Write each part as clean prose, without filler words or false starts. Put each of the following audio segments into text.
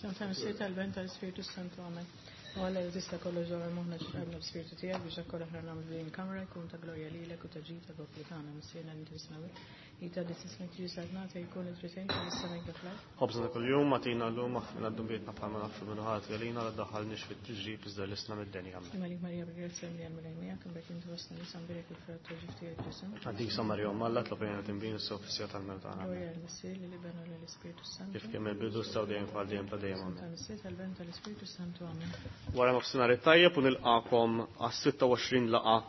F'isem tal-Missier tal-Ben tal-Ispirtu Santu Amen. U Alla li tista' kollox dwar moħħna ġrabna b'spirtu tiegħek biex dak kollu aħna nagħmlu din il-kamra jkun ta' glorja lilek u ta' ġid ta' poplu tagħna Missierna li tismawet. Jitgħaddi ismek tiġi saltnata jkun it-tritejn tal-is-sema kif l-art. Ħobżna ta' kuljum agħtina llum aħfrilna dnubietna bħalma naħfru min hu ħati għalina la ddaħħalniex fit-tiġrib iżda ħlisna mid-deni. Amen. Imma lik Marija bil-grazzja mlija l-Mulej miegħek, imbagħad inti fost in-nisa mbierek il-frott tal-ġuf tiegħek Ġesù. Qaddisa Marija Omm Alla, itlob għalina tinbin issa u fis-siegħa tal-mewt tagħna. Amen. Glorja lill-Missier, lill-Iben u lill-Ispirtu s-Santu. Kif kien mill-bidu issa u dejjem bħal dejjem ta' dejjem. Amen. Tal-Missier, tal-Ben, tal-Ispirtu s-Santu. Amen. Wara nofsinhar it-tajjeb u nilqakom għas-26 laqgħa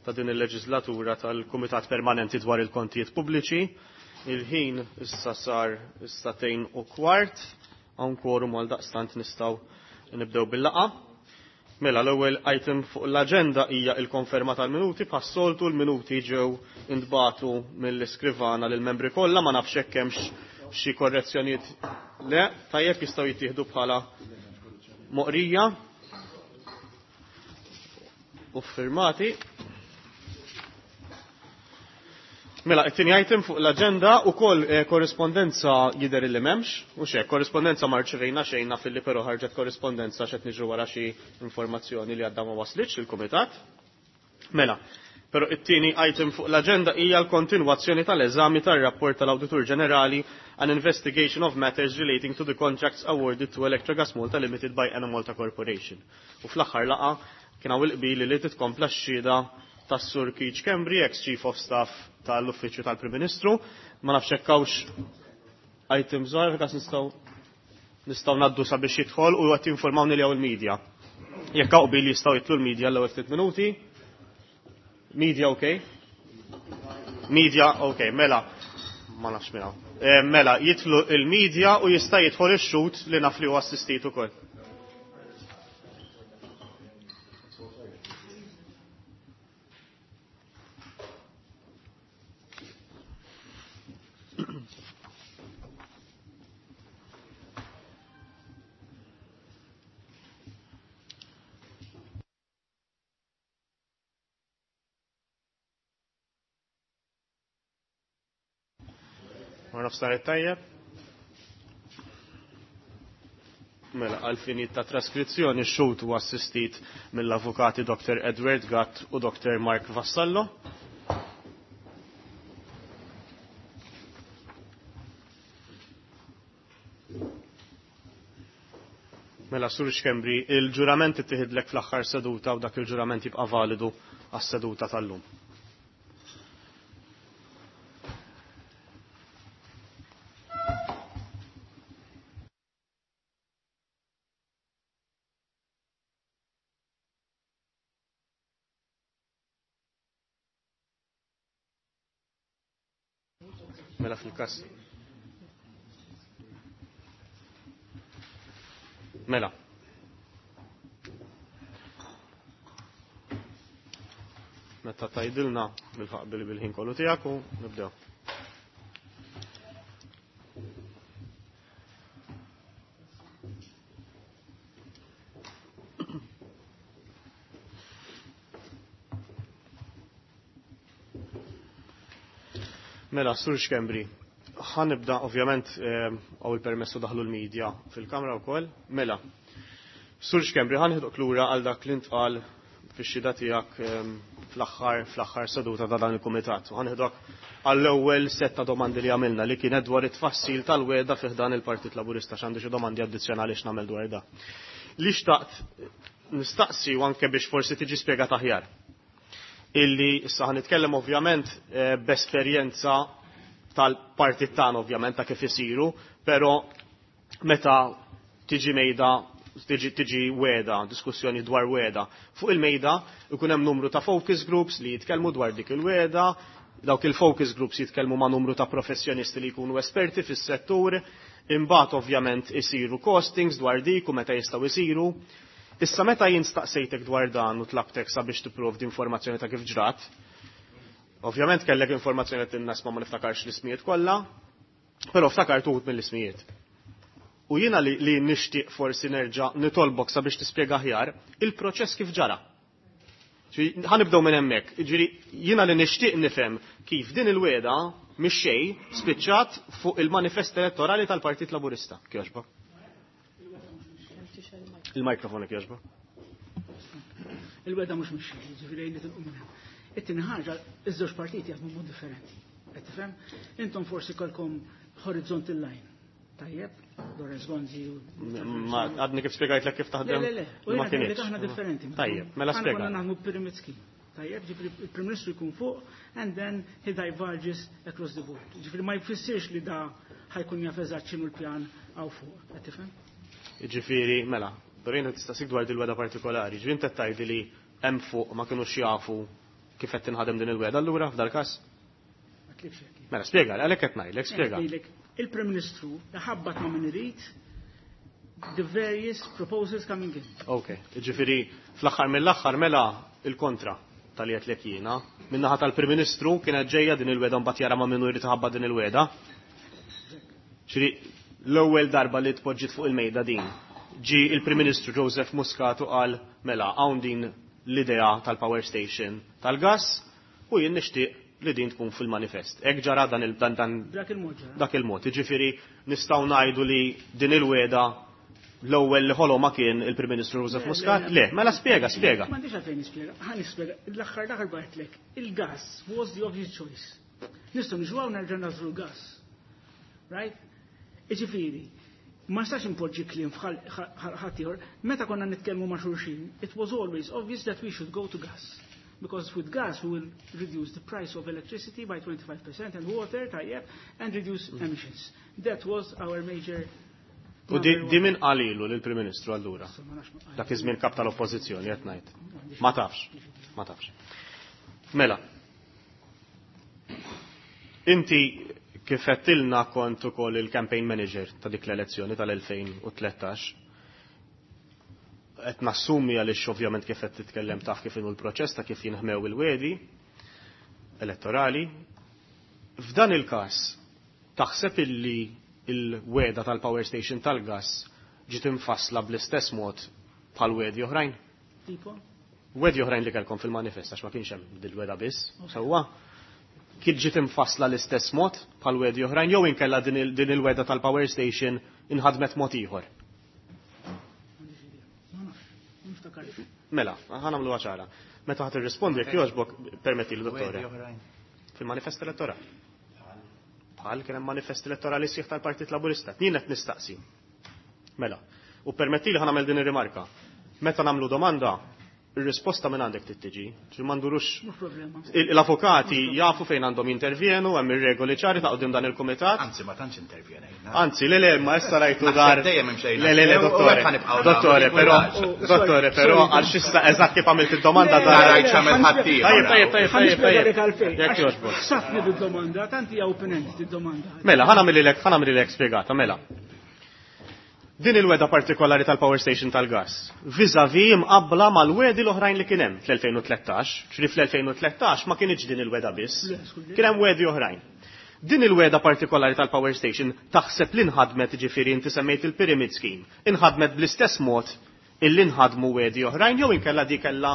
ta' din il-leġislatura tal-Kumitat Permanenti dwar il-Kontijiet Pubbliċi. Il-ħin issa sar is-sagħtejn u kwart, hawn quorum għal daqstant nistgħu nibdew bil-laqgħa. Mela l-ewwel item fuq l-aġenda hija l-konferma tal-minuti. Bħas-soltu l-minuti ġew intbagħtu mill-iskrivana lill-membri kollha, ma nafx hekk hemmx xi korrezzjonijiet le, tajjeb jistgħu jittieħdu bħala moqrija u firmati. Mela, it-tieni item fuq l-aġenda ukoll eh, korrispondenza jidher illi m'hemmx, u xek, korrispondenza ma rċevejna xejn naf illi però ħarġet korrispondenza x'qed niġru wara xi informazzjoni li għadha ma waslitx lill-kumitat. Mela, però it-tieni item fuq l-aġenda hija l-kontinwazzjoni tal-eżami tar-rapport tal-Awditur Ġenerali an investigation of matters relating to the contracts awarded to Electrogas Malta Limited by Enemalta Corporation. U fl-aħħar laqgħa kien hawn il-qbil li titkompla x-xhieda tas-Sur Keith Schembri, ex-Chief of Staff tal-Uffiċċju tal-Prim Ministru. Ma nafx hekk hawnx item żgħar f'każ nistgħu nistgħu ngħaddu sabiex jidħol u qed jinformawni li hawn il-media. Jekk hawn qbil jistgħu jidħlu l-media l-ewwel ftit minuti. Media okay? Media okay, mela ma nafx minn hawn. Eh, mela, jidħlu il-media u jista' jidħol ix-xhud li naf li huwa assistit ukoll. Wara nofsinhar it-tajjeb. Mela, għal finijiet ta' traskrizzjoni x-xhud huwa assistit mill-avukati Dr. Edward Gatt u Dr. Mark Vassallo. Mela, Sur Schembri, il-ġurament ittieħidlek fl-aħħar seduta u dak il-ġurament jibqa' validu għas-seduta tal-lum. Mela fil-kas. Mela. Meta tajdilna bil-ħaq bil-ħin kollu tiegħek u nibdew. Mela, Sur Schembri, ħanibda ovvjament għaw il-permessu daħlu l-medja fil-kamra wkoll. Mela, Sur Schembri, ħanħidok lura għal dak li ntqal fix-xhieda tiegħek fl-aħħar fl-aħħar seduta ta' dan il-kumitat. U ħanħidok għall-ewwel set ta' domandi li għamilna li kienet dwar it-tfassil tal-wegħda fih dan il-Partit Laburista x'għandu xi domandi addizzjonali x'nagħmel dwar da. Li xtaqt nistaqsi u anke biex forsi tiġi spjegat aħjar. Illi issa ħa nitkellem ovvjament b'esperjenza tal-partit tagħna ovvjament ta' kif isiru, però meta tiġi mejda tiġi tiġi wegħda, diskussjoni dwar wegħda. Fuq il-mejda ikun hemm numru ta' focus groups li jitkellmu dwar dik il-wegħda, dawk il-focus groups jitkellmu ma' numru ta' professjonisti li jkunu esperti fis-settur, imbagħad ovvjament isiru costings dwar dik u meta jistgħu isiru. Issa meta jien staqsejtek dwar dan u tlabtek sabiex tipprovdi informazzjoni ta' kif ġrat, ovvjament kellek informazzjoni qed tinnas ma niftakarx l-ismijiet kollha, però ftakart uħud mill-ismijiet. U jiena li, li nixtieq forsi nerġa' nitolbok sabiex tispjega aħjar il-proċess kif ġara. Ħa nibdew minn hemmhekk. Ġifieri jiena li nixtieq nifhem kif din il-wegħda mix xejn spiċċat fuq il-manifest elettorali tal-Partit Laburista. Kjoġbok. Il-mikrofon jekk jogħġbok. Il-wegħda mhux mix-xejn, jiġifieri li tilqu minn hemm. It-tieni ħaġa, iż-żewġ partiti jaħdmu mod differenti. Qed tifhem? Intom forsi kellkom horizontal line. Tajjeb, Lawrence Gonzi u. Ma għadni kif spjegajtlek kif taħdem. Le, le, le. U Ma jiena kinitx. aħna differenti. Tajjeb, mela Aħna spjega. konna naħdmu pyramid scheme. Tajjeb, ġifieri il-Prim Ministru jkun fuq and then he diverges across the board. Ġifieri ma jfissirx li da ħa jkun jaf eżatt x'inhu l-pjan hawn fuq. Qed tifhem? Ġifieri, mela, Doreen qed tistaqsik dwar dil-wegħda partikolari. Ġifieri inti qed tgħidli li hemm fuq ma kinux jafu kif qed tinħadem din il-wegħda allura f'dal każ? Ma tlifx hekk. Mela, spjega, għalhekk qed ngħidlek, spjega. Ngħidlek, Il-Prim Ministru ħabbat ma' min irid the various proposals coming in. Ok, ġifieri fl-aħħar mill-aħħar mela il-kontra tal-li qed jiena. Min-naħa tal-Prim Ministru kienet ġejja din il-wegħda mbagħad jara ma' minnu jrid iħabbat din il-wegħda. Ġifieri l-ewwel darba li tpoġġiet fuq il-mejda din. Ġi il-Prim Ministru Joseph Muscat u qal mela hawn din l-idea tal-power station tal-gas u jien nixtieq li din tkun fil-manifest. Hekk ġara dan il dan dan Dak il-mod ġara. dak il-mod. Jiġifieri nistgħu ngħidu li din il-wegħda l-ewwel li ħoloma kien il-Prim Ministru Joseph Le, Muscat? le, Le, mela spjega, spjega. M'għandix għalfejn nispjega, ħa nispjega. L-aħħar l-aħħar bagħtlek, il-gas was the obvious choice. Nistgħu niġu hawn nerġa' nagħżlu l-gas. Right? Iġifieri, ma nistax impoġġi kliem f'ħadd ieħor. Meta konna nitkellmu ma' xulxin, it was always obvious that we should go to gas. Because with gas we will reduce the price of electricity by 25% and water, tajjeb, and reduce emissions. That was our major U di di min qalilu lill-Prim Ministru allura? Ma nafx ma- Dak iż-żmien kap tal-Oppożizzjoni qed ngħid. Ma tafx, ma tafx. Mela. Inti kif għedtilna kont ukoll il-campaign manager ta' dik l-elezzjoni tal-2013. Qed nassumi għaliex ovvjament kif qed titkellem taf kif inhu l-proċess ta' kif jinħmew il-wegħdi elettorali. F'dan il-każ taħseb illi il-wegħda tal-power station tal-gas ġiet infassla bl-istess mod bħal wegħdi oħrajn? Tipo? Wegħdi oħrajn li kellkom fil-manifest għax ma kienx hemm dil-wegħda biss, sewwa. Kien ġiet infassla l-istess mod bħal wegħdi oħrajn jew inkella din il- din il-wegħda tal-power station inħadmet mod ieħor. M'għandix idea. Ma nafx, ma niftakarx. Mela, ħa nagħmluha ċara. Meta ħa tirrispondi jekk jogħġbok permetti li dottore. Fil-manifest elettorali. Bħal kien hemm manifest elettorali sħiħ tal-Partit Laburista. Jien qed nistaqsi. Mela, u permetti li ħa nagħmel din ir-rimarka. Meta nagħmlu domanda, ir-risposta minn għandek trid tiġi, ġi ma ndurux Mhux problema. L-avukati jafu fejn għandhom jintervjenu, hemm ir-regoli ċari ta' qudiem dan il-kumitat. Anzi, ma tantx intervjenejna. Anzi, le le, ma issa rajtu dar. Naħseb dejjem imxejna. Le le le, U dottore. hekk ħa nibqgħu Dottore, nagħmlu, però, kuraġġ. dottore, però, għal xissa eżatt kif għamilt id-domanda Le, dar. Rajt x'għamel ħaddieħor. Tajjeb, tajjeb, tajjeb, Ħa tajjeb, nispjegalek tajjeb. għalfejn. Jekk Għax jogħġbok. Ħsabni bid-domanda, tanti hija open-ended id-domanda. Mela, ħa nagħmililek, ħa nagħmililek spjegata, mela. Din il-wegħda partikolari tal-power station tal-gas, vis-a-vis imqabbla mal-wegħdi l-oħrajn li kien hemm fl-2013, ġifieri fl-2013 ma kienx din il-wegħda biss, Le, skulli. kien hemm wegħdi oħrajn. Din il-wegħda partikolari tal-power station taħseb li nħadmet ġifieri inti semmejt il-pyramid scheme, inħadmet bl-istess mod illi nħadmu wegħdi oħrajn jew inkella di kellha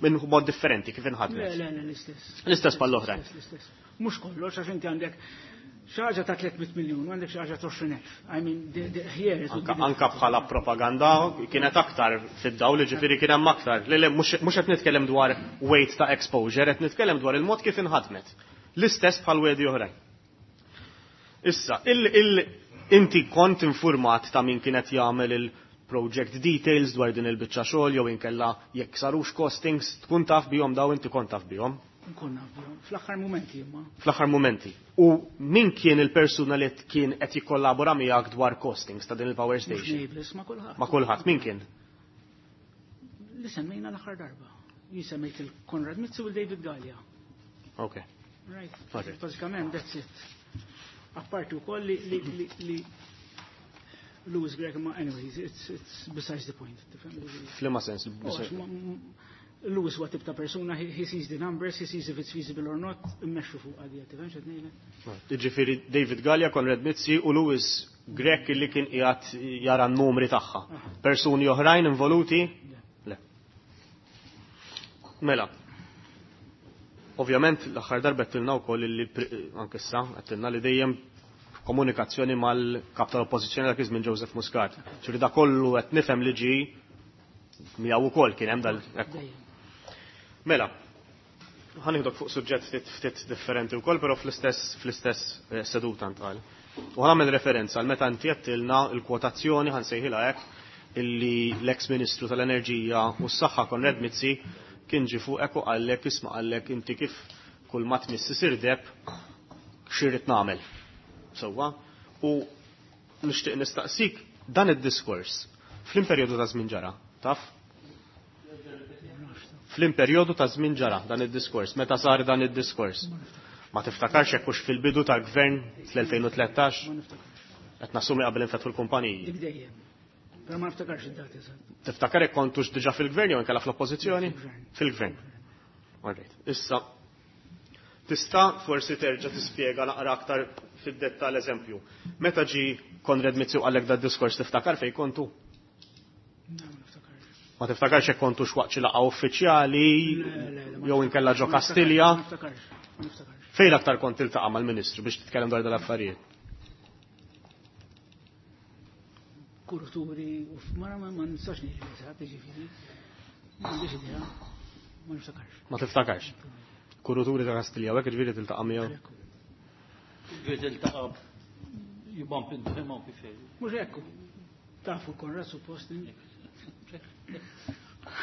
minn mod differenti kif Le, inħadmet. le, le, l-istess. L-istess bħall-oħrajn. L-istess. Mhux kollox, għax inti għandek xi ħaġa ta' 300 miljun, u għandek xi ħaġa ta' 20,000. I mean, here it would be Anka, anka bħala propaganda kienet aktar fid-dawl, ġifieri kien hemm aktar. Le, le, mhux mhux qed nitkellem dwar weight ta' exposure, qed nitkellem dwar il-mod kif inħadmet. L-istess bħal wegħdi oħrajn. Issa, il, il, inti kont informat ta' min kienet jagħmel il-project details dwar din il-biċċa xogħol jew inkella jekk sarux costings, tkun taf bihom daw inti kont taf bihom Nkun naf bihom. Fl-aħħar momenti imma. fl-aħħar momenti. U min kien il-persuna li kien qed jikkollabora miegħek dwar costings ta' din il-power Mhux station? nejblis ma' kulħadd. Ma' kulħadd, min kien? Li semmejna l-aħħar darba. Jien semmejt il-Konrad Mizzi u l-David Galea. Ok. Right. Alright. Bażikament, that's it. Apparti wkoll li li li li Louis Grech, ma anyways, it's besides the point. Tifhem? F'liema sens? Oh, għax Louis huwa tip ta' persuna, he sees the numbers, he sees if it's feasible or not, immexxu fuq għadija, tifhem x'qed ngħidlek? Ġifieri David Galea, Konrad Mizzi u Louis Grech li kien qiegħed jara n-numri tagħha. Persuni oħrajn involuti? Le. Mela. Ovvjament l-aħħar darba għedtilna wkoll li anke issa għedtilna li dejjem f'komunikazzjoni mal-kap tal-Oppożizzjoni dak iż-żmien Joseph Muscat. Ġifieri da kollu qed nifhem li ġie miegħu wkoll kien hemm dal. Mela, ħa nieħdok fuq suġġett ftit ftit differenti wkoll, però fl-istess seduta ntqal. U ħa nagħmel referenza għal meta inti għedtilna l-kwotazzjoni, ħa nsejħilha hekk, illi l-eks Ministru tal-Enerġija u s-Saħħa Konrad Mizzi kien ġie fuqek u qallek, isma' qallek inti kif kull ma tmiss isir deheb x'irrid nagħmel. Sewwa? U nixtieq nistaqsik dan id-diskors fl perjodu ta' żmien ġara, taf? Fl perjodu ta' żmien ġara dan id-diskors, meta sar dan id-diskors? Ma tiftakarx jekk hux fil-bidu tal-gvern fl-2013? Qed nassumi qabel infetħu l-kumpaniji. Dik dejjem. Però ma niftakarx id-dati eżatt. Tiftakar jekk kontux diġà fil-gvern jew inkella fl-oppożizzjoni? Fil-gvern. Fil-gvern. All right. Issa, tista' forsi terġa' tispjega naqra aktar fid-dettall eżempju. Meta ġi Konrad Mizzi u qallek dad-diskors tiftakar fejn kontu? No, ma niftakarx. Ma tiftakarx jekk kontux waqt xi laqgħa uffiċjali Le, le, le, ma jew inkella ġo ma niftakarx, Kastilja? Ma niftakarx, ma niftakarx. Fejn aktar kont tiltaqa' mal-Ministru biex titkellem dwar dal-affarijiet? Kuruturi u ma ma nistax ngħid eżatt, jiġifieri. M'għandix idea. Ma niftakarx. Ma tiftakarx. Kuruturi ta' Kastilja, u hekk ġifieri tiltaqa' miegħu. Ġifieri tiltaqa' you bump into him u kif jgħidu. Mhux hekk. Tafu Konrad suppost.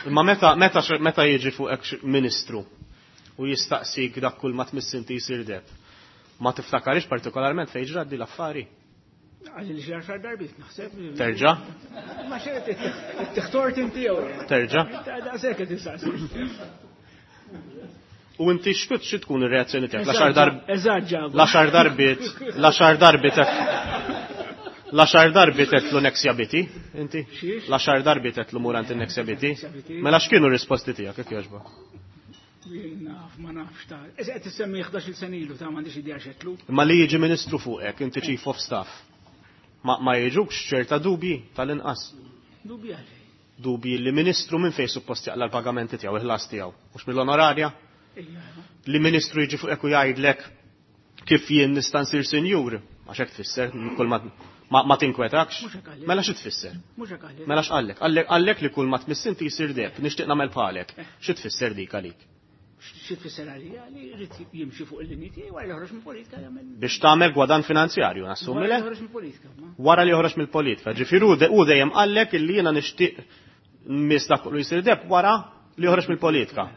Imma meta meta meta jiġi fuqek ministru u jistaqsik dak kull ma tmiss inti jsir deheb, ma tiftakarix partikolarment fejn ġrat di l-affari? Għalli li xi għaxar darbiet naħseb. Terġa'? Ma xejn tiħtort inti jew. Terġa'? Daqshekk qed tistaqsi. U inti x'kut xi tkun ir-reazzjoni tiegħek? L-għaxar darb Eżatt ġabu. l-għaxar darbiet, l-għaxar darbiet l-għaxar darbiet għedtlu Nexia BT, inti? Xiex? L-għaxar darbiet għedtlu mur għand in-Nexia BT? Nexia BT. Mela x'kienu r-risposti tiegħek jekk jogħġbok? Jien naf, ma nafx ta' Issa qed tissemmi 11-il sena ilu ta' m'għandix idea x'għedtlu. Imma li jiġi ministru fuqek, inti chief of staff, ma jiġukx ċerta dubji tal-inqas? Dubji għalfejn. Dubji li ministru minn fejn suppost jaqla l-pagamenti tiegħu, il-ħlas tiegħu, mhux mill-onorarja? Ejja. Li ministru jiġi fuqek u jgħidlek kif jien nista' nsir sinjur, għax hekk tfisser, kull ma ma tinkwetakx? Mhux hekk għalek. Mela xi tfisser? Mhux hekk għalek. Mela x'qallek? Qallek qallek li kull ma tmiss inti jsir deheb, nixtieq nagħmel bħalek. Xi tfisser dik għalik? Xi tfisser għalija li jrid jimxi fuq il-linji tiegħi wara li joħroġ mill-politika jagħmel. Biex tagħmel gwadan finanzjarju, nassumi Wara li le? joħroġ mill-politika, ma. Wara li joħroġ mill-politika. Ġifieri hu dejjem qallek illi jiena nixtieq nmiss dak kollu jsir deheb wara li joħroġ mill-politika.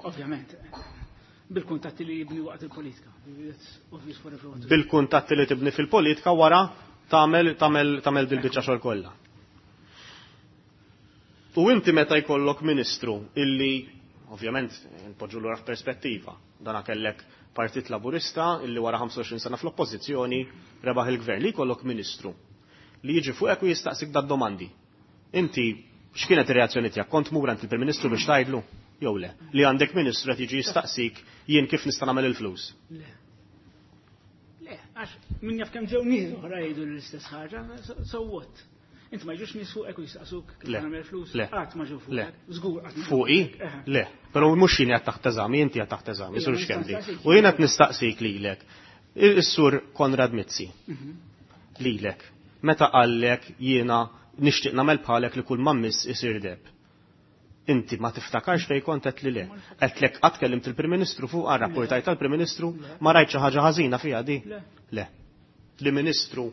Ovvjament. Bil-kuntatti li jibni waqt il-politika. That's obvious for everyone. to Bil-kuntatti li tibni fil-politika wara tagħmel tagħmel tagħmel dil-biċċa xogħol kollha. U inti meta jkollok ministru illi ovvjament npoġġu lura f'perspettiva, dana kellek Partit Laburista illi wara 25 sena fl-oppożizzjoni rebaħ il-gvern, li jkollok ministru li jiġi fuqek u jistaqsik dad domandi. Inti x'kienet ir-reazzjoni tiegħek? Kont mur għand il-Prim Ministru biex tgħidlu? Jew le? Li għandek ministru qed jiġi jistaqsik jien kif nista' nagħmel il-flus? Le. Le, għax min jaf kemm ġew nies oħra jgħidu l-istess ħaġa, so what? Int ma ġux nies fuqek u jistaqsuk kif Le. nagħmel flus? Le. Qatt ma ġew Le. fuqek. Żgur qatt ma ġew Fuqi? fuqek. Eħe. Le. Però mhux jien qed taħt eżami, inti qed taħt eżami, Ija, Sur ma Schembri. nistaqsik. U jien qed nistaqsik lilek. Is-Sur Konrad Mizzi. Lilek. Meta qallek jiena nixtieq nagħmel bħalek li kull ma mmiss isir deheb. Inti ma tiftakarx fejn kont qed li le. Qedlek qatt kellimt il-Prim Ministru fuq rapportajt tal-Prim Ministru ma rajt xi ħaġa ħażina fiha di? Le. Le. Li ministru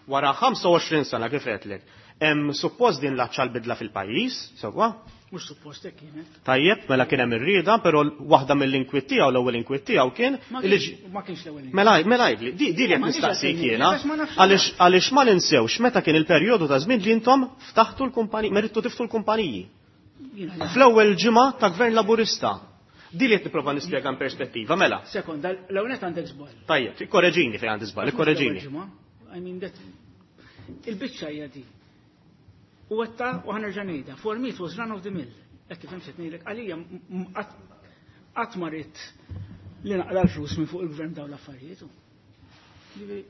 wara 25 sena kif qedlek, hemm suppost din l-aċċa l-bidla fil-pajjiż, sewwa? Mhux suppost hekk kienet. Tajjeb, mela kien hemm ir-rieda, però waħda mill-inkwiet tiegħu l-ewwel inkwiet tiegħu kien Ma li kienx ma kienx l-ewwel. Mela, mela jgħidli, di li qed Ma nix nistaqsik għalfejn, jiena, għax ma nafx għaliex għaliex ma ninsewx meta kien il-perjodu ta' żmien li intom ftaħtu l-kumpaniji, merittu tiftu l-kumpaniji. Jiena Fl-ewwel ġimgħa ta' Gvern Laburista. Di li qed nipprova nispjega in perspettiva, mela. Sekonda, l-ewwel għandek żball. Tajjeb, ikkoreġini fejn għandi żball, ikkoreġini. I mean that il-biċċa hija di. U għetta u ħa nerġa' ngħidha, for me it was run of the mill. Hekk kif qed ngħidlek għalija qatt ma ridt li naqla l-flus minn fuq il-gvern dawn l-affarijiet. Ġifieri,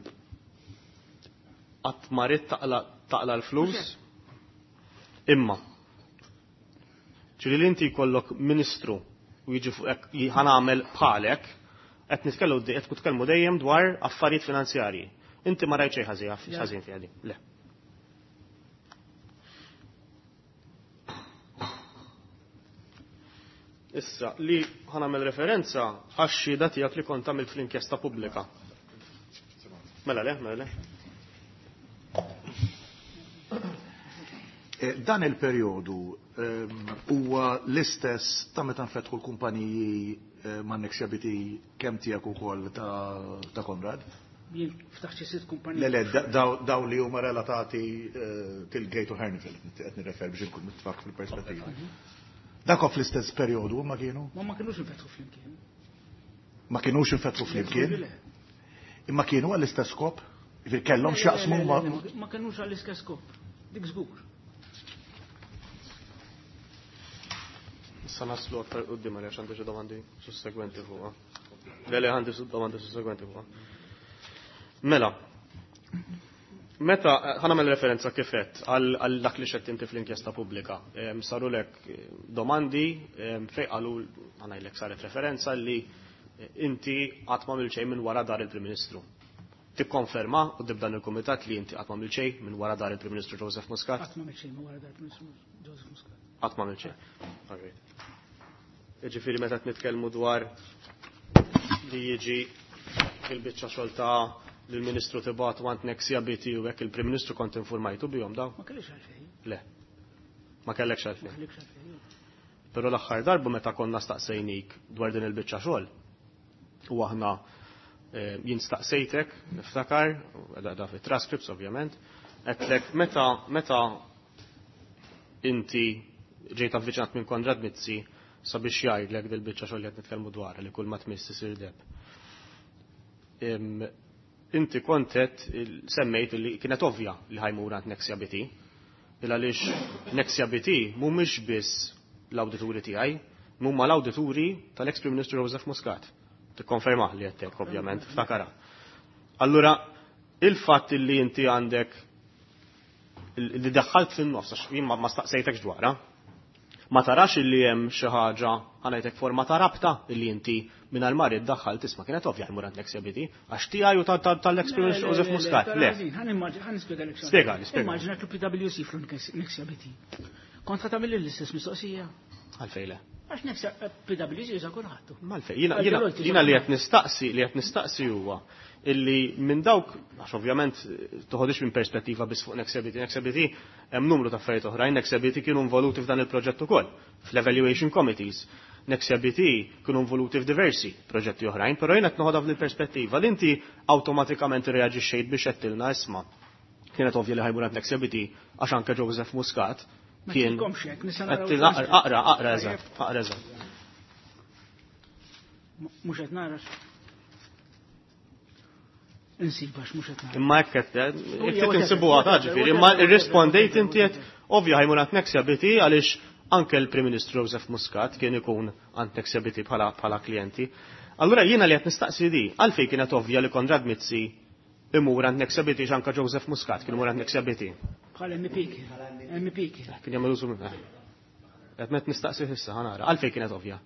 Qatt ma ridt taqla l-flus. Imma. Ġifieri li inti jkollok ministru u jiġi fuqek ħa nagħmel bħalek, qed nitkellmu qed titkellmu dejjem dwar affarijiet finanzjarji. Inti ma rajt xejn ħażin fiha din. Le. Issa, li ħanamel referenza għax-xhieda tiegħek li kont għamilt fl-inkjesta pubblika. Mela le, mela le. Dan il-perjodu huwa l-istess ta' meta nfetħu l-kumpaniji ma' Nexia BT kemm tiegħek ukoll ta' Konrad? Jien ftaħt xi sitt kumpaniji. Le, le, daw li huma relatati til-Gate u Hernifil, qed nirrefer biex inkun nitfak fil-perspettiva. Dak fl-istess perjodu ma kienu? Ma ma kinux infetħu flimkien. Ma kinux infetħu flimkien? Imma kienu għall-istess skop? Kellhom x'jaqsmu ma. Ma kinux għall-istess skop. Dik żgur. Issa naslu aktar quddiem għaliex għandi xi domandi sussegwenti fuqha. Le le għandi domandi sussegwenti fuqha. Mela, meta ħa nagħmel referenza kif għedt għal dak li xedt inti fl-inkjesta pubblika. Sarulek domandi fejn qalu ħa ngħidlek saret referenza li inti qatt ma xejn minn wara dar il-Prim Ministru. Tikkonferma quddiem dan il-kumitat li inti qatt ma xejn minn wara dar il-Prim Ministru Joseph Muscat? Qatt ma xejn minn wara dar il-Prim Ministru Joseph Muscat. Qatt ma xejn. Jiġifieri meta nitkellmu dwar li jiġi il-biċċa xogħol ta' l-Ministru tibgħat għand Nexia BT u hekk il-Prim Ministru kont informajtu bihom daw? Ma kellix għalfejn. Le. Ma kellekx għalfejn. Ma kellekx għalfejn. Però l-aħħar darba meta konna staqsejnik dwar din il-biċċa xogħol u aħna jien staqsejtek, niftakar, da fit-transcripts ovvjament, għedtlek meta inti ġejt avviċinat minn Konrad Mizzi sabiex jgħidlek dil-biċċa xogħol li qed nitkellmu dwar li kull ma tmiss isir deb. Inti kontet semmejt li kienet ovvja li ħa jmur għand Nexia BT. Il għaliex Nexia BT mhumiex biss l-awdituri tiegħi, huma l-awdituri tal-ex Prim Ministru Joseph Muscat. Tikkonferma li qed ovvjament, ftakara. Allura, il-fatt li inti għandek li daħħalt fin-nofs, għax jien ma staqsejtekx dwarha, ma tarax illi hemm xi ħaġa ħa ngħidlek forma ta' rabta illi inti mingħajr ma ridt daħħalt tisma' kienet ovvja jmur għand Nexia BT għax tiegħi u tal-ex Prim Ministru Joseph Muscat. Le. Ħa nispjegalek xi. Spjega, spjega. Immaġina l-PwC fl-Nexia BT. Kont ħa tagħmel l-istess mistoqsija. Għalfejn le. Għax Nexia PwC juża kulħadd. Malfej, jiena li qed nistaqsi, li qed nistaqsi huwa illi minn dawk, għax ovvjament toħodix minn perspettiva biss fuq Nexia BT, Nexia BT hemm numru ta' affarijiet oħrajn, Nexia BT kienu involuti f'dan il-proġett ukoll, fl-evaluation committees. Nexia BT kienu involuti f'diversi proġetti oħrajn, però jien qed noħodha f'din perspettiva li inti awtomatikament irreaġixxejt biex għedtilna isma' kienet ovvja li ħa jmur għand Nexia BT għax anke Joseph Muscat kien. Aqra, aqra eżatt, aqra eżatt. Mhux qed nara. Insibax mhux qed nara. Imma hekk qed jekk insibuha ta' ġifieri, imma irrispondejt inti qed ovvja ħa jmur għand Nexia BT għaliex anke l-Prim Ministru Joseph Muscat kien ikun għand Nexia BT bħala klijenti. Allura jiena li qed nistaqsi di, għalfejn kienet ovvja li Konrad Mizzi imur għand Nexia BT anke Joseph Muscat kien imur għand Nexia BT. Bħala MP kien. MP kien. Kien jagħmel użu minn. Qed met nistaqsi issa ħa nara, għalfejn kienet ovvja.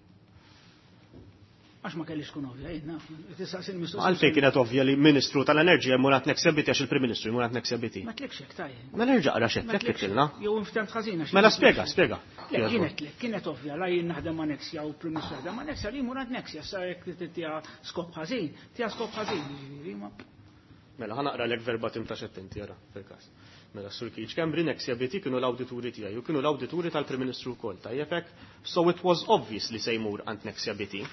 Għax ma kellix tkun ovvja, jien naf. Tistaqsi l-mistoqsija. Għalfejn kienet ovvja li Ministru tal-Enerġija jmur għand Nexia BT għax il-Prim Ministru jmur għand Nexia BT. Ma tlekx hekk tajjeb. Mela nerġa' qra x'għedt hekk kittilna. Jew inftemt ħażin għax. Mela spjega, spjega. Le, kienet kienet ovvja, la jien naħdem ma' Nexia u l-Prim Ministru jaħdem ma' Nexia li jmur għand Nexia, sa jekk tiha skop ħażin, tiha skop ħażin, jiġifieri ma. Mela ħa naqra lek verbatim ta' x'għedt inti ara fil-każ. Mela Sur Keith Schembri Nexia BT kienu l-awdituri tiegħi u kienu l-awdituri tal-Prim Ministru wkoll, tajjeb hekk? So it was obvious li se jmur għand Nexia BT.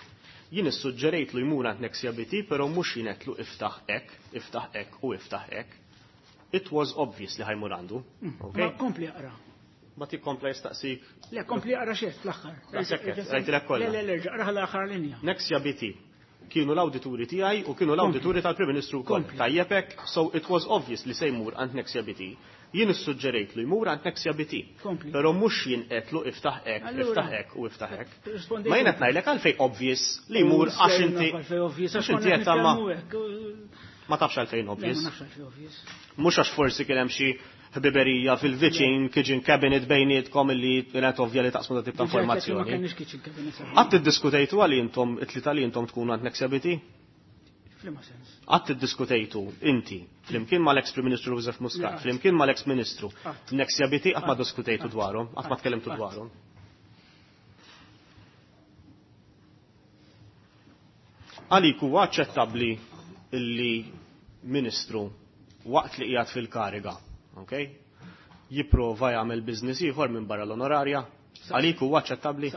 Jien issuġġerejt lu jmur għand Nexia BT, però mhux jien għedtlu iftaħ hekk, iftaħ hekk u iftaħ hekk. It was obvious li ħa jmur għandu. Ma kompli aqra. Ma tikkompla jistaqsik. Le, kompli aqra xejn fl-aħħar. Rajtilek kollha. Le, le, le, aqra l-aħħar linja. Nexia BT kienu l-awdituri tiegħi u kienu l-awdituri tal-Prim Ministru wkoll. Tajjeb hekk, so it was obvious li se jmur għand Nexia BT. Jien issuġġerejt li jmur għand Nexia BT. Però mhux jien għedtlu iftaħ hekk, iftaħ hekk u iftaħ hekk. Ma jien qed ngħidlek għalfejn obvious li jmur għax inti. Għax inti qed ma tafx għalfejn obvious. Mhux għax forsi kien hemm xi ħbiberija fil-viċin, kitchen cabinet bejnietkom illi kienet ovvja li taqsmu tip ta' informazzjoni. Qatt iddiskutejtu għal intom it-tlieta li intom tkunu għand Nexia BT? F'liema sens? Qatt iddiskutejtu inti flimkien mal-ex Prim Ministru Joseph Muscat, flimkien mal-ex Ministru Nexia BT qatt ma diskutejtu dwarhom, qatt ma tkellimtu dwarhom. Għalik huwa aċċettabbli illi Ministru waqt li qiegħed fil-kariga, okay? Jipprova jagħmel business ieħor minn barra l-onorarja? Għalik huwa aċċettabbli?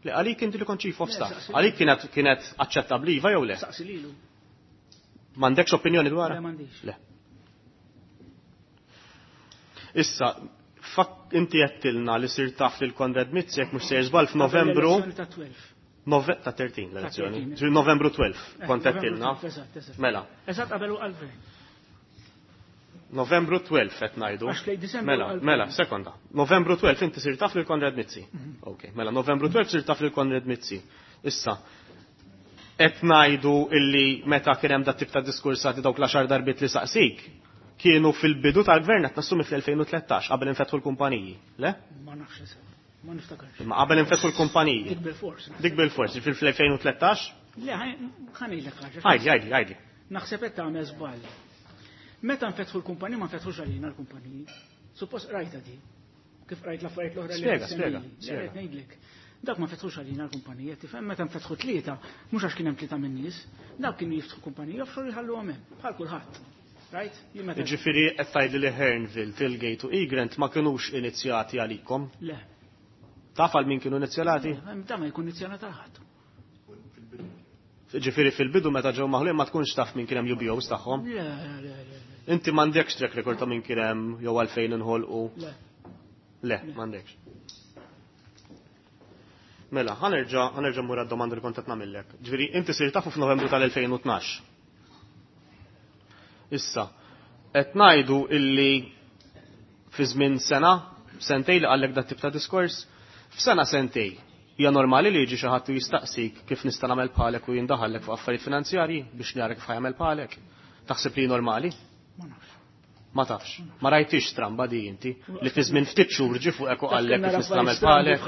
Le għalik inti li kont chief of staff. Għalik kienet kienet aċċettabbli iva jew le? M'għandekx opinjoni dwarha? Le m'għandix. Le. Issa, inti għedtilna li sir taf lil Konrad Mizzi jekk mhux sejjer żball f'Novembru. Ta' 12. Ta' 13 l-elezzjoni. Novembru 12 kont għedtilna. Mela. Eżatt qabel u għal Novembru 12 qed ngħidu. Mela, mela, sekonda. Novembru 12 inti sir taf lil Konrad Mizzi. Ok, mela Novembru 12 sir taf lil Konrad Mizzi. Issa, qed ngħidu illi meta kien hemm dat tip ta' diskursati dawk l-għaxar darbiet li saqsik, kienu fil-bidu tal-gvern qed nassumi fl-2013 qabel infetħu l-kumpaniji, le? Ma nafx eżatt, ma niftakarx. Imma qabel infetħu l-kumpaniji. Dik bil-fors. Dik bil-fors, fil-2013? Le, ħa ngħidlek ħaġa. Għidli, għidli, għidli. Naħseb qed tagħmel żball. Meta nfetħu l-kumpaniji ma nfetħux għalina l-kumpaniji. Suppost rajta di. Kif rajt l-affarijiet l-oħra li Spjega, spjega, spjega. Ngħidlek. Dak ma fetħux għalina l-kumpanija, tifhem meta nfetħu tlieta, mhux għax kien hemm tlieta min-nies, dawk kienu jiftħu kumpanija offshore jħalluhom hemm, bħal kulħadd. Right? Jiġifieri qed tgħidli li Hearnville, Tilgate u Egrant ma kinux inizjati għalikom? Le. Taf għal min kienu inizjati? Da ma jkun inizjat għal ħadd. Ġifieri fil-bidu meta ġew maħluqin ma tkunx taf min kien hemm UBOs tagħhom? Le, le, le. Inti m'għandekx track record ta' min kien hemm jew għalfejn inħolqu? Le. Le, m'għandekx. Mela, ħa nerġa' ħa nerġa' mmur għad-domanda li kont qed nagħmillek. Ġifieri inti sirt tafu f'Novembru tal-2012. Issa, qed ngħidu illi fi żmien sena, sentej li qallek dat tip ta' diskors, f'sena sentej hija normali li jiġi xi ħadd u jistaqsik kif nista' nagħmel bħalek u jindaħallek fuq affarijiet finanzjarji biex nara kif ħa jagħmel bħalek. Taħseb li normali? Ma nafx. Ma tafx. Ma rajtix stramba di inti li fi żmien ftit xhur ġie fuqek u qallek kif nista' nagħmel bħalek.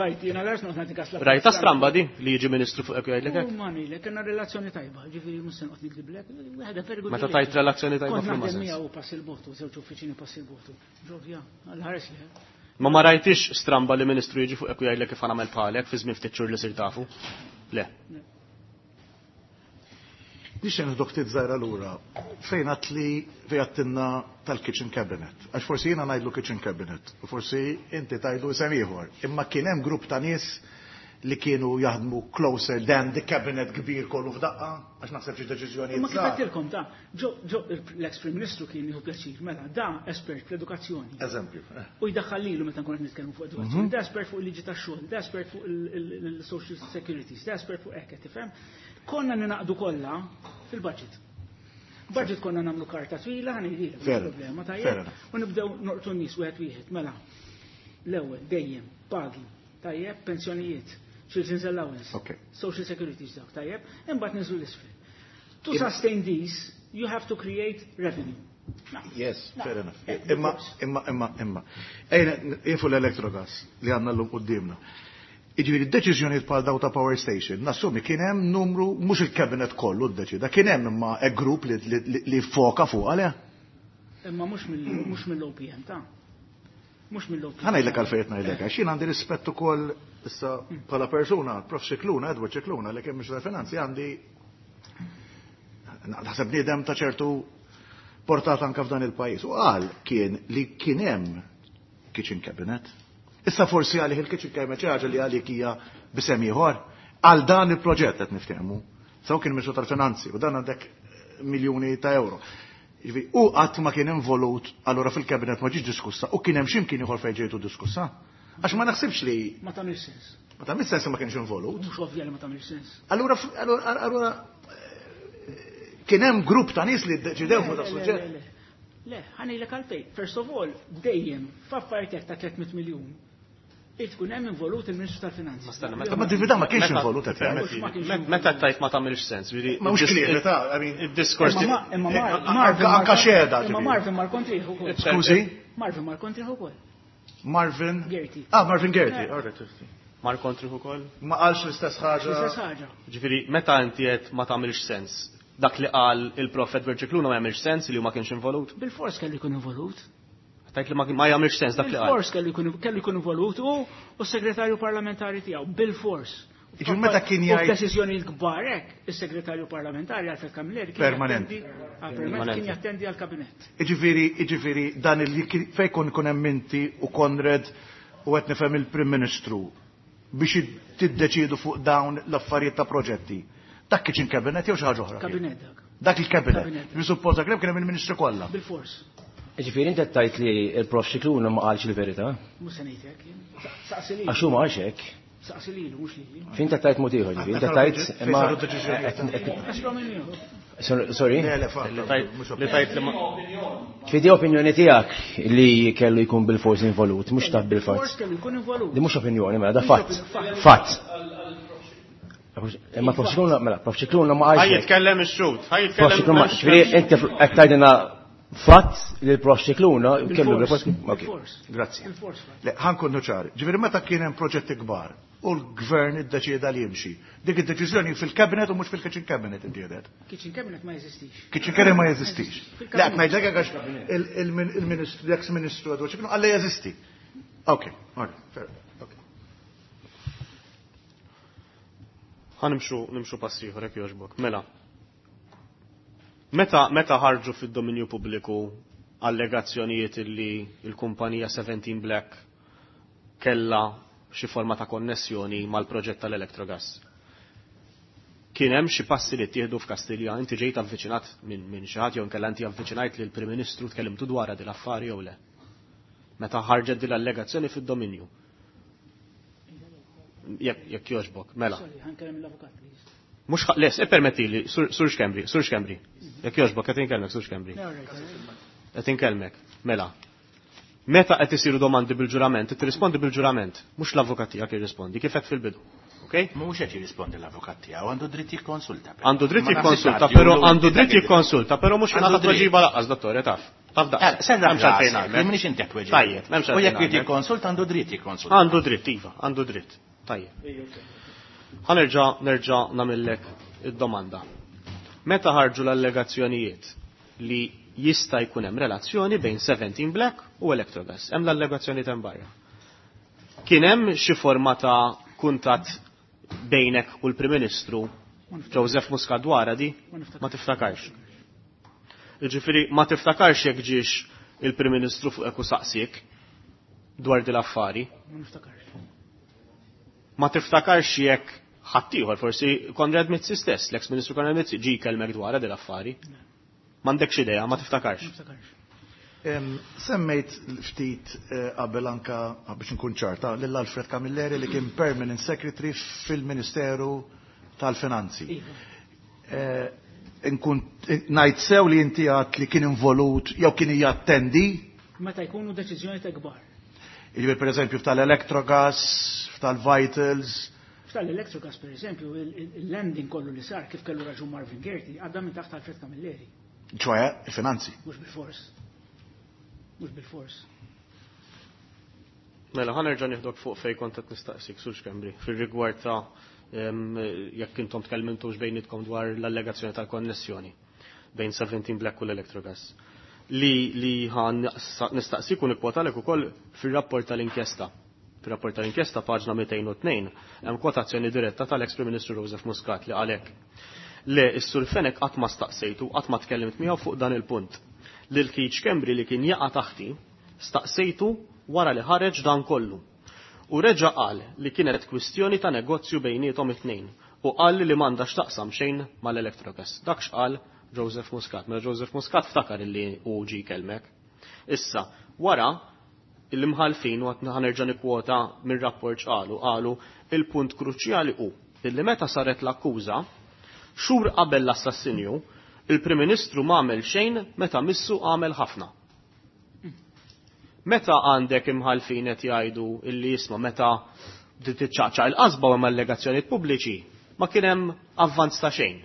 Rajta stramba di li jiġi ministru fuqek u jgħidlek hekk? Ma ngħidlek, kellna relazzjoni tajba, ġifieri mhux se noqgħod nikdiblek, wieħed very good. Meta tajt relazzjoni tajba Kont f'liema naħdem sens? miegħu pass il-botu, żewġ uffiċini pass il-botu. Ġovja, għal-ħares li. Ma ma rajtix stramba li ministru jiġi fuqek u jgħidlek kif nagħmel bħalek fi żmien ftit xhur li sir tafu? Le. Nixtieq nieħdok ftit żgħira lura fejn għedt li fejn għedtilna tal-kitchen cabinet. Għax forsi jiena ngħidlu kitchen cabinet u forsi inti tgħidlu isem ieħor. Imma kien hemm grupp ta' nies li kienu jaħdmu closer than the cabinet kbir kollu f'daqqa, għax naħseb xi deċiżjonijiet Imma kif żgħar. għedtilkom ta' ġo ġo l-ex Prim Ministru kien jieħu pjaċir, mela da espert fl-edukazzjoni. Eżempju. U jdaħħal lilu meta nkun qed nitkellmu fuq edukazzjoni, da espert fuq il-liġi tax-xogħol, da espert fuq il-social securities, da espert fuq hekk, tifhem? Konna ninaqdu kollha fil-budget. Budget konna nagħmlu karta twila, ħa ngħidilek, Fair problema enough. Fair tajjeb. enough. U nibdew norqtu n-nies wieħed wieħed, mela. L-ewwel dejjem pagi, tajjeb, pensjonijiet, children's allowance, social securities dawk, tajjeb, imbagħad niżlu l-isfel. To sustain these, you have to create revenue. Yes, fair enough. Imma, imma, imma, imma. Ejna, jifu l-Electrogas li għandna llum quddiemna. Jiġifieri d-deċiżjonijiet bħal daw ta' power station, nassumi kien hemm numru, mhux il-cabinet kollu ddeċida, kien hemm imma a group li foka fuq għalih. Imma mhux mill-OPM ta' mhux mill-OPM. Ħa ngħidlek għalfejn qed ngħidlek, għax jien għandi rispett ukoll issa bħala persuna, Prof Scicluna, Edward Scicluna, li kien Ministru tal-Finanzi, għandi naħseb bniedem ta' ċertu portata anka f'dan il-pajjiż. U qal kien li kien hemm kitchen cabinet. Issa forsi għalih il-kitchen cabinet xi ħaġa li għalik hija b'isem ieħor. Għal dan il-proġett qed niftehmu. Saw kien Ministru tal-Finanzi u dan għandek miljuni ta' euro. Jiġifieri, u qatt ma kien involut allura fil-kabinet ma ġietx diskussa u kien hemm x'imkien ieħor fejn ġejtu diskussa. Għax ma naħsibx li Ma tagħmilx sens. Ma tagħmilx sens ma kienx involut. Mhux ovvja li ma tagħmilx sens. Allura allura allura kien hemm grupp ta' nies li ddeċidew fuq da' suġġett. Le, ħa ngħidlek għalfejn. First of all, dejjem f'affarijiet ta' 300 miljun. Irid tkun hemm involut il-Ministru tal-Finanzi. Ma divida ma kienx involut qed jgħid. Meta tajt ma tagħmilx sens, vidi. Ma mhux klieb, ta' I mean, id-diskors. Imma Anka xeda, Imma ġifieri. Marvin mar kontriħ ukoll. Skużi? Marvin mar kontriħ ukoll. Marvin Gerti. Ah, Marvin Gerti, all right. Mar kontriħ ukoll? Ma qalx l-istess ħaġa. L-istess ħaġa. Ġifieri, meta inti qed ma tagħmilx sens, Dak li qal il-Prof Edward Scicluna ma jagħmilx sens li hu ma kienx involut? Bil-fors kellu jkun involut. Tajt li ma jagħmilx sens dak li qal. Bil-fors kellu jkun involut u s-segretarju parlamentari tiegħu, bil-fors. Jiġifieri meta kien jgħid. U f'deċiżjonijiet kbar hekk, is-segretarju parlamentari Alfred Camilleri kien Permanenti. Permanenti kien jattendi għall-kabinett. Jiġifieri, jiġifieri dan il fejn kun ikun hemm inti u Konrad u qed nifhem il-Prim Ministru biex tiddeċiedu fuq dawn l-affarijiet ta' proġetti. Dak kitchen cabinet jew xi ħaġa oħra? Kabinet dak. Dak il-kabinet. Jiġifieri suppost dak kien hemm il-Ministri kollha. Bil-fors. Jiġifieri inti qed tgħid li l-Prof Scicluna ma qalx il-verità? Mhux se ngħid hekk jien. Saqsi lilu. Għax hu ma qalx hekk. Saqsi lilu, mhux lili. Fejn inti qed tgħid mod ieħor, jiġifieri inti qed tgħid imma Sorry? Le, le, fatt. Li tgħid li ma. Ġifieri di opinjoni tiegħek li kellu jkun bil-fors involut, mhux taf bil-fatt. Bil-fors kellu jkun involut. Di mhux opinjoni, mela da fatt. Fatt. Imma Prof Scicluna, mela, Prof Scicluna ma qalx Ħa hekk. jitkellem ix-xhud, ħa Prof jitkellem Scicluna, ġifieri inti qed tgħidilna fatt li l-Prof Scicluna kellu Bil-fors. bil-fors. Ok. Bil-fors. Grazzi. Bil-fors, fatt. Le, ħa nkunu ċari. Ġifieri meta kien hemm proġetti kbar u l-gvern iddeċieda li jimxi, dik id-deċiżjoni fil-cabinet u mhux fil-kitchen cabinet ittieħdet. Kitchen cabinet ma jeżistix. Kitchen cabinet ma jeżistix. Fil-cabinet. Le, qed ngħidlek hekk għax il-ministru, l-ex-ministru Edward Scicluna qal li jeżisti. Ok, all right, fair, ok. Ħa nimxu, nimxu pass ieħor jekk jogħġbok. Mela. Meta, meta ħarġu fid-dominju pubbliku allegazzjonijiet illi l-kumpanija 17 Black kellha xi forma ta' konnessjoni mal-proġett tal-Electrogas. Kien hemm xi passi li ttieħdu f'Kastilja, inti ġejt avviċinat minn xi ħadd jew inkella inti avviċinajt lill-Prim Ministru tkellimtu dwarha din l-affari jew le? Meta ħarġet din l-allegazzjoni fid-dominju. Jekk jogħġbok, mela. Sorry, ħa nkellem l-avukat, please. Mhux ħa, les, ippermettili, Sur Schembri, Sur Schembri. Jekk jogħġbok, qed inkellmek, Sur Schembri. Le, all right, all right. Qed inkellmek, mela. Meta qed isiru domandi bil-ġurament, tirrispondi bil-ġurament, mhux l-avukat tiegħek jirrispondi, kif qed fil-bidu. Ok? Mhux qed jirrispondi l-avukat tiegħu, għandu dritt jikkonsulta. però. Għandu dritt Ma naħsibx jikkonsulta, għad però jgħidu għandu inti dritt dak id-dritt. jikkonsulta, però mhux Għandu jingħata dritt. tweġiba laqqas, dottore, taf. Taf daqs. Serra M'hemmx għalfejn rasek, għalmek. minix inti qed tweġib. Tajjeb, m'hemmx U jekk għalfejn jrid għalmek. jikkonsulta għandu dritt jikkonsulta. Għandu dritt, iva, għandu dritt. Tajjeb. Ħa nerġa' nerġa' nagħmillek id-domanda. Meta ħarġu l-allegazzjonijiet li jista' jkun hemm relazzjoni bejn 17 Black u Electrogas, hemm l-allegazzjoni hemm barra. Kien hemm xi forma ta' kuntatt bejnek u l-Prim Ministru Joseph Muscat dwarha di? Ma niftakarx. Ma tiftakarx. Jiġifieri ma tiftakarx jekk ġiex il-Prim Ministru fuqek u saqsiek dwar din l-affari. Ma niftakarx. Ma tiftakarx jekk ħaddieħor, forsi Konrad Mizzi stess, l-ex Ministru Konrad Mizzi ġie jkellmek dwarha din l-affari. M'għandekx idea, ma tiftakarx. Ma niftakarx. Semmejt ftit qabel anka biex nkun ċarta lil Alfred Camilleri li kien Permanent Secretary fil-Ministeru tal-Finanzi. Iva. Nkun ngħid sew li inti għad li kien involut jew kien jattendi? Meta jkunu deċiżjoni ta' kbar. Jiġifieri pereżempju f'tal-Electrogas, f'tal-Vitals. F'tal-Electrogas pereżempju, il-landing kollu li sar kif kellu raġun Marvin Gerti għadda minn taħt Alfred Camilleri. ċoħe, il-finanzi. Mhux bil-fors. Mhux bil-fors. Mela, ħa nerġa' nieħdok fuq fejn kont qed nistaqsik, Sur Schembri, fir-rigward ta' jekk intom tkellmintux bejnietkom dwar l-allegazzjoni tal-konnessjoni bejn 17 Black u l-Electrogas. Li ħa nistaqsik u nikkwotalek ukoll fir-rapport tal-inkjesta. Fir-rapport tal-inkjesta paġna 202 hemm kwotazzjoni diretta tal-ex Prim Ministru Joseph Muscat li għalhekk. Le, is-Sur Fenech qatt ma staqsejtu, qatt ma tkellimt miegħu fuq dan il-punt. Lil Keith Schembri li kien jaqa' taħti, staqsejtu wara li ħareġ dan kollu. U reġa' qal li kienet kwistjoni ta' negozju bejniethom it-tnejn u qal li m'għandha x'taqsam xejn mal-Electrogas. Dak x'qal Joseph Muscat. Mela Joseph Muscat ftakar illi hu ġie jkellmek. Issa, wara il-imħalfin u għad ħanerġa' nikkwota mir-rapport x'qalu, qalu il-punt kruċjali hu illi meta saret l-akkuża, xhur qabel l-assassinju, il-Prim Ministru m'għamel xejn meta missu għamel ħafna. Meta għandek imħalfin qed jgħidu illi jisma' meta tiċċaqċaq il-qasba u hemm allegazzjonijiet pubbliċi, ma kien hemm avvanz ta' xejn.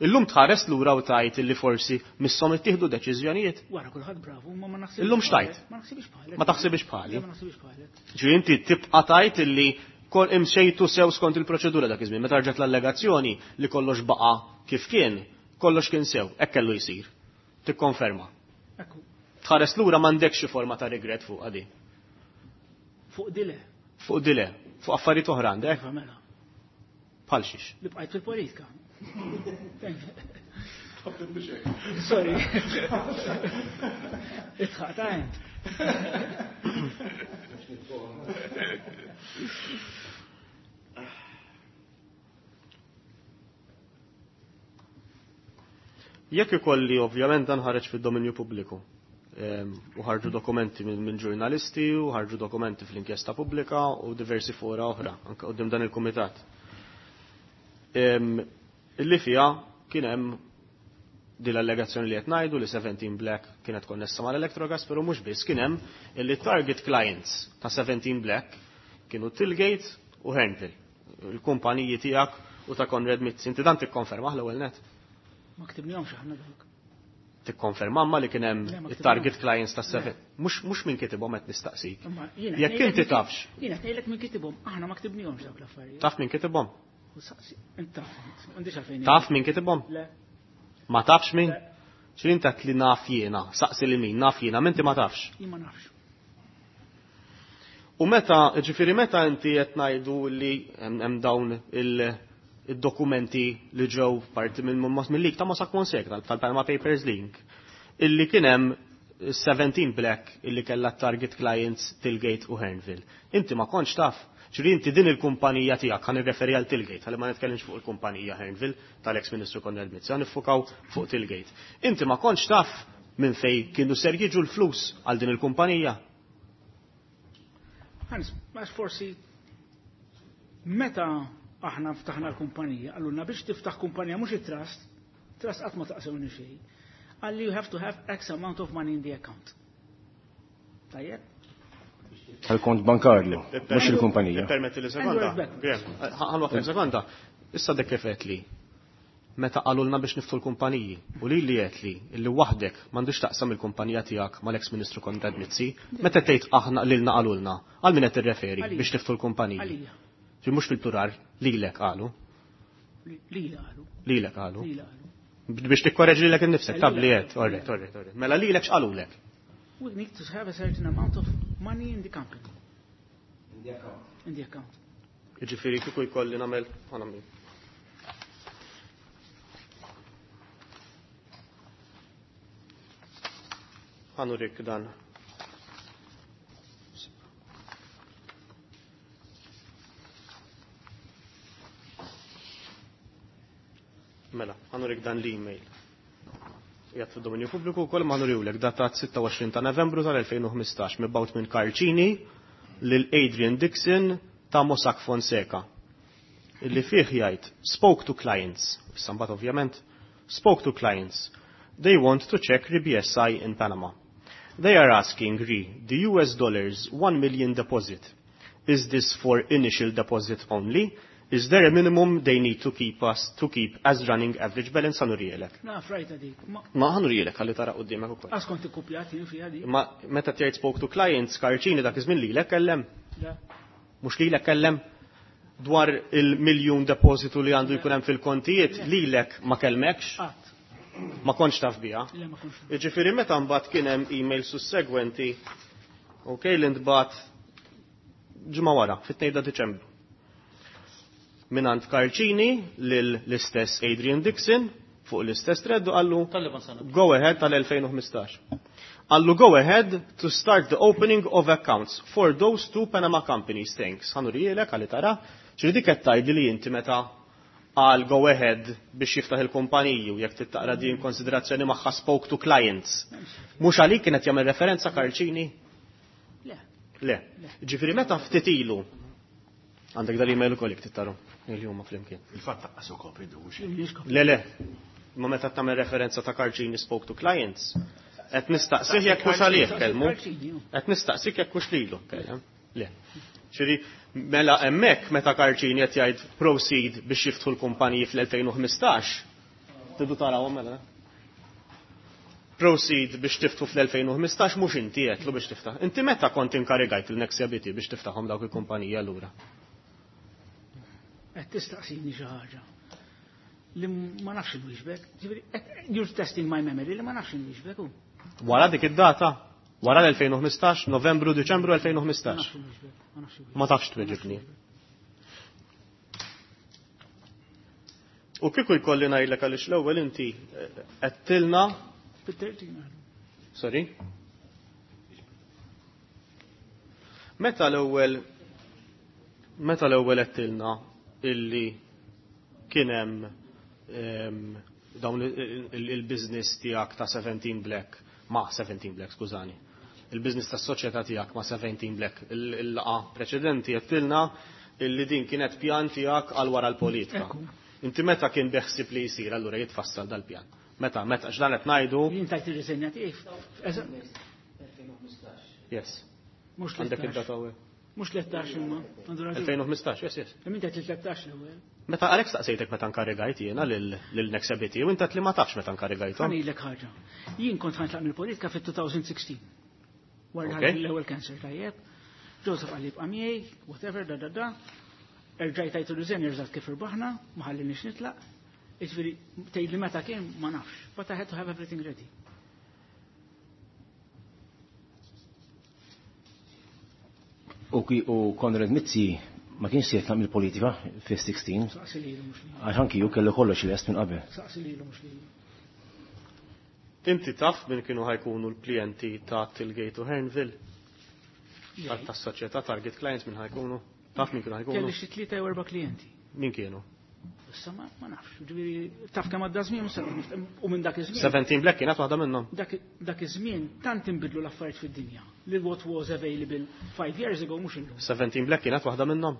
Illum tħares lura u tajt illi forsi misshom ittieħdu deċiżjonijiet. Wara kulħadd bravu, ma ma naħsibx Illum x'tajt? bħalek. Ma naħsibx bħalek. Ma taħsibx bħali. Le, ma naħsibx bħalek. Ġifieri inti tibqa' tajt illi kol imxejtu sew skont il-proċedura dak iż-żmien, meta rġgħet l-allegazzjoni li kollox baqa' kif kien, Kollox kien sew, hekk kellu jsir. Tikkonferma. Ekku, Tħares lura m'għandekx xi forma ta' regret fuq għadi. fuq dile. Fuq dile, fuq affarijiet oħra għandek, Iva mela. bħal xiex. Li bqajt fil-politika. Sorry. Itħaq ta' ent. Jekk ikolli ovvjament dan ħareġ fid-dominju pubbliku. U ħarġu dokumenti minn ġurnalisti u ħarġu dokumenti fl-inkjesta pubblika u diversi fora oħra anke quddiem dan il-kumitat. Illi fiha kien hemm din l-allegazzjoni li qed ngħidu li 17 Black kienet konnessa mal-Electrogas, però mhux biss kien hemm illi target clients ta' 17 Black kienu Tillgate u Hernville, il-kumpaniji tiegħek u ta' Konrad Mizzi. Inti dan tikkonfermah l-ewwel net? Ma ktibnihomx aħna dawk. Tikkonferma ma li kien hemm Le, ma it-target ktibnihomx. clients ta' 7. Mhux min kitibhom qed nistaqsik. Imma jiena Jekk qed inti ngħidlek tafx, Jiena qed ngħidlek min kitibhom, aħna ma ktibnihomx dawk l-affarijiet. taf min kitibhom? U saqsi, int taf, m'għandix għalfejn. Taf min kitibhom? Le, Ma tafx min? Le. X'in inti li naf jiena, saqsi li min, naf jiena, minti ma tafx. jien ma nafx. U meta, ġifieri meta inti qed ngħidu li hemm dawn id-dokumenti li ġew parti minn mill-leak ta' Mossack Fonseca tal-Panama Papers Link, illi kien hemm 17 Black illi kellha target clients Tillgate u Hernville. Inti ma kontx taf. Ġifieri inti din il-kumpanija tiegħek ħa nirreferi għal Tillgate, ħalli ma nitkellimx fuq il-kumpanija Hernville tal-ex Ministru Konrad Mizzi, ħa niffukaw fuq Tillgate. Inti ma kontx taf minn fej kienu ser jiġu l-flus għal din il-kumpanija. Ħans, għax forsi meta aħna ftaħna l-kumpanija, għallulna biex tiftaħ kumpanija mhux it-trust, trust qatt ma taqsewni xejn. Għalli you have to have X amount of money in the account. Tajjeb? Tal-kont bankarju, mhux il-kumpanija. Permetti li sekonda. And we're back. Graham, ħan waqfem sekonda. Issa dek kif qed li. Meta qalulna biex niftu l-kumpaniji u li li qed li illi waħdek m'għandux taqsam il-kumpanija tiegħek mal-ex Ministru Konrad Mizzi, meta tgħid aħna lilna qalulna, għal min qed tirreferi Għalija. biex tiftu l-kumpaniji. Għalija. Ġi mhux fil-plural, lilek qalu, Li qalu. lilek qalu. Li qalu. Biex tikkoreġi lilek innifsek, tab li Lilek. qed, orret, orret, orret. Mela lilek x'qalulek? We need to have a certain amount of money in the company. In the account. In the account. Jiġifieri kieku jkolli nagħmel ħa nagħmel. Ħa nurik dan. Mela, ħa nurik dan l-email. Jgħat fil-dominju pubbliku wkoll ma nuriwlek datat 26 ta' Novembru tal-2015 mibgħut minn Karl Cini lil Adrian Dixon ta' Mossack Fonseca. Illi fih jgħid spoke to clients, issa mbagħad ovvjament, spoke to clients. They want to check re-BSI in Panama. They are asking re the US dollars 1 million deposit. Is this for initial deposit only? Is there a minimum they need to keep us to keep as running average balance? Ħa nurihielek. Naf rajta dik. Ma Ma ħa nurihielek ħalli tara quddiemek ukoll. għax kont ikkupjat jien fiha dik. Ma meta tgħid spoke to clients, Karl Cini dak iż-żmien lilek kellem, Le. mhux lilek kellem dwar il-miljun depositu li għandu jkun hemm fil-kontijiet, lilek ma kellmekx, Qatt. ma kontx taf biha. Le ma kontx. Jiġifieri meta mbagħad kien hemm email sussegwenti, ok, li ntbagħat ġimgħa wara, fit-2 ta' Diċembru. Minant Karl Cini lil l-istess Adrian Dixon fuq l-istess thread u qallu Tal-liema sena. go ahead tal-2015. Qallu go ahead to start the opening of accounts for those two Panama companies. Thanks. Ħa nurihielek ħalli tara. Ġifieri dik qed tgħidli li inti meta għal go ahead biex jiftaħ il-kumpaniji u jekk tittaqra din konsiderazzjoni magħha spoke to clients. Mhux għalik kienet jagħmel referenza Karl Cini? Le. Le. Ġifieri meta ftit ilu għandek dal-email ukoll jekk tittaru il huma flimkien. Il-fatt taqqas ukoll idux. Le, le. Ma meta tagħmel referenza ta' Karl Cini spoke to clients, qed nistaqsih jekk hux għalih kellmu. Qed nistaqsik jekk hux lilu kellem. Le. Ġifieri mela hemmhekk meta Karl Cini qed jgħid proceed biex jiftħu l-kumpaniji fl-2015, tridu tarawhom mela. Proceed biex tiftħu fl-2015 mhux inti qedlu biex tiftaħ. Inti meta kont inkarigajt il-Nexia BT biex tiftaħhom dawk il-kumpaniji allura? Qed tistaqsini xi ħaġa. Li ma nafx inwieġbek. Ġifieri, you're testing my memory li ma nafx inwieġbek. Wara dik id-data? Wara l-2015, Novembru, Diċembru 2015. Ma tafx tweġibni. U kieku jkolli ngħidlek għaliex l-ewwel inti għedtilna. Sorry? Meta l-ewwel meta l-ewwel għedtilna illi kien hemm dawn il-business tiegħek ta' 17 Black ma' 17 Black, skużani. Il-business tas-soċjetà tiegħek ma' 17 Black. Il-laqgħa preċedenti għedtilna illi din kienet pjan tiegħek għal wara l-politika. Inti meta kien beħsib li jsir allura jitfassal dal-pjan? Meta, meta, x'dan qed ngħidu? Jien tajt ir-riżenja tiegħi. Yes. Mhux Għandek id-data hawnhekk. Mhux 13 imma. 2015, yes, yes. Imma inti 13 l-ewwel. Meta għalhekk staqsejtek meta nkarigajt jiena lil Nexabiti u inti li ma tafx meta nkarigajthom. Ħanilek ħaġa. Jien kont ħantlaq mill-politika fit-2016. Wara l-ewwel cancer tajjeb. Joseph qalli ibqa' miegħi, whatever, da da da. Erġajt tajtu riżenja eżatt kif irbaħna, ma ħallinix nitlaq. Jiġifieri tgħidli meta kien ma nafx, but I had to have everything ready. U Konrad Mizzi ma kienx se jitlaq mill-politika fis-16. Saqsi lilu mhux lilu. Għax anki hu kellu kollox lest minn qabel. Saqsi lilu mhux lilu. Inti taf min kienu ħajkunu l-klijenti ta' Tilgate u Hearnville? Tas-soċjetà Target Clients min ħajkunu? Taf min kienu ħajkunu? Kelli xi tlieta jew erba' klijenti. Min kienu? Issa ma nafx, ġifieri taf kemm għadda żmien u minn dak iż-żmien. 17 Black kienet waħda minnhom. Dak iż-żmien tant inbidlu l-affarijiet fid-dinja li what was available 5 years ago mhux illum. 17 Black kienet waħda minnhom.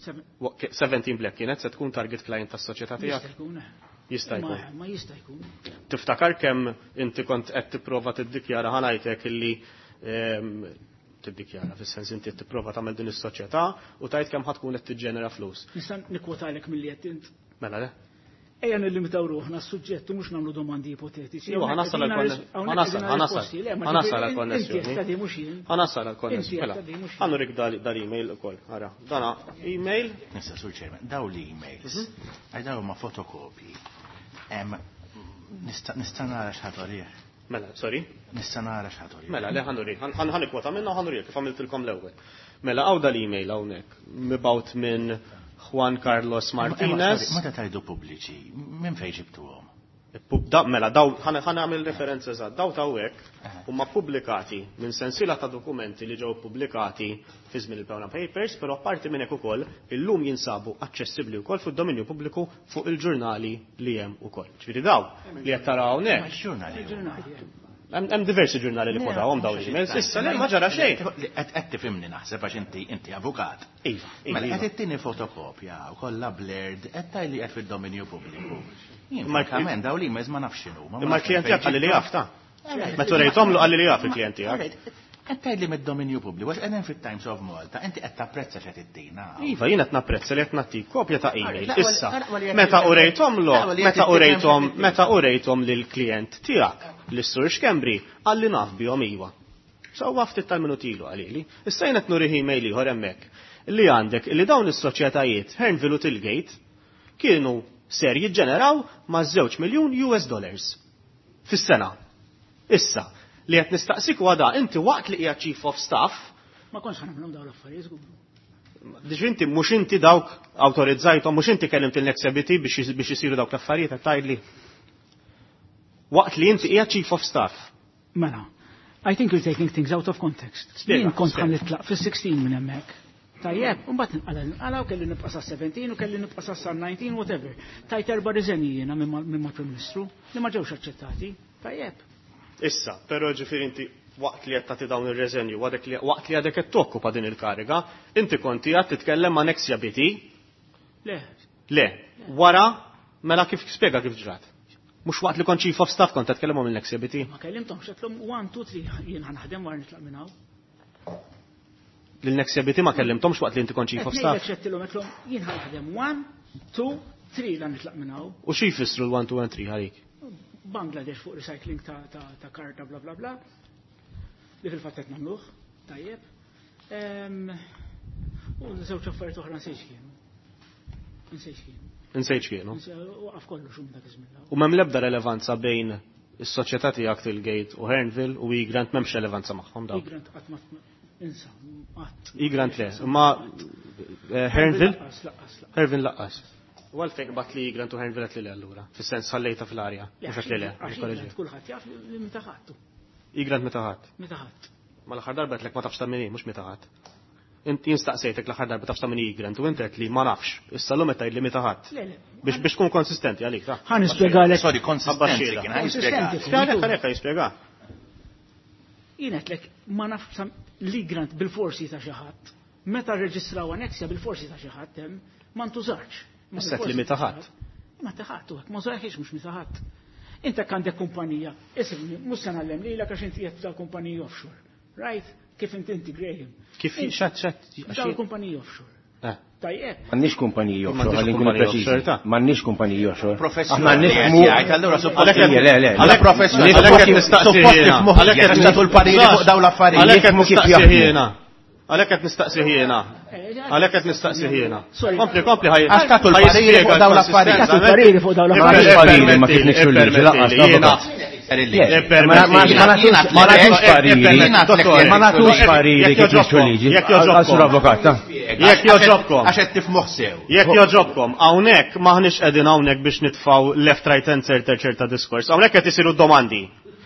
17 Black kienet se tkun target client tas-soċjetà tiegħek? Jista' jkun. Jista' jkun. Ma jista' jkun. Tiftakar kemm inti kont qed tipprova tiddikjara ħanajtek illi tiddikjara fis-sens inti tipprova tagħmel din is-soċjetà u tajt kemm ħadd tkun qed tiġġenera flus. Nista' nikkwotalek milli qed int. Mela le. Ejja nillimitaw ruħna s-suġġett u mhux nagħmlu domandi ipotetiċi. Iva, ħanasal għall-konnessjoni. Ħanasal għall-konnessjoni. Mela, ħanurik dal-email ukoll. Ara, dana email. Nista' sur chairman, daw l-emails. Għaj daw ma fotokopji. Nista' nara x'ħadd għalih. Mela, sorry? Nista' nara x'ħadd għalih. Mela, le ħanuri, ħanikwota minna u ħanuri kif għamiltilkom l-ewwel. Mela, hawn dal-email hawnhekk, mibgħut minn Juan Carlos Martinez. Meta tajdu pubbliċi, minn fejn ġibtuhom? Mela, daw, ħanagħmel referenza eżatt, daw ta' hawnhekk huma pubblikati minn sensiela ta' dokumenti li ġew pubblikati fi żmien il-Panama Papers, però apparti minn hekk ukoll illum jinsabu aċċessibbli wkoll fid-dominju pubbliku fuq il-ġurnali li hemm ukoll. Ġifieri daw li qed taraw hawnhekk. Ma x-ġurnali? Hemm diversi ġurnali li kwotawhom daw l-emails. Issa le ma ġara xejn. Qed tifhimni naħseb għax inti avukat. Iva, iva, Mela iva. qed ittini fotokopja u kollha blurred qed tgħidli qed fid-dominju pubbliku. Jien Imma frankament daw l-emails ma nafx x'inhu, ma Imma nafx l-klient fejn tiegħek qalli li jaf ta'. Alright. Meta rejthom qalli li jaf il-klient tiegħek. Alright. Qed tgħidli mid-dominju pubbliku għax qegħdin fit-Times of Malta, inti qed tapprezza x'qed ittina. Iva, jien qed napprezza li qed nagħtik kopja ta' email. Alright, Issa, laqwa li qed meta tifhem- urejthom lo, laqwa li qed meta tifhem urejthom, x'qed ittina. meta urejthom lill-klient tiegħek, lis-Sur Schembri, qalli naf bihom iva. Sewwa ftit tal-minuti ilu qalili. Issa jien qed nurih email ieħor hemmhekk li għandek li dawn is-soċjetajiet Hearnville u Tilgate kienu ser jiġġeneraw ma' żewġ miljun US dollars fis-sena. Issa, li qed nistaqsik huwa da, inti waqt li qiegħed Chief of Staff, Ma kontx ħanamlhom dawn l-affarijiet, żgur. Diġ inti mhux inti dawk awtorizzajthom, mhux inti kellimt il-Nexabiti biex isiru dawk l-affarijiet qed tgħidli. Waqt li inti qiegħed Chief of Staff. Mela, I think you're taking things out of context. Spiega, Jien kont spiega. ħan nitlaq fis-16 minn hemmhekk. Tajjeb, u mbagħad nqala nqala u kelli nibqa' sa 17 u kelli nibqa' sa 19, whatever. Tajt erba' riżenji jiena minn mal-Prim Ministru li ma ġewx aċċettati. Tajjeb. Issa, però ġifieri inti waqt li qed tagħti dawn ir-reżenju, waqt li għadek qed tokkupa din il-kariga, inti konti qed titkellem ma' Nexia BT? Le. Le, wara mela kif spjega kif ġrat? Mhux waqt li kont Chief of Staff kont qed tkellem minn Nexia BT? Ma kellimthomx, qedlhom 1, 2, 3, jien ħa naħdem wara nitlaq minn hawn. Lil Nexia BT ma kellimthomx waqt li inti kont Chief of Qed Staff? ngħidlek x'għedtilhom, qedlhom jien ħa naħdem 1, 2, 3 la nitlaq minn hawn. U xi jfissru l-1, 2 and 3 għalik? Bangladesh fuq recycling ta' karta bla bla bla. Li fil-fatt qed nagħmluh, tajjeb. U żewġ affarijiet oħra nsejx kienu. Insejt x'kien. Insejt x'kienu. Waqaf kollox minn dak iż-żmien. U m'hemm l-ebda relevanza bejn is-soċjetà tiegħek Tilgate u Hearnville u Egrant m'hemmx relevanza magħhom dawn. Egrant qatt ma insa, qatt. Egrant le, imma Hearnville? Laqqas, laqqas, laqqas. Hearnville laqqas. U għalfejn qbadt li Egrant u Hearnville qed li le allura? Fis-sens ħallejta fl-arja, mhux għax li le. Għax Egrant kulħadd jaf li meta ħadtu. Egrant meta ħadd. Meta ħadd. Ma l-aħħar darba qedlek ma tafx ta' min hi, mhux meta ħadd. Inti jien staqsejtek l-aħħar darba tafx ta' min hi Egrant u inti qed li ma nafx. Issa llum qed tgħid li meta ħadd. Le, le. Biex tkun konsistenti għalik, ta' Ħa nispjegalek. Sorry, konsistenti kien, ħa jispjega. Konsistenti. Spjega, ħa jispjega. Jien qedlek ma nafx li Egrant bil-forsi ta' xi ħadd. Meta rreġistraw Anexia bil-forsi ta' xi ħadd hemm, ma ntużarx. Ma Issa qed li bil-forsi meta ta' xi ħadd. ħadd. Ma ta' ħadd, u hekk ma użarx mhux meta ħadd. Inta għandek kumpanija, isimni, mhux se ngħallem lilek għax inti qed ta' kumpaniji offshore. Right? Kif inti inti Graham. Kif xat xat Daw kumpaniji offshore. Eh. Tajjeb. M'għandniex kumpaniji offshore, M'għandniex ħalli nkunu kumpaniji preċiżi. offshore, ta' M'għandniex kumpaniji offshore. Professjoni Aħna nifhmu. jgħid, allura suppost- Le, le, le. Għalhekk professjoni, Għalhekk qed suppost nistaqsi suppost jiena. tifhmuh Għalhekk qed jekk tagħtu l-pariri fuq dawn l-affarijiet. Għalhekk qed Nifhmu kif nistaqsi jaħdmu. jiena. Għalhekk qed nistaqsi jiena. Għalhekk qed nistaqsi jiena. Sorry. Kompli, kompli ħaj. Għax tagħtu l-pariri fuq dawn l-affarijiet. Tagħtu l-pariri fuq dawn l-affarijiet. M'għandniex pariri ma kif nixtru liġi, lanqas, Jiena. Ma nagħtux pariri. Ma nagħtux pariri kif nixtru liġi. Jekk joġobkom. Għal sur avukat, ta' Jekk joġobkom. Għax qed tifhmuh sew. Jekk joġobkom, hawnhekk maħniex qegħdin hawnhekk biex nitfgħu left right and center ċerta diskors. Hawnhekk qed isiru domandi.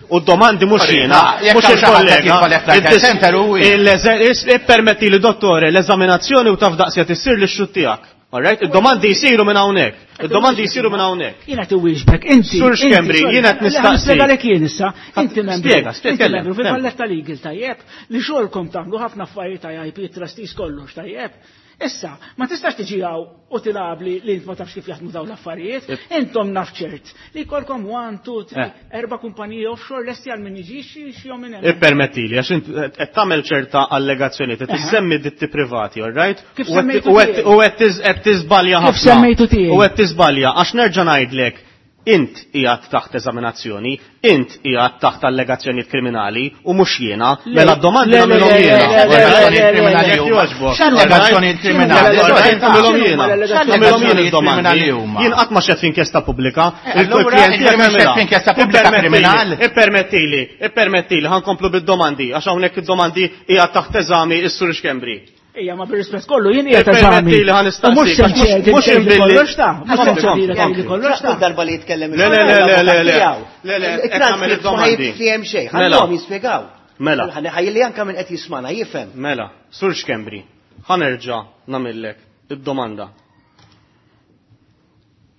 U d-domandi mhux jiena, jekk mhux hawn xi ħadd qed il-kollega. jitfa' left, right and center hu jien. Ippermetti li dottore l-eżaminazzjoni u taf daqsja tissir li xut tiegħek. All right? Id-domandi jsiru minn hawnhekk. Id-domandi jsiru minn hawnhekk. Jiena tiwieġbek, inti. Sur inti, Schembri, sorry, jiena qed le, nistaqsi. Nispjegalek jien issa. Inti membru. Spjega, spjega, Inti tkellem, membru tkellem. fil-Valletta Legal tajjeb li xogħolkom tagħmlu ħafna affarijiet ta' IP, trustees kollox tajjeb. Issa, ma tistax tiġi hawn u tilabli li int ma tafx kif jaħdmu dawn l-affarijiet. Intom naf ċert li jkollkom 1, 2, 3, erba' kumpaniji offshore lesti għal min jiġi xi jom minn hemm. Ippermettili, għax int qed tagħmel ċerta allegazzjoni, qed tissemmi ditti privati, all right? Kif U qed- semmejtu u qed- tiegħi? U qed qed tiżbalja Kif ħafna. semmejtu tiegħi? U qed tiżbalja għax nerġa' ngħidlek int qiegħed taħt eżaminazzjoni, int qiegħed taħt allegazzjonijiet kriminali u mhux jiena, Le, mela d-domandi le, le, nagħmilhom le, jiena. le, le, le, le, le, le, Jekk jogħġbok. X'allegazzjonijiet kriminali? All right, nagħmilhom jiena. X'allegazzjonijiet Nagħmilhom jien id-domandi. kriminali huma? Jien qatt ma xed f'inkjesta pubblika. Allura, Il-klient inti tiegħek mhux xed għamilha. f'inkjesta pubblika kriminal? Ippermettili, ippermettili, ħankomplu bid-domandi, għax hawnhekk id-domandi hija taħt eżami is-Sur Schembri. Ejja, ma bir-rispett kollu jien qiegħed eżami. Ippermettili ħa U mhux nistaqsik, se għax mhux- nċedi mhux nċedi inbilli- kollox ta' mhux se Kompli, nċedi kompli. kollox ta'. Kull darba li jitkellem Le, le, le, le, le, le. Le, le, qed nagħmel Il-transcript ma id-domandi. jifhem xejn, Mela. ħallhom jispjegaw. Mela. Ħalli anke minn qed jismana jifhem. Mela, Sur Schembri, ħanerġa' nagħmillek id-domanda.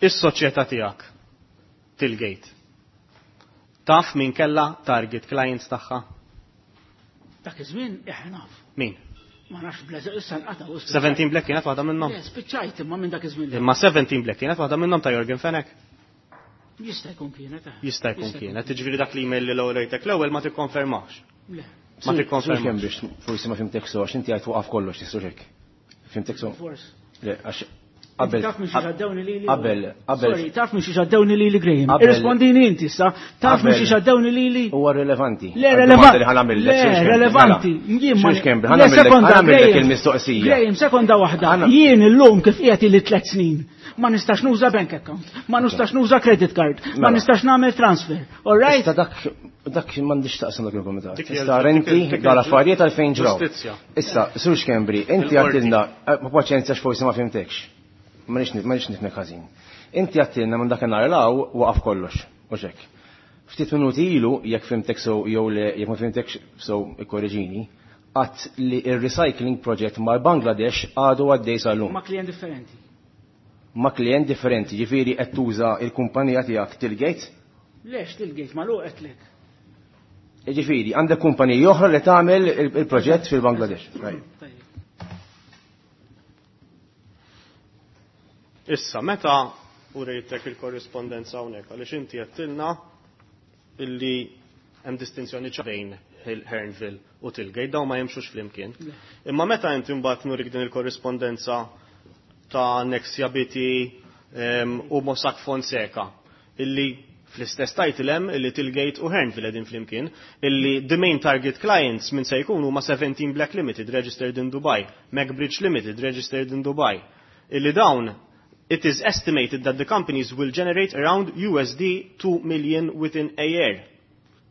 Is-soċjetà tiegħek Tilgate. Taf min kella target clients tagħha? Dak iż-żmien eħe naf. Min? Ma nafx blaza issa nqata' u 17 Black kienet waħda minnhom. Le, spiċċajt imma minn dak iż-żmien. Imma 17 Black kienet waħda minnhom ta' Jorgen Fenech. Jista' jkun kienet. eh. Jista' jkun kienet. Jiġifieri dak l-email li l-ewwel rejtek l-ewwel ma tikkonfermax. Le, Ma tikkonfermax. Biex forsi ma fimtek so, għax inti għajt waqaf kollox, tistux hekk. Fimtek so? Forse. Le, għax qabel. Taf minn xi ġaddewni lili. Qabel, qabel. Sorry, taf minn xi ġaddewni lili Graham. Qabel. Irrispondini inti issa, taf minn xi Qabel. ġaddewni lili. Huwa rilevanti. Le, Għad-domanda relevanti. li ħa nagħmillek, Le, Sur Schembri, relevanti. mela. Jien ma- Sur Schembri, ħa Le, nagħmillek- sekonda, ħa nagħmillek Graham. il-mistoqsija. Graham, sekonda waħda. Ħana- Jien illum kif qiegħed li tliet snin. Ma nistax nuża bank account, ma nistax nuża credit card, ma Mela. nistax nagħmel transfer. All right? Issa dak dak m'għandix taqsam dak il-komitat. Dik hija Issa l- renti dik il- dal affarijiet għalfejn ġraw. Ġustizzja. Issa, Sur Schembri, inti Il-qorti. għattilna, ma paċenzja x'forsi ma fimtekx. Ma nix ma nix nifhmek ħażin. Inti għattilna minn dak in-nhar law waqaf kollox, u xek. Ftit minuti ilu, jekk fimtek so jew le jekk ma fimtekx so ikkorreġini, għat li il-recycling project mal-Bangladesh għadu għaddej sal-lum. Ma klient differenti. Ma klient differenti, ġifieri qed tuża il-kumpanija tiegħek Tilgate, Lex tilgejt ma luqetlek. Ġifieri, għandek kumpanija oħra li tagħmel il-proġett fil-Bangladesh. Right. Tajjeb. Issa, meta u rejtek il-korrispondenza hawnhekk għaliex inti għedtilna illi hemm distinzjoni ċara bejn Hearnville u Tilgate dawn ma jimxux flimkien. Imma meta inti mbagħad nurik din il-korrispondenza ta' Nexia BT u Mossack Fonseca illi fl-istess title hemm illi Tilgate u Hearnville qegħdin flimkien illi the main target clients minn se jkunu ma' 17 Black Limited registered in Dubai, MacBridge Limited registered in Dubai. Illi dawn It is estimated that the companies will generate around USD 2 million within a year.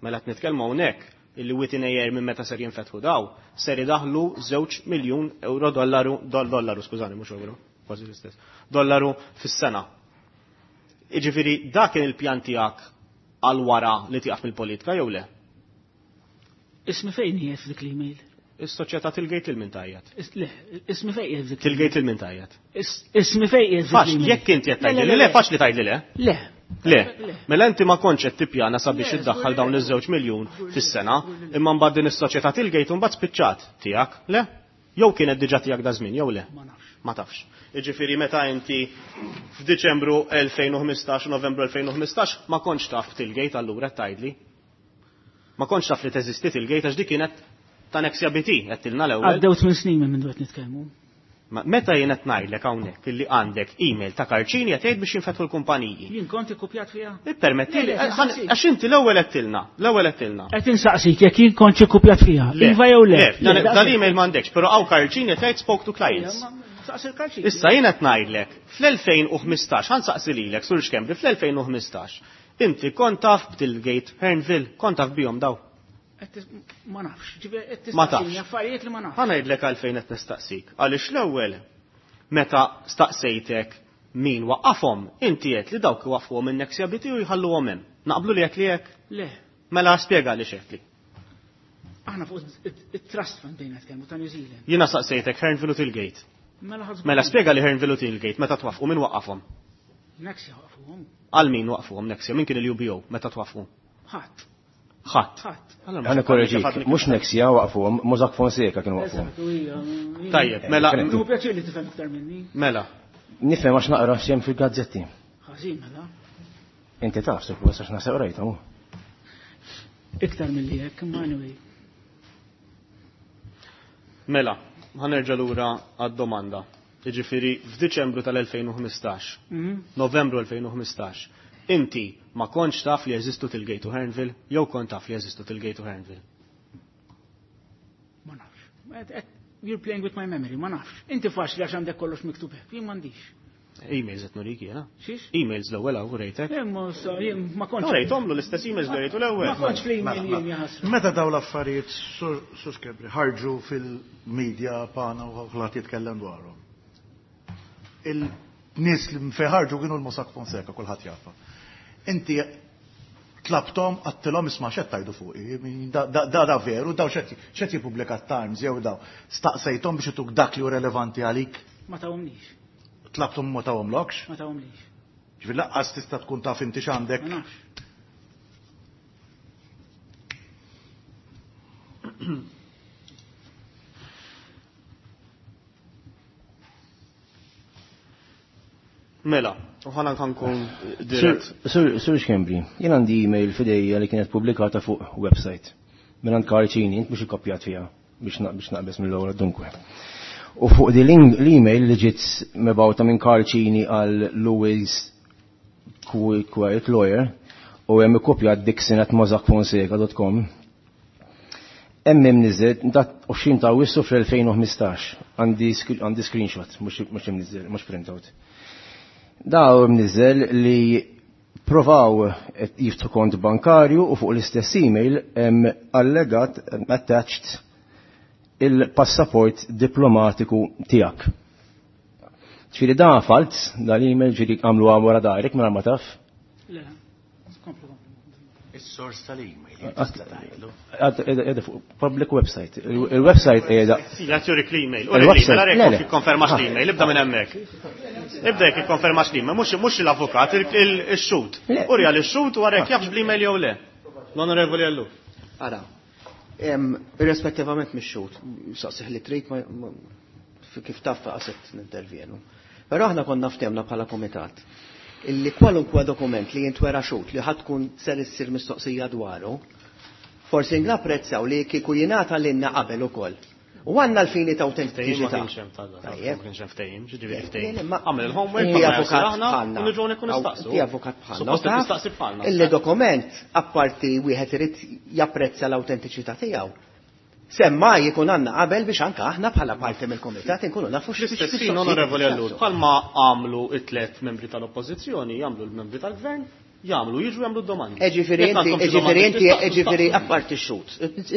Mela qed nitkellmu hawnhekk illi within a year minn meta ser jinfetħu daw, ser idaħlu 2 miljun euro dollaru, dollaru, skużani, mhux euro, kważi l-istess, dollaru fis-sena. Jiġifieri dak kien il-pjan tiegħek għal wara li tieqaf mill-politika jew le? Ismi fejn hija f'dik l-email? Is-soċjetà Tilgate lil min tgħajjat? Le, ismi fejn hija f'dik Tilgate lil min tgħajjat? Ismi fejn hija f'dik Faċli, jekk inti qed tgħidli le, faċli tgħidli le. Le. Le, mela inti ma kontx qed tippjana sabiex iddaħħal dawn iż-2 miljun fis-sena, imma mbagħad din is-soċjetà Tilgate u mbagħad spiċċat tiegħek, le? Jew kienet diġà tiegħek da żmien, jew le? Ma nafx. Ma tafx. Jiġifieri meta inti f'Diċembru 2015 u Novembru 2015 ma kontx taf Tilgate allura qed tgħidli. Ma kontx taf li teżisti Tilgate għax dik kienet ta' Nexia BT għedtilna l-ewwel. Għaddew 8 snin minn mindu qed nitkellmu. Meta jien qed ngħidlek hawnhekk illi għandek email ta' Karl Cini qed jgħid biex jinfetħu l-kumpaniji. Jien kont ikkupjat fiha? Ippermettili, għax inti l-ewwel għedtilna, l-ewwel għedtilna. Qed insaqsik jekk jien kontx ikkupjat fiha. Iva jew le? Le, dal-email m'għandekx, però hawn Karl Cini qed jgħid spoke to clients. Saqsi l-Karl Cini. Issa jien qed ngħidlek, fl-2015, ħa nsaqsi lilek, Sur Schembri, fl-2015, inti kont taf b'Tilgate, Hearnville, kont taf bihom daw. Ma nafx, ġifieri qed Ma tistaqsini tafx. affarijiet li ma nafx. Ħa ngħidlek għalfejn qed nistaqsik. Għaliex l-ewwel meta staqsejtek min waqqafhom, inti qed li dawk iwaqqfuhom minn Nexia BT u jħalluhom hemm. Naqblu li qed li hekk? Le. Mela spjega għaliex qed li. Aħna fuq it-trust fund bejna tkellmu ta' New Zealand. Jiena saqsejtek Hearnville u Tilgate. Mela ħadd Mela spjega li Hearnville u Tilgate meta twaffqu min waqqafhom? Nexia waqqfuhom. Għal min waqqfuhom Nexia? Min kien il-UBO meta twaffqu? Ħadd. Ħadd. Ħadd. Ħa nikkoreġik, mhux Nexia waqfuhom, Mossack Fonseca kienu waqfuhom. Eżatt, u hija. Tajjeb, mela. Nieħu pjaċir li tifhem iktar minni. Mela. Nifhem għax naqra x'hemm fil-gazzetti. Ħażin mela. Inti taf, suppost għax naħseb rajthom. Iktar milli hekk, imma anyway. Mela, ħa nerġa' lura għad-domanda. Jiġifieri f'Diċembru tal-2015, Novembru 2015, inti ma kontx taf li jeżistu Tilgate u Hearnville, jew kont taf li jeżistu Tilgate u Hearnville? Ma nafx. You're playing with my memory, ma nafx. Inti faċli għax għandek kollox miktub hekk, jien m'għandix. Emails qed nurik jiena. Xiex? Emails l-ewwel hawn rejtek. Imma sa jien ma kontx. No, rejthomlu l-istess emails li rejtu l-ewwel. Ma kontx fl-email jien jaħasra. Meta daw l-affarijiet Sur Schembri ħarġu fil-media pana u kulħadd jitkellem dwarhom. Il-nies li fejn ħarġu kienu l-Mossack Fonseca, kulħadd jafa. Inti tlabtom għedtilhom isma' x'qed tgħidu fuqi, da da da veru, daw x'qed jippubblika Times jew daw. Staqsejthom biex ituk dak li hu relevanti għalik? Ma tawhomlix. Tlabtom ma tawhomlokx? Ma tawhomlix. Ġifieri laqqas tista' tkun taf inti x'għandek. Ma nafx. Mela, u ħana nkun dirett. Sur Schembri, jien għandi email f'idejja li kienet pubblikata fuq website. Minn Karl Cini, int mhux ikkopjat fiha biex naqbeż mill-ewwel dunkwe. U fuq di l-email li ġiet mibgħuta minn Karl Cini għal Louis Quiet Lawyer u hemm ikkopjat dixon@mossackfonseca.com. Hemm imniżżel dat 20 ta' Awwissu fl-2015. Għandi screenshot, mhux imniżżel, mhux printout. Da imniżżel li provaw jiftħu kont bankarju u fuq l-istess email hemm allegat attached il-passaport diplomatiku tiegħek. Ġifieri da falz, da l-email ġifieri għamlu wara darek mingħajr ma taf. Le, komplu, komplu. Is-sors tal-email, tista' tgħidlu. Qiegħda fuq public website. Il-website qiegħda. Jagħti jurik l-email. Il-website, Uri l-email, le, ara le. jekk jikkonfermax l-email, ibda minn hemmhekk. Ibda jekk jikkonfermax l-email, mhux l-avukat, il-xhud. Uri għal ix-xhud u ara jekk jafx bl-email jew le. L-Onorevoli Ellul. Ara, irrispettivament mix-xhud, saqsih li trid kif taf qaset nintervjenu. Però aħna konna ftehmna bħala komitat illi kwalunkwe dokument li jintwera xhud li ħadd tkun ser issir mistoqsija dwaru, forsi napprezzaw li kieku jingħata lilna qabel ukoll. U għandna l-fini ta' autentiċità. Ma kienx hemm ta' Tajjeb. ma kienx hemm ftehim, ġifieri Le, ftehim. le, ma- Għamel il-homework, Inti ma avukat aħna, bħalna. u niġu hawnhekk u nistaqsu. Inti avukat bħalna. Suppost Taf tistaqsi bħalna. Illi dokument, apparti wieħed irid japprezza l-autentiċità tiegħu. Semmaj ikun għandna qabel biex anke aħna bħala parti mill-kumitat inkunu nafu L-istess ħin, Onorevoli Ellul, bħalma għamlu it-tlet membri tal-Oppożizzjoni, jagħmlu l-membri tal-Gvern, jagħmlu, jiġu jagħmlu d-domandi. Ġifieri Jekk inti, għandkom xi ġifieri domandi inti, tistaqsu, ġifieri staqsu. apparti x-xut.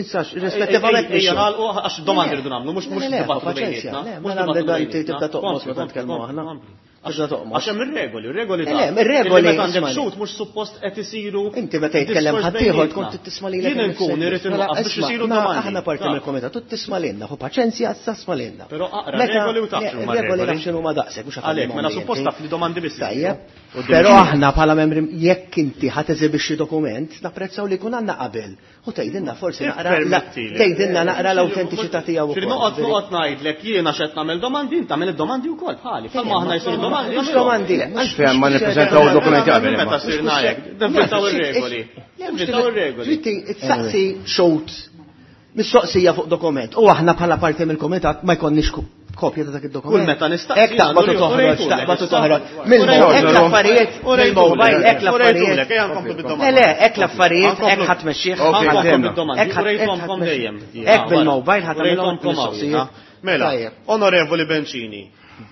Insax, rispettivament Ejja, mix-xut. nagħlqu għax domandi rridu nagħmlu, mhux mhux Le, le, dibattitu paċenzja, bejnietna. le, Mhux mela dibattitu għandek inti bejnietna. tibda toqmos Kompli, meta nitkellmu kompli, aħna. kompli. Tibda toqmos. Għax hemm ir-regoli, ir-regoli Le, ta' le, ir-regoli, Illi meta għandek ismani. xut mhux suppost qed isiru. Inti meta jitkellem diskors ħaddieħor bejnietna. tkun tisma' lilek. Jien inkun irid Mela, inwaqqaf biex isma', isiru ma domandi. Aħna parti Ta' mill-komitat, tu tisma' lilna, hu paċenzja issa sma' lilna. Però aqra Meta- regoli u taf le, x'huma Regoli regoli. naf x'inhuma daqshekk, mhux Għalhekk, mela suppost taf li domandi biss. Tajjeb. isiru. Però aħna bħala membri jekk inti ħa teżibixxi dokument, napprezzaw li jkun għandna qabel. U tgħidilna forsi naqra Ippermettili. tgħidilna naqra l-awtentiċità tiegħu Ġifieri ukoll. noqgħod noqgħod ngħidlek jiena x'qed nagħmel domandi, inti tagħmel id-domandi wkoll bħali. Bħalma aħna jsiru domandi. Mhux domandi. Għalfejn ma nippreżentaw dokumenti qabel imma. Meta sirna hekk, nivvintaw ir-regoli. Nivvintaw ir-regoli. Ġitti, tsaqsi xot mistoqsija fuq dokument. U aħna bħala parti mill-komitat ma jkollniex kopja ta' dak id-dokument. Kull meta nistaqsi Hekk taqbad u jien, toħroġ, urejtulek, taqbad u issa. toħroġ. Mill-mobile, hekk l-affarijiet, mill-mobile, hekk l-affarijiet. Urejtulek, ejja nkomplu bid-domanda. Le, le, hekk l-affarijiet, hekk ħadd mexxih. Ok, Nkomplu għandna. bid-domandi, Hekk ħadd- urejthomkom dejjem. Hekk bil-mobile ħadd tagħmilhom Urejthomkom hawn, mistoqsijiet. ha? Mela, Tajjeb. Onorevoli Bencini,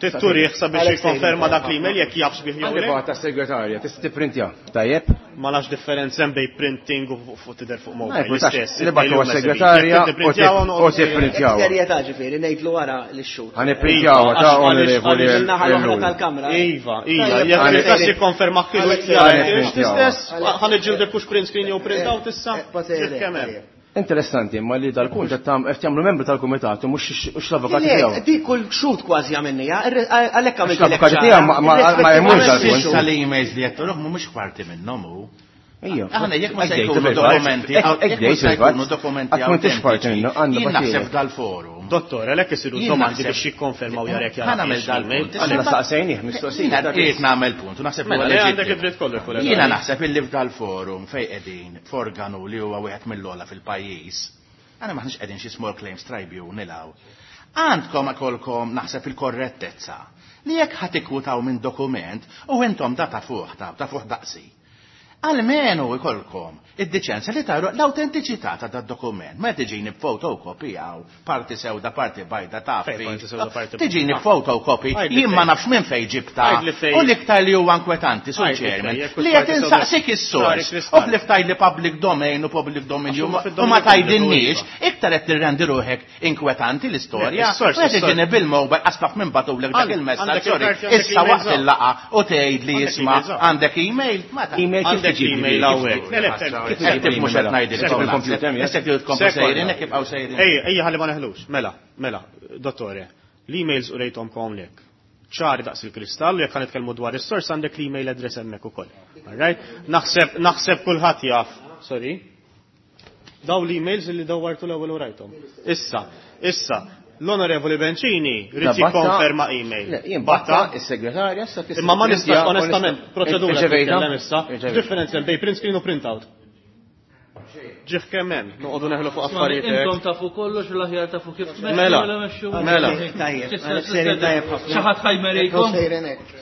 titturih sabiex Alex jikkonferma Sejrin. dak l-email jekk jafx bih jew Għandi le. bata segretarja, tista' tipprintja. Tajjeb? Ma nafx differenza hemm bej printing u fuq tidher fuq Ma mobile. jkunx, L-istess. li bagħtu għas-segretarja u u tipprintjawha. Serjetà ġifieri, ngħidlu wara l-xut. Ħaniprintjawha ta' onorevoli Min-naħa l-oħra Ellul. tal-kamra. Iva, iva, Tajjeb, jekk Alex il-kas Sejrin. jikkonferma kienu Alex Sejrin. l-istess, ħan iġġildek hux print screen jew print out issa. Alex Kemm hemm. Sejrin. Interessanti, imma li dal-punt qed jagħmlu membru tal-kumitat u mhux l-avukati Le, tiegħu. di kull xut kważi għamilnija, għalhekk għamilt L-avukati tiegħu ma jemux dal-punt. Issa l-emails li qed turuh mhumiex parti minnhom hu. Ejja. Aħna jekk ma se Hekk jkunu dejt, dokumenti, hekk jekk ma dejt se fil-fatt. jkunu dokumenti Għad m'intix parti minnu, għandna Jien naħseb battilek. dal-forum. Dottor, għalhekk isiru Jien domandi naħseb- biex jikkonfermaw jarek Ħa nagħmel dal-punt. Aħna saqsejnih mistoqsija. Jiena qiegħed nagħmel punt u naħseb li Mela, huwa le għandek leġittimu. id-dritt kollu, kollega. Jiena naħseb illi f'dal forum fejn qegħdin f'organu li huwa wieħed mill-ogħla fil-pajjiż. Aħna maħniex qegħdin xi small claims tribunal hawn. Għandkom akolkom naħseb il-korrettezza li jekk ħadd ikkwutaw minn dokument u intom da ta' fuq ta' fuq daqsi. Almenu ikolkom id-diċenza li taru l-autentiċità ta' dat dokument. Ma tiġini b'fotocopy hawn, parti sewda, parti bajda ta' Fejn parti sewda, parti bajda? Tiġini b'fotocopy, Għidli jien ma fejn. nafx minn fejn ġibta. Għidli fejn. U l-iktar li huwa inkwetanti, sur Għidli chairman, fejn, jekk li parti qed sewda. insaqsik Ċari is-sors. kristall. U ħlif tgħidli public domain u public domain Għax huma u fid-domain ma pubbliku, tgħidilniex, iva. iktar qed tirrendi ruħek inkwetanti l-istorja. Le, is-sors, U qed is-sors. tiġini bil-mobile qasbaf minn batulek dak il-messaġġ, Għandek sorry, il-karti, għandek issa l-email waqt żgħar. il-laqa u tgħid li Għandek jisma' email żgħar. għandek email. Ma ta' Email kif Għandek tiġi? email hawnhekk. Le, le, Kif Qed tiġi mhux qed ngħidilkom Kif il-computer, naħseb. Issa kif tkomplu sejrin, hekk ibqgħu sejrin. Ejja, ejja ħalli ma neħlux. Mela, mela, dottore, l-emails u rejtom lek. ċari daqs il-kristall, jekk nitkellmu dwar is-sors għandek l-email address hemmhekk ukoll. Alright? Naħseb naħseb kulħadd jaf. Sorry. Daw l-emails li dawwartu l-ewwel u rajthom. Issa, issa, l-Onorevoli Bencini rrid jikkonferma email. Le, jien batta is-segretarja issa tista' Imma ma nistax tipprintja u onestament, nista- proċedura Irċevejta? titkellem issa. Irċevejta. Differenza bej print screen u printout. Ġif kemm hemm, noqogħdu neħlu fuq affarijiet. hekk. Intom tafu kollox u l-aħjar tafu kif tmexxu Mela, u la mexxu. mela. Tajjeb, Alex Sejrin tajjeb ħafna. Xi ħadd ħajmerikom. Sejrin hekk.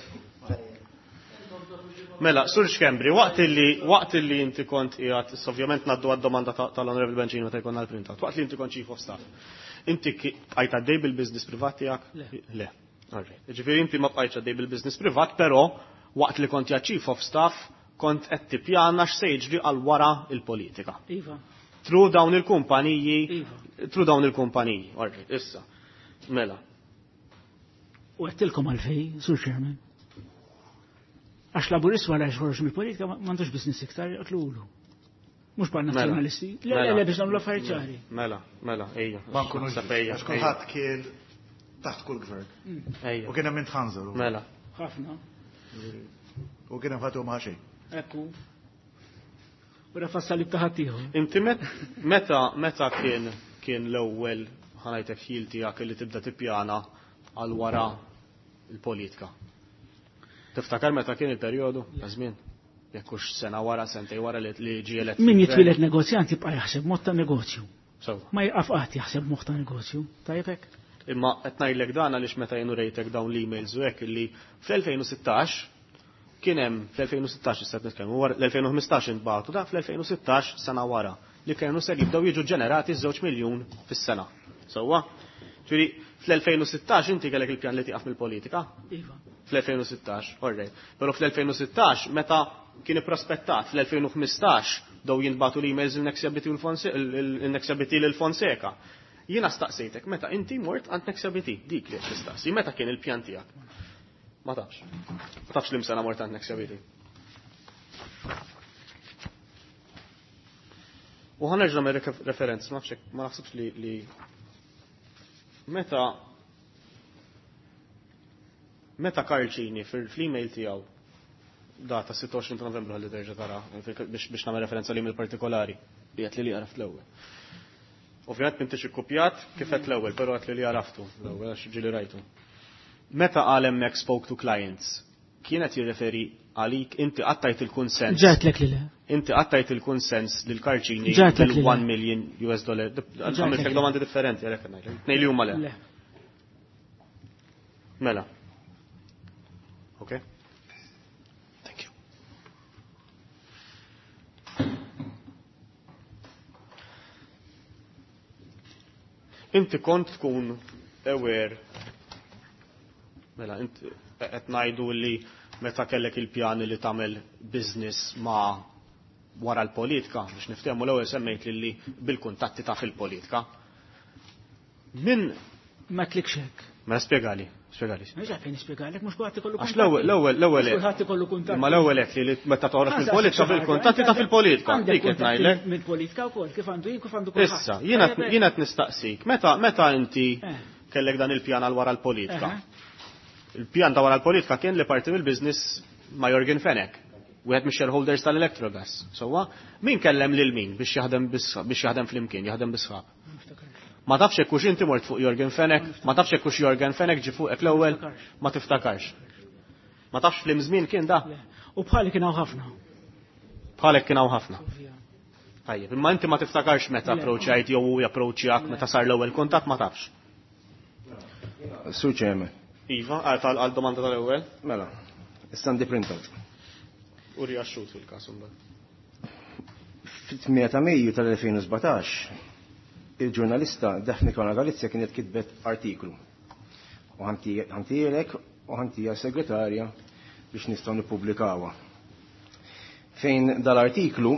Mela, Sur Xkembri, waqt illi waqt illi inti kont qiegħed, issa ovvjament ngħaddu għad-domanda tal-Honorable Bencini meta jkollna l-printout. Waqt li inti kont chief of staff, inti bqajt għaddej bil-business privat tiegħek? Le. Alright. Ġifieri inti ma bqajtx għaddej bil-business privat, però waqt li kont qiegħed chief of staff kont qed tippjana x'se jiġri għal wara il-politika. Iva. Through dawn il-kumpaniji, Iva. through dawn il-kumpaniji. Alright, issa. Mela. U għedtilkom għalfej, Sur Chairman. Għax laburist wara xħorġ mill-politika m'għandux business iktar jaqtlulu. Mhux bħal Mela. nazzjonalisti. Le, le, Mela. le, biex nagħmlu affarijiet ċari. Mela, mela, ejja. Ma nkunux Naħseb ejja, għax kulħadd kien taħt kull gvern. ejja. U kien hemm intħanżel. Mela. Ħafna. U kien hemm ħadd ma xejn. Ekku. U rafa salib ta' ħaddieħor. Inti meta meta kien kien l-ewwel ħanajtek ħil tiegħek li tibda tippjana għal wara il-politika. Tiftakar meta kien il-perjodu ta' żmien? Jekk hux sena wara, sentej wara li li ġie elett. Min fil-gvern. jitwieled negozjant jibqa' jaħseb mod ta' negozju. Sewwa. Ma jqaf qatt jaħseb mod ta' negozju. Tajjeb hekk? Imma qed ngħidlek dan għaliex meta jien urejtek dawn l-emails u hekk illi fl-2016 kien hemm fl-2016 issa qed nitkellmu wara l-2015 intbagħtu da fl-2016 sena wara. li kienu ser jibdew jiġu ġenerati żewġ miljun fis-sena. Sewwa? Ġifieri fl-2016 inti kellek il-pjan li tieqaf mill-politika? Iva. Fl-2016, all right. Però fl-2016 meta kien ipprospettat fl-2015 daw jintbagħtu l-emails il-Nexia BT u l-Nexia BT lil Fonseca. Jiena staqsejtek meta inti mort għand Nexia BT, dik li qed tistaqsi, meta kien il-pjan tiegħek? Ma tafx. Ma tafx li msena mort għand Nexia BT. U ħa nerġa' nagħmel referenz, ma nafx ma naħsibx li meta meta Karl Cini fil-email tiegħu data 26 ta' Novembru ħalli terġa' tara biex nagħmel referenza l-email partikolari li qed li li għaraft l-ewwel. Ovvjament m'intix ikkupjat kif qed l-ewwel, però qed li li għaraftu l-ewwel għax ġieli rajtu. Meta qal hemmhekk spoke to clients, kienet jirreferi għalik inti qattajt il-kunsens. Ġatlek li le. Inti qattajt il-kunsens lil Karl Cini Ġatlek li le. bil-1 million US dollar. Għamiltek domandi differenti għalhekk ngħidlek. Tnejn li huma le. Le. Mela. Okay. Thank you. Inti kont tkun aware mela inti qed ngħidu li meta kellek il-pjani li tagħmel business ma' wara l-politika biex niftehmu l-ewwel semmejt li bil-kuntatti ta' fil-politika. Min Ma tlikx hekk. Mela spjegali, spjegali. Ma ġa fejn nispjegalek mhux kulħadd ikollu Għax l-ewwel l-ewwel l-ewwel Kulħadd ikollu kuntatti. Ma l-ewwel hekk li meta toħroġ mill-politika fil-kuntatti ta' fil-politika. Għandek Dik qed kuntatti ngħidlek. Mill-politika wkoll kif għandu jien kif għandu kulħadd. Issa, jiena jiena qed nistaqsik, meta meta inti Eh. kellek dan il-pjan għal wara l-politika? Eħe. Il-pjan ta' wara l-politika kien li parti mill-business ma' Yorgen Fenech, wieħed mix-shareholders tal-Electrogas. Sewwa, min kellem lil min biex jaħdem biex jaħdem flimkien, jaħdem bisħab. Ma tafx hekk hux inti mort fuq Yorgen Fenech, ma tafx hekk hux Yorgen Fenech ġi fuqek l-ewwel, ma tiftakarx. Ma tafx flim żmien kien da, Le. U bħali kien hawn ħafna. bħalek kien hawn ħafna. Tajjeb, imma inti ma tiftakarx meta Le. approachajt jew hu japproachjak meta sar l-ewwel kuntatt ma tafx. Sur Chairman, Iva, għal għal domanda tal-ewwel, mela, issa għandi printout. u riaxxut fil-każ imbagħad. Fit-8 ta' Mejju tal-2017, il-ġurnalista Daphne Caruana Galizia kienet kitbet artiklu. U ħantijelek u ħantija segretarja biex nistgħu nippubblikawha. Fejn dal-artiklu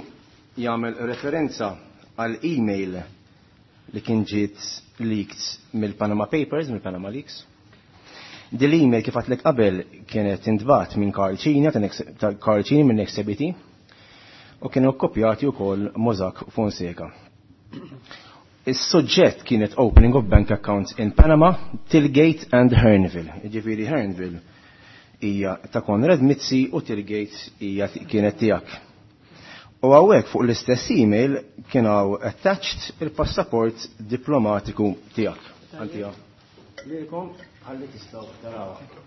jagħmel referenza għal email li kien ġiet leaked mill-Panama Papers, mill-Panama Leaks. Din l-email kif għatlek qabel kienet intbat minn Karl Cini, ta' Karl Cini minn Nexia BT, u kienu kkopjati wkoll Mossack Fonseca. Is-suġġett kienet opening of bank accounts in Panama, Tillgate and Hearnville. Ġifieri Hearnville hija ta' Konrad Mizzi u Tillgate hija kienet tiegħek. U hawnhekk fuq l-istess email kien hawn attached il-passaport diplomatiku tiegħek. Antija. Lilkom ħalli tistgħu tarawha.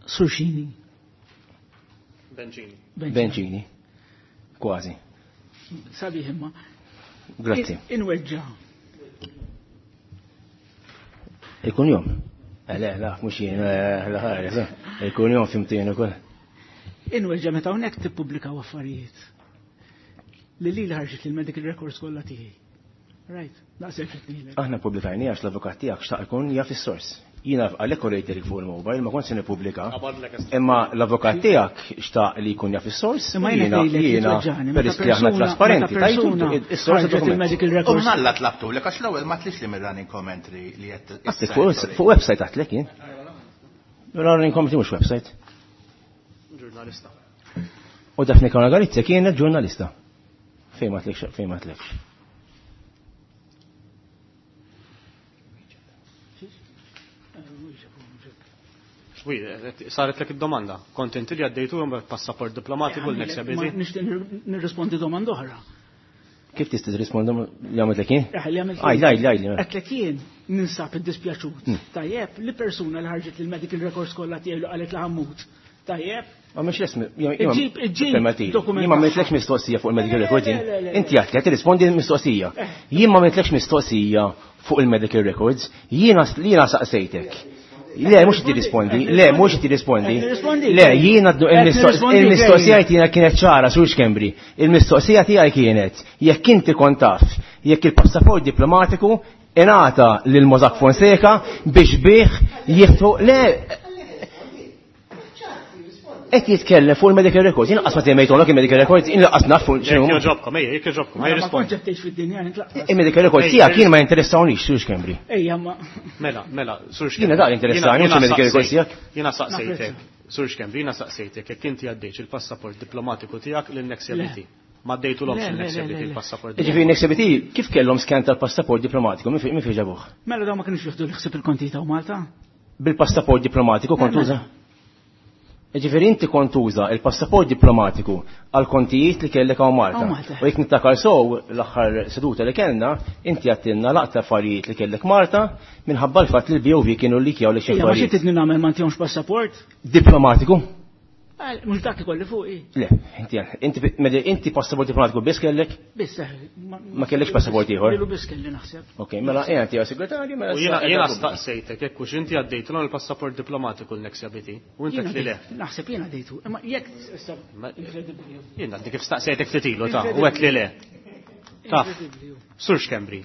Surxini. Benċini. Benċini. Kważi. Sabiħ imma. Grazzi. Inweġġa. Ikun jom. Le, la, mux jien, la ħares. Ikun jom fimtien ukoll. Inweġġa meta hawnhekk tippubblikaw affarijiet. Li li ħarġet il-medical records kollha tiegħi. Right, daqshekk qed ngħidlek. Aħna publikajni għax l-avukat tiegħek xtaq ikun jaf is-sors. Jiena għalhekk urejtek fuq il-mobile ma kontx se nippubblika. Qabadlek est- Imma l-avukat tiegħek xtaq li jkun jaf is-sors. Imma jiena ngħidlek jiena jitweġġani, meta peress li aħna persuna- trasparenti, meta tajtu persuna is-sors ħarġet dokument. il-medical U records. mnalla tlabtu lek għax l-ewwel ma tlix li mir-running commentary li qed Għastik fuq website għatlek jien. Running commentary mhux website. Ġurnalista. U Daphne Caruana Galizia kienet ġurnalista. Fejn ma tlekx, fejn ma tlekx. Wi, saret lek id-domanda. Kont inti li għaddejtu jom passaport diplomatiku l-Nexia Ma BT? nixtieq nirrispondi domanda oħra. Kif tista' tirrispondi li għamilt jien? Eh, li għamilt Għaj, għaj, għaj. Għetlek jien ninsab id-dispjaċut. Tajjeb, li persuna li ħarġet il-medical records kollha tiegħi li qalet li ħammut. Tajjeb, Ma mhux l-esmi. Iġib- iġib dokument Jien ma għamiltlekx mistoqsija fuq il-medical Le, recording. le, le, le. Inti għedt li qed tirrispondi mistoqsija. Eh. Jien ma għamiltlekx mistoqsija fuq il-medical records, jiena jiena saqsejtek. Le, mhux tirrispondi, le, mhux tirrispondi. Le, jiena il-mistoqsija jiena kienet ċara sur Schembri. Il-mistoqsija tiegħi kienet jekk inti kont taf jekk il-passaport diplomatiku ingħata lil Mossack Fonseca biex bih jiftħu le qed jitkellem fuq il-medical records, jien qas ma semmejthomlok il-medical records, jien lanqas naf fuq Jekk x'inhu. jogħġobkom, ejja, jekk jogħġobkom, ħaj Ma rispondi. kontx qed tgħix fid-dinja nitlaqas. Il-medical records tiegħek jien ma jinteressawniex sur Schembri. Ejja, ma Mela, mela, Sur Schembri. Jiena dak interessani, mhux il-medical records tiegħek. Jiena saqsejtek, Sur Schembri, jiena saqsejtek jekk inti għaddejtx il-passaport diplomatiku tiegħek lil Nexia Le. BT. Ma għaddejtulhomx Le, lil le, Nexia le, BT le, le. il-passaport. Ġifieri Nexia BT kif kellhom skan tal-passaport diplomatiku, min fejn ġabuh? Mela dawn ma kienux jieħdu l-ħsieb il-konti ta' Malta. Bil-passaport diplomatiku kont Le, tuża? Ġifieri inti kont tuża il-passaport diplomatiku għal kontijiet li kellek hawn Malta. Hawn Malta. U jekk niftakar sew l-aħħar seduta li kellna, inti għattilna laqta affarijiet li kellek Malta minħabba l-fatt li l-BOV kienu li kjaw li xi Ejja, ma xi affarijiet. tridni nagħmel ma ntihomx passaport? Diplomatiku? Mhux dak ikolli fuqi. Le, inti inti mela inti passaport diplomatiku biss kellek? Biss eh, Ma kellekx passaport ieħor? Lilu biss kelli naħseb. Ok, mela ejja tiegħu segretarju, mela U jiena issa- jiena staqsejtek jekk hux inti għaddejtulhom il-passaport diplomatiku l Nexia BT. U inti Jiena li le. dejt- Naħseb jiena dejtu. Imma jekk issa inkredibbli. Jiena għaddi kif staqsejtek ftit ilu ta' u għedt li le. Taf. Inkredibbli. Sur Schembri,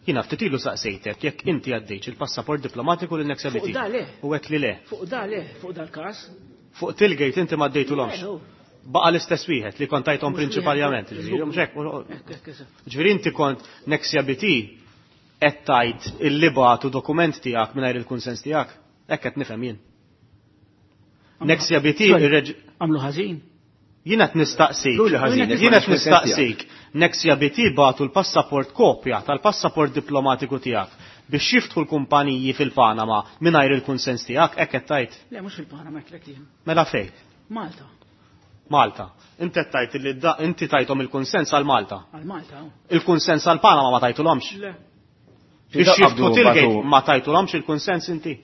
jiena ftit ilu saqsejtek jekk inti għaddejtx il-passaport diplomatiku lil Nexia Fuq BT. da le. U għedt li le. Fuq da le, fuq dal-każ. Fuq Tilgate inti ma għaddejtulhomx. Le, hu. Baqa l-istess wieħed li kont tajthom Mhux prinċipalment. wieħed, Ġifieri, mhux hekk, Hekk, hekk, eżatt. Ġifieri inti kont Nexia BT qed tajt il-libatu dokument tiegħek mingħajr il-kunsens tiegħek. Hekk qed nifhem jien. Nexia BT Sorry, irreġ- Għamlu ħażin. Jiena qed nistaqsik. Luli ħażin, jekk Jiena qed m'għandix kunsens nistaqsik. Nexia BT batu l-passaport kopja tal-passaport diplomatiku tiegħek biex jiftħu l-kumpaniji fil-Panama mingħajr il-kunsens tiegħek, hekk qed tajt. Le, mhux fil-Panama hekk jien. Mela fejn? Malta. Malta. Inti qed tajt li inti tajthom il-kunsens għal Malta. Għal Malta. hu. Il-kunsens għal Panama ma tajtulhomx. Le, Biex jiftħu Qabdu Tilgate batu- ma tajtulhomx il-kunsens inti.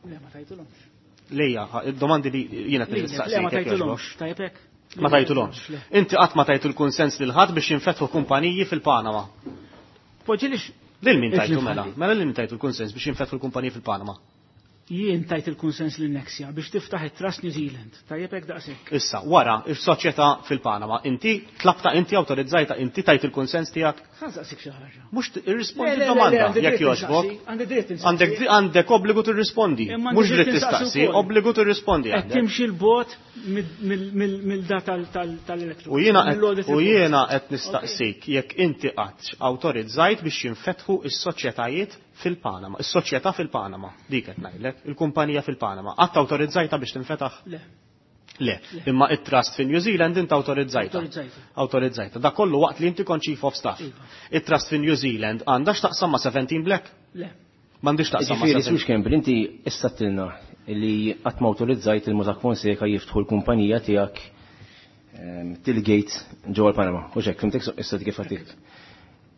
le ma tajtulhomx. Lejja, id-domandi li jiena qed Le, nistaqsik. ma jekk jogħġbok. tajtulhomx. Tajjeb hekk? Ma tajtulhomx. Le. Inti qatt ma tajtu l-kunsens lil ħadd biex jinfetħu kumpaniji fil-Panama. Poġġilix Lil min tajtu Itli mela? f'ħalli. Mela lil min tajtu l-kunsens biex jinfetħu l-kumpaniji fil-Panama? jien tajt il-kunsens lil Nexia biex tiftaħ it-Trust New Zealand. Tajjeb hekk daqshekk. Issa, wara, is-soċjetà fil-Panama, inti tlabta, inti awtorizzajta, inti tajt il-kunsens tiegħek? Ħa nsaqsik xi ħaġa. Mhux Le, irrispondi le, le, le, domanda għandi jekk dritt jogħġbok. insaqsi, Għandi dritt insaqsi. Għandek għandek obbligu tirrispondi. Imma għandi Mhux dritt dritt insaqsi tistaqsi, wkoll. obbligu tirrispondi Qed għandek. timxi l-bot mill-da tal-elettro. U jiena qed u jiena qed nistaqsik jekk inti qatt awtorizzajt biex jinfetħu is-soċjetajiet fil-Panama, is-soċjetà fil-Panama, dik qed ngħidlek, il-kumpanija fil-Panama. Qatt awtorizzajta biex tinfetaħ? Le, Le, imma it-trust fi New Zealand inti awtorizzajta. Awtorizzajta. Awtorizzajta. Da kollu waqt li inti kont chief of staff. Iva. It-trust fi New Zealand għandha x'taqsam ma' 17 Black? le. M'għandix taqsam ma' Ġifieri 17. Sur Schembri, inti issa tilna li qatt ma awtorizzajt il-Mossack Fonseca jiftħu l-kumpanija tiegħek Tilgate ġewwa l-Panama. U xek, fimtek issa kif għatik.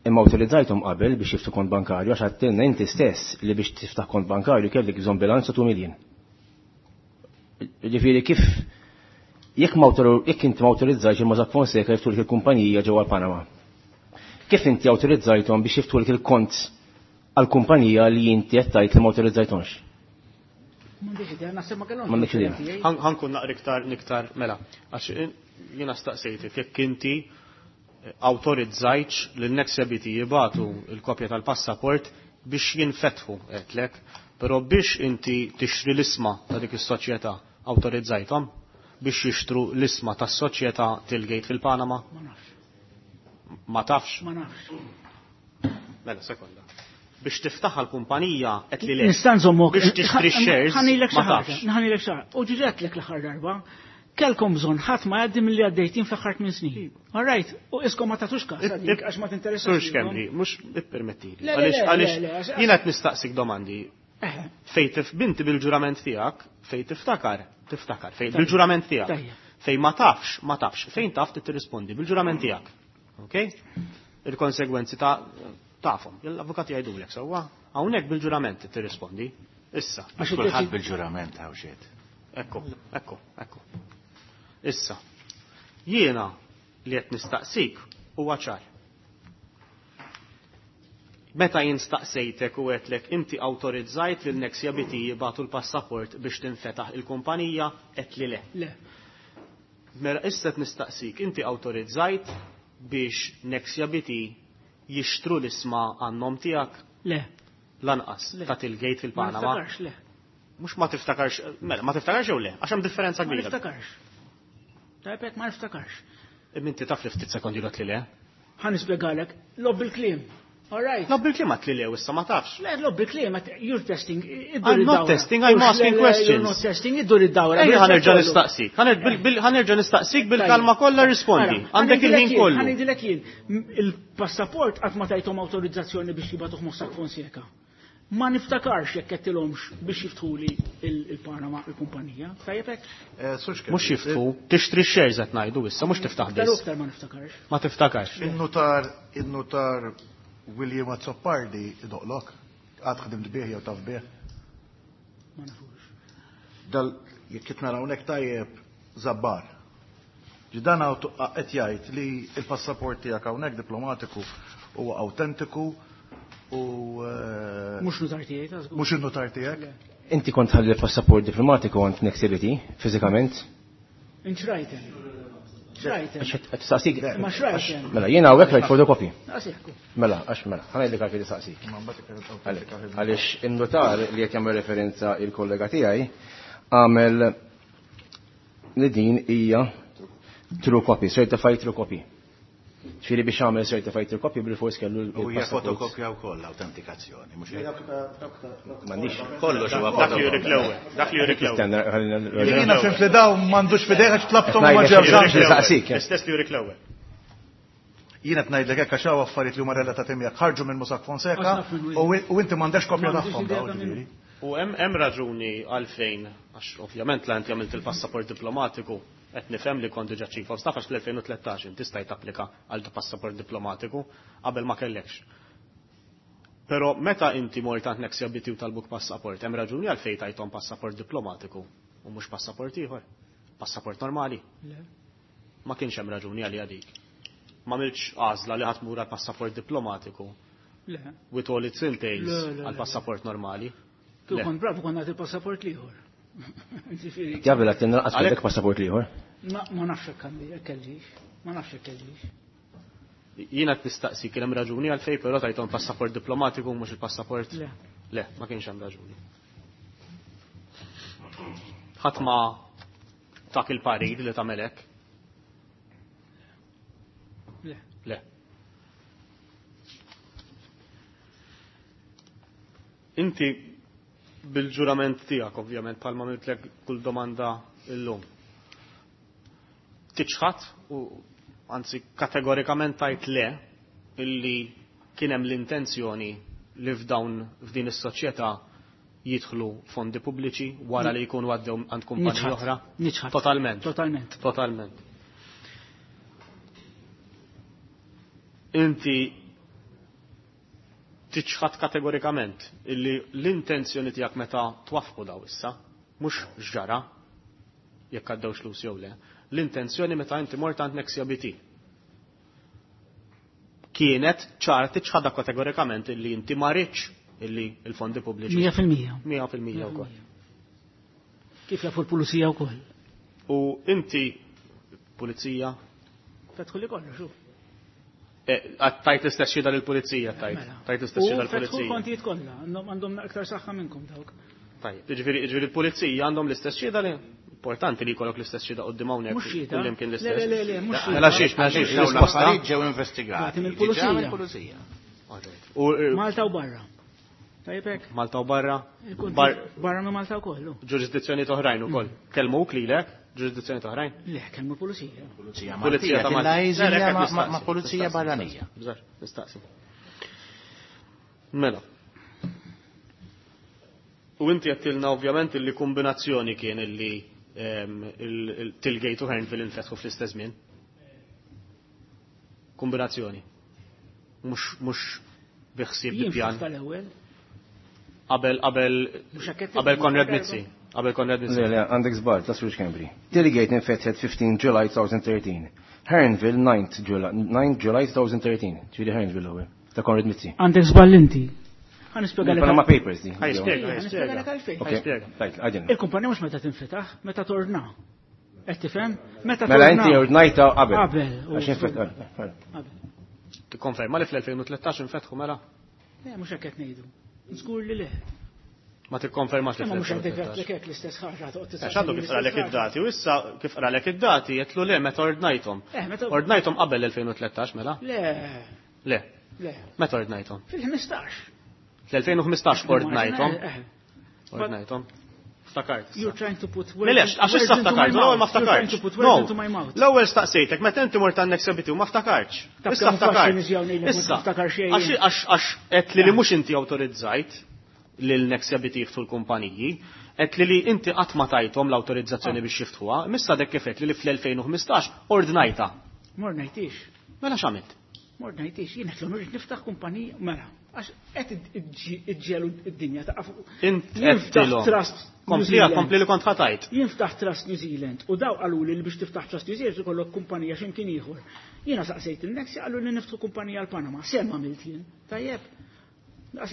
Imma awtorizzajthom qabel biex jiftħu kont bankarju għax għattilna inti stess li biex tiftaħ kont bankarju kellek bżonn bilanz ta' 2 million. Ġifieri kif jekk ma jekk inti ma awtorizzajtx il-Mossack Fonseca jiftħu il-kumpanija ġewwa l-Panama. Kif inti awtorizzajthom biex jiftħu il-kont għal-kumpanija li inti qed tgħid li ma awtorizzajthomx? M'għandix idea, naħseb ma kellhomx. M'għandekx idea. differenti, eh? Ħankun naqra iktar niktar mela, għax jiena staqsejtek jekk inti awtorizzajtx lil Nexia BT jibatu il-kopja tal-passaport biex jinfetħu għedtlek, però biex inti tixtri l-isma ta' dik is-soċjetà awtorizzajthom biex jixtru l-isma tas-soċjetà Tilgate fil-Panama? Ma nafx, Ma tafx? ma nafx. Mela, sekonda. Biex tiftaħ l-kumpanija qed li le. Nista' nżommok. Biex tixtri shares Ħanilek xi ma ħaġa, tafx. ħanilek xi ħaġa. U ġiġetlek l-aħħar darba. Kelkom bżonn ħadd ma jgħaddi milli għaddejtin fl-aħħar tmien snin. All right, u iskom ma tagħtux każ għalik għax ma tinteressax. Sur lilkom. Schembri, mhux ippermettili. Le, le, Għaliex le, għaliex le, le, għax- jiena qed nistaqsik domandi. Eh, Fej tif binti bil-ġurament tiegħek, fej tiftakar, tiftakar, fej bil-ġurament tiegħek. Tajjeb. Fej ma tafx, ma tafx, fejn taf tirrispondi bil-ġurament tiegħek. Ok? Il-konsegwenzi ta' tafhom. L-avukati jgħidulek sewwa, hawnhekk bil-ġurament tirrispondi. Issa. Għax Kulħadd id-deċi- bil-ġurament hawn xiet. Ekku, ekku, ekku. Issa, jiena li qed nistaqsik huwa ċar. Meta jien staqsejtek u għedtlek inti awtorizzajt lil Nexia BT jibagħtu l-passaport biex tinfetaħ il-kumpanija, għedtli le. Le. Mela issa qed nistaqsik, inti awtorizzajt biex Nexia BT jixtru l-isma għan-nom tiegħek? Le. Lanqas Le. ta' Tilgate Ma fil-Panama. niftakarx, le. Mhux ma tiftakarx, mela ma tiftakarx jew le, għax hemm differenza Ma kbira. niftakarx. Tajb hekk ma niftakarx. Imma inti taf li ftit sekondi l li le. Ħa nispjegalek, logħob bil-kliem. All right. Logħob bil-kliem għedt li le u issa ma tafx. Le, logħob bil-kliem, you're testing. iddur I'm not id-dawra. testing, I'm Mhux, asking le, le, questions. You're not testing, iddur id-dawra. Ejja ħa nerġa' nistaqsik. Ħa nerġa' nistaqsik bil-kalma kollha rispondi. Għandek il-ħin kollu. Ħa ngħidilek jien, il-passaport qatt ma tajthom awtorizzazzjoni biex jibagħtuh Mossack Fonseca. Ma niftakarx jekk għedtilhomx biex jiftħuli il-Panama, il-kumpanija. Tajjeb hekk? Mhux jiftħu, tixtri shares qed ngħidu issa, mhux tiftaħ Iktar u biss. iktar ma niftakarx. Ma tiftakarx. Il-notar, il-notar William Azzopardi idoqlok, għad ħdimt bih jew taf bih. Ma nafux. Dal, jekk qed nara hawnhekk tajjeb Zabbar. Ġidan qed jgħid li il-passaport tiegħek hawnhekk diplomatiku huwa awtentiku u Mhux notar tiegħi ta' żgur. Mhux in-notar tiegħek? Inti kont ħalli l-passaport diplomatiku għand Nexia BT, fiżikament? Inxrajten. Xrajten. Għax qed tistaqsik. Ma xrajten. Mela, jiena hawnhekk rajt fotokopi. Daqshekk. Mela, għax mela, ħa ngħidlek għalfejn tistaqsik. Għaliex in-notar li qed jagħmel referenza il-kollega tiegħi għamel li din hija true copy, certified true copy. Ġifieri biex għamel certified true copy bil-fors kellu U hija il-passaport. fotokopja wkoll autentikazzjoni, mhux hekk? M'għandix. Kollox huwa Dak li jurik l-ewwel, dak li jurik l-ewwel. Jiena fim li dawn m'għandux f'idejh għax tlabthom u ma ġewx. L-istess li jurik l-ewwel. Jiena qed ngħidlek hekk għax hawn affarijiet li huma relatati miegħek ħarġu minn Mossack Fonseca u inti m'għandekx kopja tagħhom dawn ġifieri. U hemm raġuni għalfejn, għax ovvjament la inti għamilt il-passaport diplomatiku, qed nifhem li kont diġà chief of staff għax fl-2013 inti stajt tapplika għal passaport diplomatiku qabel ma kellekx. Però meta inti mort għand Nexia BT u talbuk passaport, hemm raġuni għalfejn tajthom passaport diplomatiku u mhux passaport ieħor. Passaport normali. Le. Ma kienx hemm raġuni għalija dik. Ma għamiltx għażla li ħa tmur għal passaport diplomatiku Le. with all its entails Le, le, le. għal passaport normali. Kieku Le. kont bravu kont nagħti il-passaport l-ieħor. Ġifieri. Jabel għat naqas kellek passaport l-ieħor. Ma nafx hekk għandi, hekk kellix. Ma nafx hekk kellix. Jiena qed nistaqsi kien hemm raġuni għalfejn però tajthom passaport diplomatiku u mhux il-passaport. Le. Le, ma kienx hemm raġuni. Ħadd ma tak il-parir li tagħmel hekk. Le. Le. Inti bil-ġurament tiegħek ovvjament bħalma għamiltlek kull domanda illum. Tiċħad u anzi kategorikament tajt le illi kien hemm l-intenzjoni li f'dawn f'din is-soċjetà jidħlu fondi pubbliċi wara li jkunu għaddew għand kumpaniji Niċħad. oħra? Niċħad. Totalment. Totalment. Totalment. Inti tiċħad kategorikament illi l-intenzjoni tiegħek meta twaffqu daw issa, mhux x'ġara jekk għaddew flus jew le, l-intenzjoni meta inti mort għand Nexia BT. Kienet ċar tiċħadha kategorikament illi inti ma ridx illi l-fondi pubbliċi. 100%. 100% wkoll. Kif jafu l-pulizija wkoll. U inti pulizija Fetħu li kollox, u. Tajt l-istess xhieda lill-pulizija, tajt. Tajt l-istess U xhieda fetħu l-pulizija. l-kontijiet kollha, għandhom aktar saħħa minnkom dawk. Tajjeb, jiġifieri jiġifieri l-pulizija għandhom l-istess xhieda li importanti li jkollok l-istess xhieda quddiem hawnhekk Mhux xhieda. kullimkien Le, l-istess. le, le, le, mhux xhieda. Mela xiex, mela xiex, Dawn risposta. l-affarijiet ġew investigati. Għati mill-pulizija. Diġà mill-pulizija. U Malta u barra. Tajjeb hekk? Malta u barra, Il-konti- bar Barra minn Malta wkoll. u. ġurisdizzjoni oħrajn ukoll. Kellmuk lilek, ġurisdizzjoni oħrajn? Le, kellmu l-pulizija. Pulizija Pulizija Maltija ta' Malta. tillajżi Le, le, hekk ma' nistaqsi, pulizija nistaqsi, barranija. Bżar, nistaqsi. Mela. U inti għedtilna ovvjament illi kombinazzjoni kien illi il-Tilgate u Hearnville infetħu fl-istess żmien. Kombinazzjoni. Mhux bi ħsieb bi Jien pjan. ftaħt tal-ewwel. Qabel qabel Mhux hekk qed qabel tifhem, Konrad darba. Mizzi. Qabel Konrad Mizzi. Le, le, għandek żball, ta' Sur Schembri. Tilgate infetħet 15 July 2013. Hearnville 9 July, 9 July 2013. Ġifieri Hearnville l-ewwel. Ta' Konrad Mizzi. Għandek żball inti. Ħa nispjegalek. Panama Papers di. Ħa jispjega, ħa jispjega. Għalfejn. Tajt, Il-kumpanija mhux meta tinfetaħ, meta torna. Qed tifhem? Meta Mela inti ordnajta qabel. Qabel. Għax infetaħ. Qabel. Tikkonferma li fl-2013 infetħu mela? Le, mhux hekk qed ngħidu. Żgur li le. Ma tikkonfermax li Ma mhux għandek hekk l-istess ħaġa toqgħod Għax għandu kif qralek id-dati u issa kif qralek id-dati jetlu le meta ordnajthom. Eh, Ordnajthom qabel l-2013 mela? Le. Le. Le. Meta ordnajthom? Fil-15. Fl-2015 ordnajthom. Eh, eh. Ordnajthom. Ftakart. You're trying to put words Melex, għax issa ftakart, l-ewwel ma ftakartx. No. L-ewwel staqsejtek, meta inti mort għandek sebiti u ma ftakartx. Issa ftakart. Issa. Għax għax qed li mhux inti awtorizzajt lil Nexia BT jiftħu l-kumpaniji, qed li li inti qatt ma tajthom l-awtorizzazzjoni biex jiftħuha, missa dek kif qed li fl-2015 ordnajta. Mordnajtix. Mela x'għamilt? Mordnajtix, jien qed irrid niftaħ kumpanija mela. Għax qed iġġelu id-dinja ta' Int qed trust. Kompli kompli li kont ħatajt. Jinftaħ Trust New Zealand u daw qalu li biex tiftaħ Trust New Zealand ikollok kumpanija x'imkien ieħor. Jiena saqsejt il-Nexia qalu li niftħu kumpanija l-Panama. Sem għamilt jien. Tajjeb.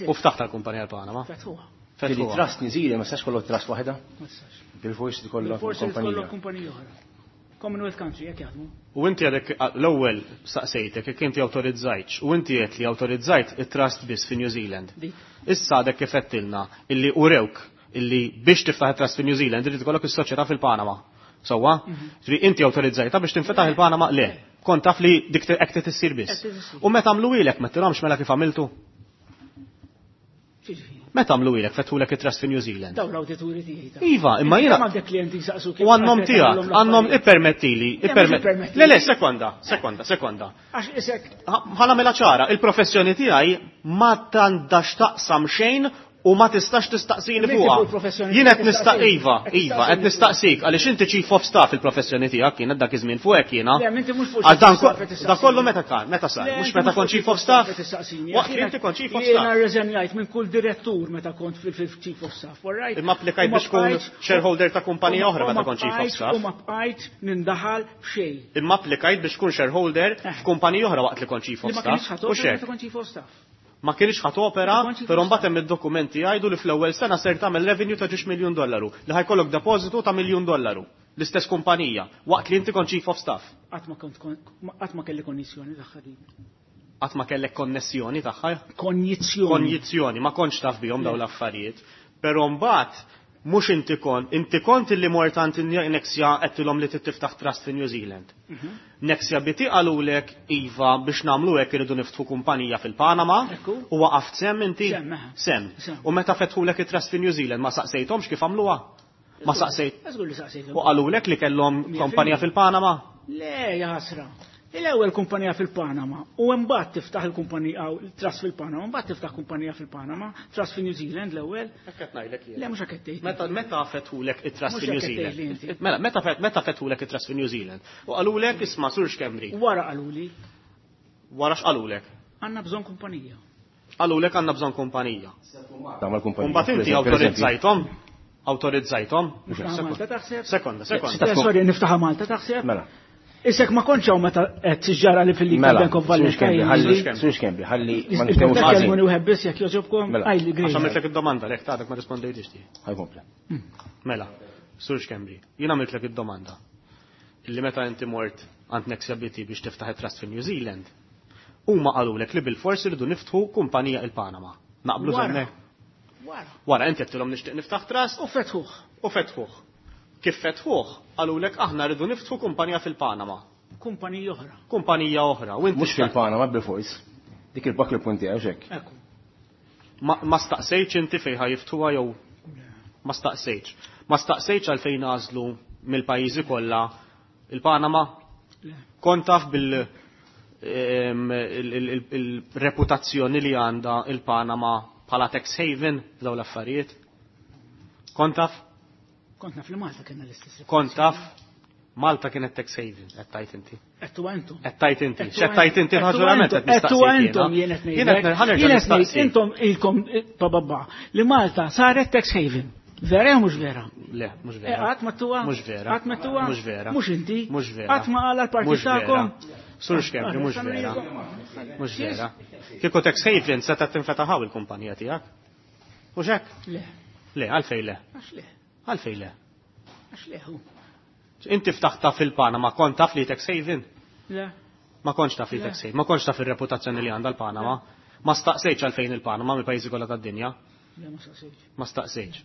U ftaħt tal-kumpanija l-Panama. Fetħuha. Fili Trust New Zealand ma sax kollok trust waħda? Ma tistax. Bil-forsi tkollok Bil-forsi tkollok kumpanija oħra. Commonwealth country, jekk jaħdmu. U inti għadek l-ewwel saqsejtek jekk inti awtorizzajtx u inti qed li awtorizzajt it-trust biss fi New Zealand. Issa għadek kif għedtilna illi urewk illi biex tiftaħ it-trust fi New Zealand irid ikollok is-soċjetà fil-Panama. Sewwa? Ġifieri inti awtorizzajta biex tinfetaħ il-Panama le. Kont taf li dik hekk trid issir biss. U meta għamlu ilek ma tilhomx mela kif għamiltu? Meta għamlu ilek fetħulek it-trust fi New Zealand? Daw l-awdituri tiegħi. Iva, imma jiena. Għandek klienti saqsu U għannom tiegħek, għannom ippermettili, ippermettili. Le, le, sekonda, sekonda, sekonda. Għax isek. Ħana mela ċara, il-professjoni tiegħi ma tandax taqsam xejn u ma tistax tistaqsini fuqha. Jien qed nistaq iva, iva, qed nistaqsik għaliex inti chief of staff il-professjoni tiegħek kienet dak iż-żmien fuq hekk jiena. Da kollu meta kan, meta sar, mhux meta kont chief of staff. Waqt li inti kont chief of staff. Jiena rreżenjajt minn kull direttur meta kont fil-chief of staff, all right? Imma applikajt biex tkun shareholder ta' kumpanija oħra meta kont chief of staff. U ma bqajt nindaħal f'xejn. Imma applikajt biex tkun shareholder f'kumpanija oħra waqt li kont chief of staff. U meta kont chief of staff ma kienx ħat opera, però mbagħad hemm id-dokumenti jgħidu li fl-ewwel sena ser tagħmel revenue ta' 2 miljun dollaru, li ħajkollok depożitu ta' miljun dollaru. L-istess kumpanija, waqt li inti kont chief of staff. Qatt ma kont qatt ma kelli konnessjoni tagħha din. Qatt ma kellek konnessjoni tagħha? Konjizzjoni. Konjizzjoni, ma kontx taf bihom dawn l-affarijiet. Però mbagħad mhux inti kont, inti kont illi mort għand Nexia qedtilhom li tiftaħ trust fi New Zealand. Nexia BT qalulek iva biex nagħmlu hekk iridu niftħu kumpanija fil-Panama u waqaft sem inti? Sem. U meta fetħulek it-trust fi New Zealand ma saqsejthomx kif għamluha? Ma saqsejt. U qalulek li kellhom kumpanija fil-Panama? Le, jaħasra. L-ewwel kumpanija fil-Panama u mbagħad tiftaħ il-kumpanija trust fil-Panama, mbagħad tiftaħ kumpanija fil-Panama, trust fi New Zealand l-ewwel. Hekk qed ngħidlek jien. Le mhux hekk qed tgħid. Meta meta fetħulek it-trust fi New Zealand? Mela meta meta fetħulek it-trust fi New Zealand? U qalulek isma' Sur Xkembri. Wara qaluli. Wara x'qalulek? Għandna bżonn kumpanija. Qalulek għandna bżonn kumpanija. Tagħmel kumpanija. Mbagħad inti awtorizzajthom? Awtorizzajthom? Sekonda, sekonda. Sorry, niftaħha Malta taħseb? Mela. Isek ma kontx hawn meta qed tiġġara li fil-League Bank of Valletta. Sux Kembri, ħalli ma nitkellmux ħażin. Kelmuni wieħed biss jekk jogħġobkom. Għajli Għax għamiltlek id-domanda lek tagħtek ma rispondejtix ti. Ħajkompli. Mela, Sur Kembri, jien għamiltlek id-domanda. Illi meta inti mort għand Nexia BT biex tiftaħ it-trust fi New Zealand, huma qalulek li bil-forsi rridu niftħu kumpanija il-Panama. Naqblu żemmek. Wara inti qedtilhom nixtieq niftaħ trust. U fetħuh. U fetħuh. Kif fetħuh, qalulek aħna rridu niftħu kumpanija fil-Panama. Kumpanija oħra. Kumpanija oħra. Mhux fil-Panama bil-fors. Dik il-bak il-punti għax hekk. Ma staqsejtx inti fejn ħajftuha jew ma staqsejtx. Ma staqsejtx għalfejn għażlu mill-pajjiżi kollha il-Panama. Kont taf bil il-reputazzjoni li għandha il-Panama bħala tax haven dawn l-affarijiet. Kont taf? Kont naf li Malta kena l-istess. Kont taf Malta kienet tax haven, qed tajt inti. Qed intom. Qed tajt inti. X'qed tajt inti raġunament qed nistaqsi. Qed intom jien qed ngħidlek. Jien qed ngħid intom ilkom bababba li Malta saret tax haven. Vera jew mhux vera? Le, mhux vera. Qatt ma tuha? Mhux vera. Qatt ma tuha? Mhux vera. Mhux inti? Mhux vera. Qatt ma qala l-partit tagħkom? Sur Schembri, mhux vera. Mhux vera. Kieku tax haven seta' tinfetaħaw il-kumpanija tiegħek. Mhux hekk? Le. Le, għalfejn le. Għax le. Għalfejn le. Għax le hu. Inti ftaħta fil-Panama, kont taf li tax haven? Le. Ma kontx taf li tax haven, ma kontx taf ir-reputazzjoni li għandha l-Panama. Ma staqsejtx għalfejn il-Panama mill-pajjiżi kollha tad-dinja. Le, ma staqsejtx. Ma staqsejtx.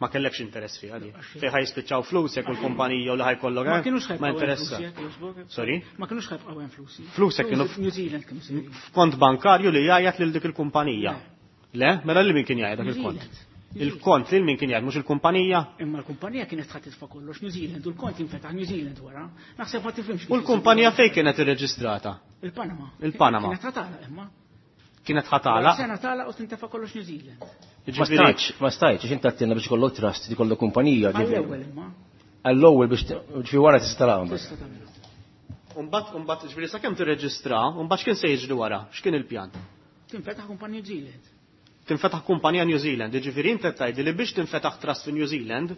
Ma kellekx interess fiha di. Fejn ħa jispiċċaw flusek u l-kumpanija u li ħa jkollok. Ma kienux Ma ħa jibqgħu interessa. flusek, jogħġbok. Sorry? Ma kienux ħa jibqgħu hemm flusi. Flusek kienu New Zealand kienu sejrin. f'kont bankarju li jgħajjat lil dik il-kumpanija. Le? Mela lil min kien jgħajjat dak New il-kont? Zealand. Il-kont lil min kien jgħajjat, mhux il-kumpanija? Imma l-kumpanija kienet ħa titfa' kollox New Zealand u l-kont jinfetaħ New Zealand wara. Naħseb ma tifhimx. U l-kumpanija fejn kienet irreġistrata? Il-Panama. Il-Panama. Kienet ħa tagħlaq imma. Kienet ħa tagħlaq? Sena tagħlaq u tintefa' kollox New Zealand. Ma stajtx, ma stajtx, għax inti għedtilna biex ikollok trust, ikollok kumpanija. Għall-ewwel imma. Għall-ewwel biex ġifieri wara tista' taraha mbagħad. Tista' tagħmilha. Umbagħad, umbagħad, ġifieri sakemm tirreġistra, umbagħad x'kien se jiġri wara? X'kien il-pjan? Tinfetaħ kumpanija New Zealand. Tinfetaħ kumpanija New Zealand, jiġifieri inti qed tgħidli li biex tinfetaħ trust fi New Zealand,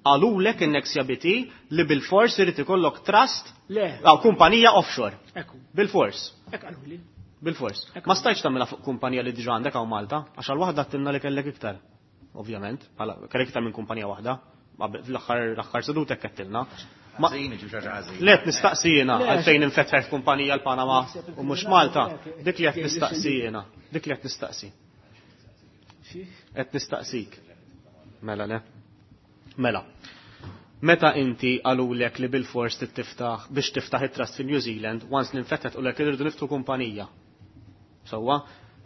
qalulek in-Nexia BT li bil-fors irid ikollok trust Le. aw kumpanija offshore. Ekku. Bil-fors. Hekk qaluli. Bil-fors. Ma stajtx tagħmilha fuq kumpanija li diġà għandek hawn Malta, għax għal waħda għedtilna li kellek iktar. Ovvjament, bħala kellek iktar minn kumpanija waħda. Fl-aħħar l-aħħar seduta hekk għedtilna. Ma- Ħażin, ġib xi ħaġa ħażin. Le qed nistaqsi jiena Le, għalfejn infetħet kumpanija l-Panama u mhux Malta. Dik li qed nistaqsi jiena. Dik li qed nistaqsi. Xi? Qed nistaqsik. Mela le. Mela. Meta inti qalulek li bil-fors trid tiftaħ biex tiftaħ it-trust fi New Zealand, once li nfetħet u lek irridu niftu kumpanija. Sewwa,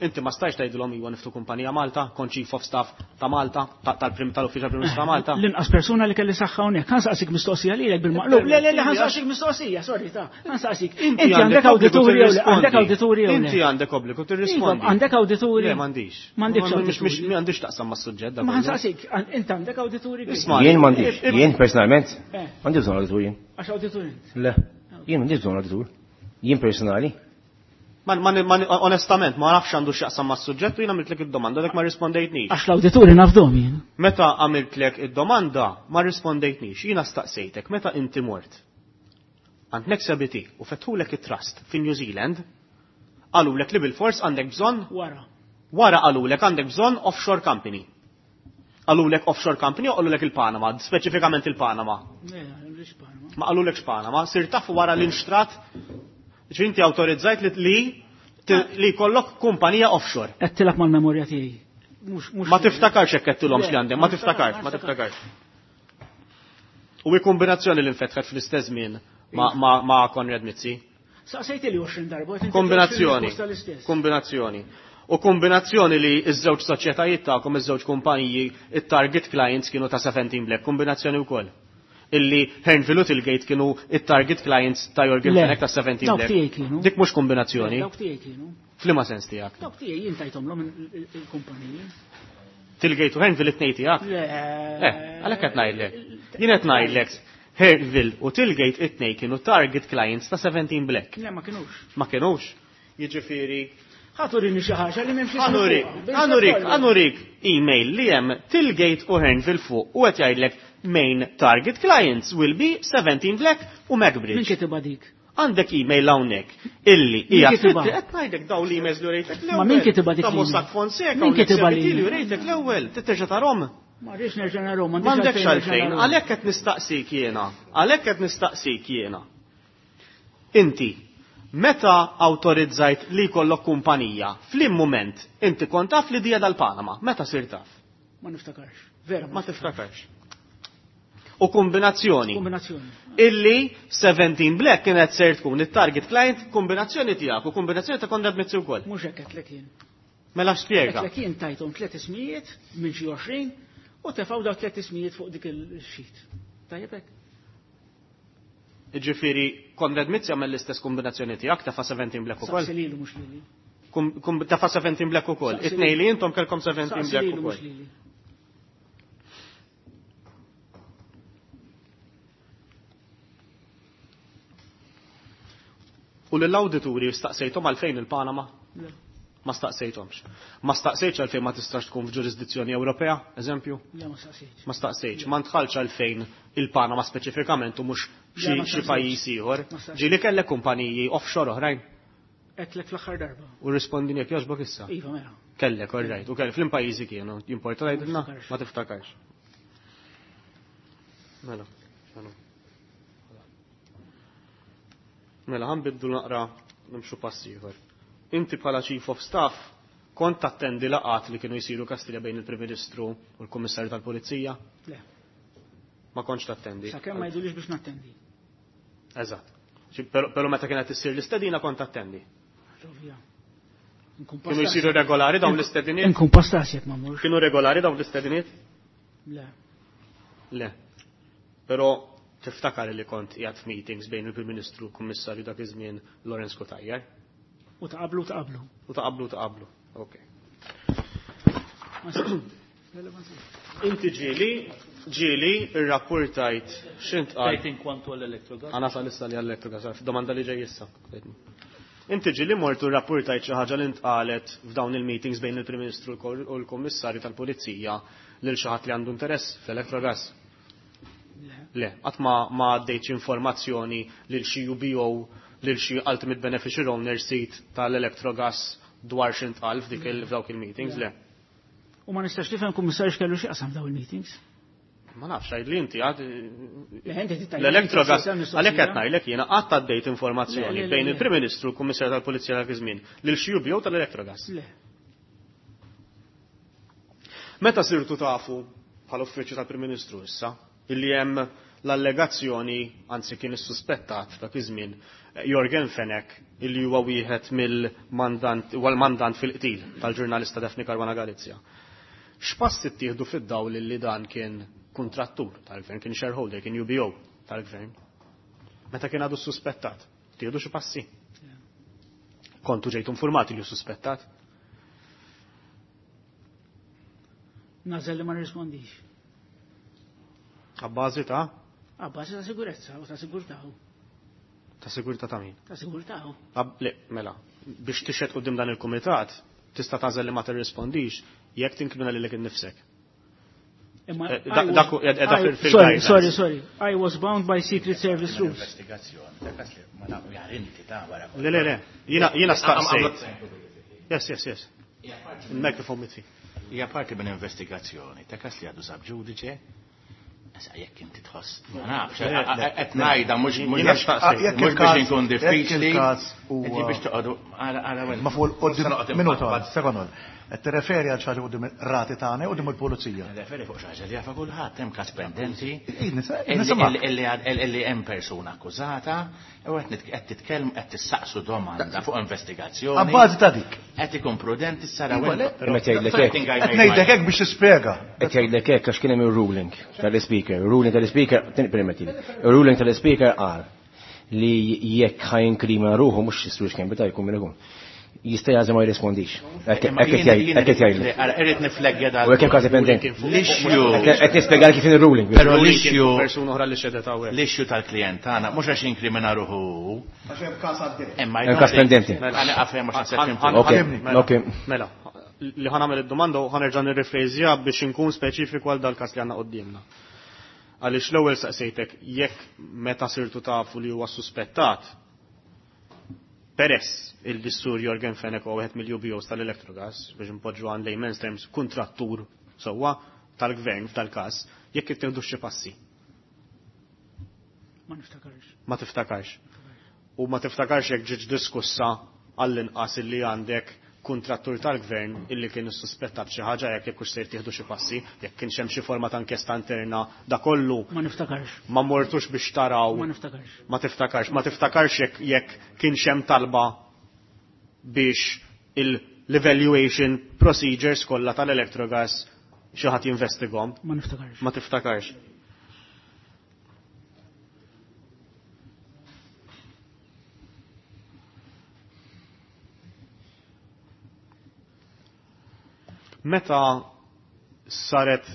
inti ma stajx tgħidilhom iwa niftu kumpanija Malta, kont chief of staff ta' Malta, tal-prim tal-uffiċjal Prim Ministru ta' Malta. L-inqas persuna li kelli saħħa hawnhekk, ħa nsaqsik mistoqsija lilek bil-maqlub. Le, le, le, ħa nsaqsik mistoqsija, sorry ta' ħa nsaqsik. Inti għandek obbligu awdituri jew le? tirrispondi. Għandek awdituri jew le? Inti għandek obbligu tirrispondi. Iva, Għandek awdituri? Le, m'għandix. M'għandekx awdituri. M'għandix taqsam mas-suġġett dak Ma kollu. ħa nsaqsik, int għandek awdituri? Isma' Jien m'għandix, jien personalment, Eh. m'għandix bżonn awditur jien. Għax awdituri int. Le, jien m'għandix bżonn awditur. Jien personali. Onestament, ma nafx għandu x'jaqsam mas-suġġett u jien għamiltlek id-domanda dak ma rispondejtnix. Għax l-awdituri nafdhom jien. Meta għamiltlek id-domanda, ma rispondejtnix. Jiena staqsejtek, meta inti mort? Għand Nexia BT u fetħulek it-trust fi New Zealand, qalulek li bil-fors għandek bżonn Wara. Wara qalulek għandek bżonn offshore company. Qalulek offshore company u qalulek il-Panama, speċifikament il-Panama. Le, mhux Panama. Ma qalulekx Panama, sir taf wara l-inxtrat, ġifieri inti awtorizzajt li li jkollok kumpanija offshore. Qed tilgħab mal-memorja tiegħi. Mhux mhux Ma tiftakarx hekk qedtilhomx Le, li għandek, ma ma tiftakarx, ma niftakarx. tiftakarx. U hi kombinazzjoni li nfetħet fl-istess żmien ma' Konrad Mizzi. Saqsejt li 20 darba. qed inti 20 Kombinazzjoni. risposta l-istess. Kombinazzjoni. U kombinazzjoni li iż-żewġ soċjetajiet tagħkom, iż-żewġ kumpaniji, it-target clients kienu ta' 17 Black, kombinazzjoni wkoll. Illi Hearnville u Tilgate kienu it-target clients ta' Yorgen Le, Fenech ta' 17 dawk Black. tiegħi kienu. Dik mhux kombinazzjoni. Dawk tiegħi kienu. F'liema sens tiegħek? Dawk tiegħi jien tajthomlhom il-kumpaniji. Tilgate u Hearnville it-tnejn tiegħek? Le. Għalhekk qed ngħidlek. Jien qed ngħidlek Hearnville u Tilgate it-tnejn kienu target clients ta' 17 Black. Le, ma kinux. Ma kienux. Jiġifieri Ħa turini xi ħaġa li m'hemmx ismu Għanurik, fuqha. għanurik, għanurik email li hemm Tilgate u Hearnville fuq u qed jgħidlek main target clients will be 17 Black u Min Macbridge. kitibha dik? Għandek email hawnhekk illi hija Min kitibha? qed ngħidlek daw l-emails li rejtek l-ewwel. Ma min kitibha dik Ta' l-email? Mossack Fonseca Min u kitibha l-Nexia BT li l-email? rejtek l-ewwel, titterġa' tarhom. Ma rridx nerġa' narhom, M'għandekx għalfejn, narhom. għalhekk qed nistaqsik jiena, għalhekk qed nistaqsik jiena. Inti, meta awtorizzajt li jkollok kumpanija, f'lim mument inti kont taf li dija dal-Panama, meta sir taf? Ma niftakarx. Vera, Ma tiftakarx. U kombinazzjoni. Kombinazzjoni. Illi 17 Black kienet ser tkun it-target client kombinazzjoni tiegħek u kombinazzjoni ta' Konrad Mizzi wkoll. Mhux hekk qedlek jien. Mela x'spjega. Qedlek jien tajthom tliet ismijiet minn xi 20 u tefgħu daw tliet ismijiet fuq dik il-sheet. Tajjeb hekk? Ġifieri Konrad Mizzi għamel l-istess kombinazzjoni tiegħek tefa' 17 Black ukoll. Saqsi lilu mhux lili. Tefa' 17 Black ukoll. Saqsi It-tnejn lilu. li intom kellkom 17 Saqsi Black lilu mhux ukoll. lili. U lill-awdituri staqsejthom għalfejn il-Panama? Le. Ma staqsejthomx. Ma staqsejtx għalfejn ma tistax tkun f'ġurisdizzjoni Ewropea, eżempju? Le, ma staqsejtx. Ma staqsejtx. Ma ntħalx għalfejn il-Panama speċifikament u mhux xi pajjiż ieħor. Ġieli kellek kumpaniji offshore oħrajn? Għedtlek fl-aħħar darba. U rrispondini jekk jogħġbok issa. Iva, mela. Kellek, all right. U kellek fl pajjiżi kienu, jimporta tgħidilna? Ma tiftakarx. Mela, mela. Mela, ħanbiddu naqra nimxu pass ieħor. Inti bħala Chief of Staff kont tattendi laqgħat li kienu jsiru Kastilja bejn il-Prim Ministru u l-Kummissarju tal-Pulizija? Le. Ma kontx tattendi. Sakemm ma jgħidulix biex nattendi. Eżatt. Però meta kienet issir l-istedina kont attendi. Ovvja. Kienu jsiru regolari dawn l-istediniet? Inkun pastas jekk ma mmurx. Kienu regolari dawn l-istediniet? Le. Le. Però tiftakar li kont qiegħed f'meetings bejn il-Prim Ministru u l-Kummissarju dak iż-żmien Lawrence Cutajar? U ta' qablu ta' qablu. U ta' qablu ta' qablu. Ok. Inti ġieli, ġieli irrapportajt x'int qal. Tajt inkwantu għall-Electrogas. Għana sa issa li għall-Electrogas, domanda li ġej issa. Inti ġieli mort u rrapportajt xi ħaġa li ntqalet f'dawn il-meetings bejn il-Prim Ministru u l-Kummissarju tal-Pulizija lil xi ħadd li għandu interess fl-Electrogas? Le, qatt ma għaddejtx informazzjoni lil xi UBO, lil xi Ultimate Beneficial Owner seat tal-Electrogas dwar x'intqal f'dik f'dawk il-meetings, le. U ma nistax nifhem kummissarju x'kellu x'jaqsam dawn il-meetings. Ma nafx, għid li inti għad l-Electrogas, għalhekk qed ngħidlek jiena qatt għaddejt informazzjoni bejn il-Prim Ministru u l-Kummissarju tal-Pulizija dak iż-żmien lil xi UBO tal-Electrogas. Le. Meta sirtu tafu bħala uffiċċju tal-Prim Ministru issa illi hemm l-allegazzjoni, anzi kien issuspettat dak iż-żmien, Yorgen Fenech illi huwa wieħed mill-mandant, huwa l-mandant fil-qtil tal-ġurnalista Daphne Caruana Galizia. X'pass ittieħdu fid-dawl illi dan kien kuntrattur tal-gvern, kien shareholder, kien UBO tal-gvern? Meta kien għadu suspettat, tieħdu xi passi? Kontu ġejtu informati li hu suspettat? Nażel li ma nirrispondix. Abbażi ta'? Abbażi ta' sigurezza u ta' sigurtà. Ta' sigurtà ta' min? Ta' sigurtà. Le, mela, biex tixhed quddiem dan il-kumitat, tista' tagħżel li ma tirrispondix jekk tinkrimina lilek innifsek. Imma Dak hu qiegħed I fil- Sorry, guidelines. sorry, sorry. I was bound by Secret Service rules. Investigazzjoni, ta' kas li ma nagħmlu jar inti ta' wara. Le, le, le. Jiena staqsejt. Yes, yes, yes. Il-mikrofon mitfi. Hija parti minn investigazzjoni, ta' kas li għadu sab ġudice. Issa jekk inti tħoss, ma nafx, qed ngħidha mhux Jiena staqsejt. mhux biex inkun Jekk diffiċli. il-każ huwa- Inti biex toqgħodu għala għala wena. Ma fuq Forse noqgħod minuta, infaqqad. sekond. Qed tirreferi għal xi ħaġa quddiem ir-rati tagħna u quddiem il-pulizija. Nirreferi fuq xi ħaġa li jafa kulħadd hemm każ pendenti. Ej, nisimgħek. Illi hemm persuna akkużata u qed titkellmu qed tissaqsu domanda fuq investigazzjoni. Abbażi ta' dik. Qed ikun prudenti sara Iva, le. Imma tgħidlek hekk. Qed ngħidlek hekk biex tispjega. Qed jgħidlek hekk għax kien hemm ir-ruling tal-ispeaker. Ir-ruling tal-ispeaker, permettili. Ir-ruling tal-ispeaker qal li jekk ħajinkrimina ruħu mhux is-sur Schembri ta' jkun min ikun. Jista' jagħżel ma jirrispondix. Hekk qed jgħidlek. Irrid nifleggja dal. U hekk hemm każi pendenti. L-issue. Qed nispjega kif ir-ruling. Però l-issue persuna oħra li xedet hawnhekk. L-issue tal-klient tagħna mhux għax jinkrimina ruħu. Għax hemm każ għaddej. Imma Hemm każ pendenti. Mela għafhem għax se Ok, ok. Mela, li ħanamel id-domanda u ħanerġa' nirrifrejżja biex inkun speċifiku għal dal-każ li għandna quddiemna. Għaliex l-ewwel saqsejtek jekk meta sirtu tafu li huwa suspettat, peress il-dissur Yorgen Fenech huwa wieħed mill-UBOs tal-Electrogas, biex npoġġu għan layman's terms kontrattur sewwa tal-gvern f'dal-każ, jekk ittieħdu xi passi. Ma niftakarx. Ma tiftakarx. U ma tiftakarx jekk ġietx diskussa għall-inqas illi għandek kontrattur tal-gvern illi kien issuspettat xi ħaġa jekk hekk hux se jittieħdu xi passi, jekk kienx hemm xi forma ta' inkjesta interna, da kollu Ma niftakarx. Ma mortux biex taraw. Ma niftakarx. Ma tiftakarx. Ma tiftakarx jekk kienx hemm talba biex l-evaluation procedures kollha tal-Electrogas xi ħadd jinvestigahom. Ma niftakarx. Ma tiftakarx. Meta saret,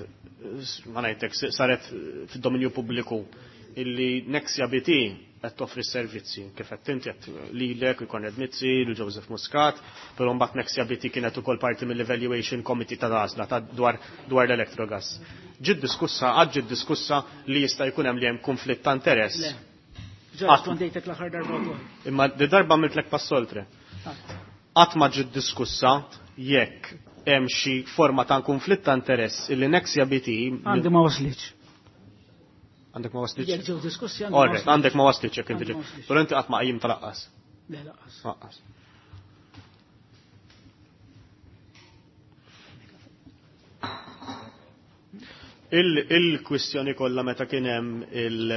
ma ngħidlek, saret fid-dominju pubbliku illi Nexia BT qed toffri s-servizzi kif qed inti qed lilek u Konrad Mizzi, lil Joseph Muscat, però mbagħad Nexia BT kienet ukoll parti mill-Evaluation Committee ta' għażla ta' dwar dwar l-Electrogas. Ġiet diskussa, għad ġiet diskussa li jista' jkun hemm li hemm konflitt ta' interess. Le. Ġa rispondejtek l-aħħar darba wkoll. Imma di darba għamiltlek pass oltre. Qatt ma ġiet diskussa jekk hemm xi forma ta' konflitt ta' interess illi Nexia BT Għandi ma waslitx. Għandek ma waslitx? Jekk ġew diskussi għandi ma Orret, waslitx. għandek ma waslitx jekk inti Għandi ma ġiet. waslitx. Però inti qatt ma qajjim talaqqas. Le laqqas. Laqqas. Il-kwistjoni kollha meta kien hemm il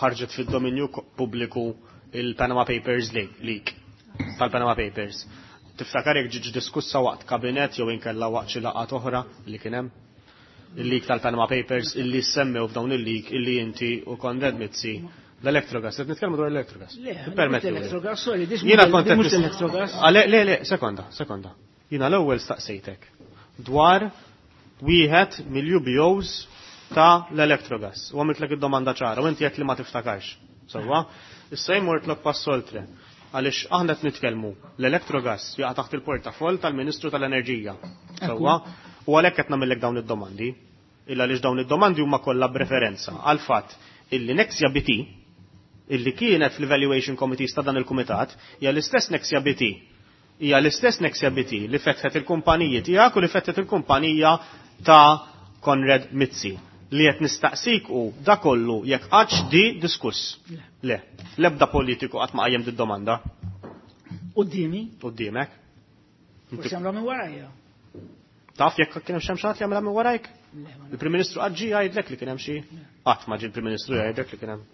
ħarġet fid-dominju pubbliku il-Panama Papers leak tal-Panama Papers. Tiftakar jekk ġietx diskussa waqt kabinet jew inkella waqt xi laqgħat oħra li kien hemm? Il-leak tal-Panama Papers illi semmew f'dawn il-leak illi inti u Konrad Mizzi l-Electrogas, qed nitkellmu dwar l-Electrogas. Le, Permetti. l-Electrogas, sorry, dis Jiena kont qed mhux l-Electrogas. Ah, Le, le, le, sekonda, sekonda. Jiena l-ewwel staqsejtek dwar wieħed mill-UBOs ta' l-Electrogas. U għamiltlek id-domanda ċara, u inti qed li ma tiftakarx. Sewwa? Issa jmortlok pass oltre. Għaliex aħna qed nitkellmu l-Electrogas jaqa' taħt il-portafoll tal-Ministru tal-Enerġija. Sewwa? U għalhekk qed nagħmellek dawn id-domandi. Illa għaliex dawn id-domandi huma kollha b'referenza għal fatt illi Nexia BT illi kienet fl-Evaluation Committees ta' dan il-Kumitat hija l-istess Nexia BT. Hija l-istess Nexia BT li fetħet il-kumpaniji tiegħek u li fetħet il-kumpanija ta' Konrad Mizzi li qed nistaqsik u da kollu jekk qattx di diskuss. Le. L-ebda politiku qatt ma qajjem d-domanda Qudiemi, quddiemek. forsi għamlu minn warajja. Taf jekk kien hemm xi ħadd li għamilha minn warajk? Le, ma nafx. Il-Prim Ministru qatt ġie jgħidlek li kien hemm xi. Qatt ma ġie l-Prim Ministru jgħidlek li kien hemm.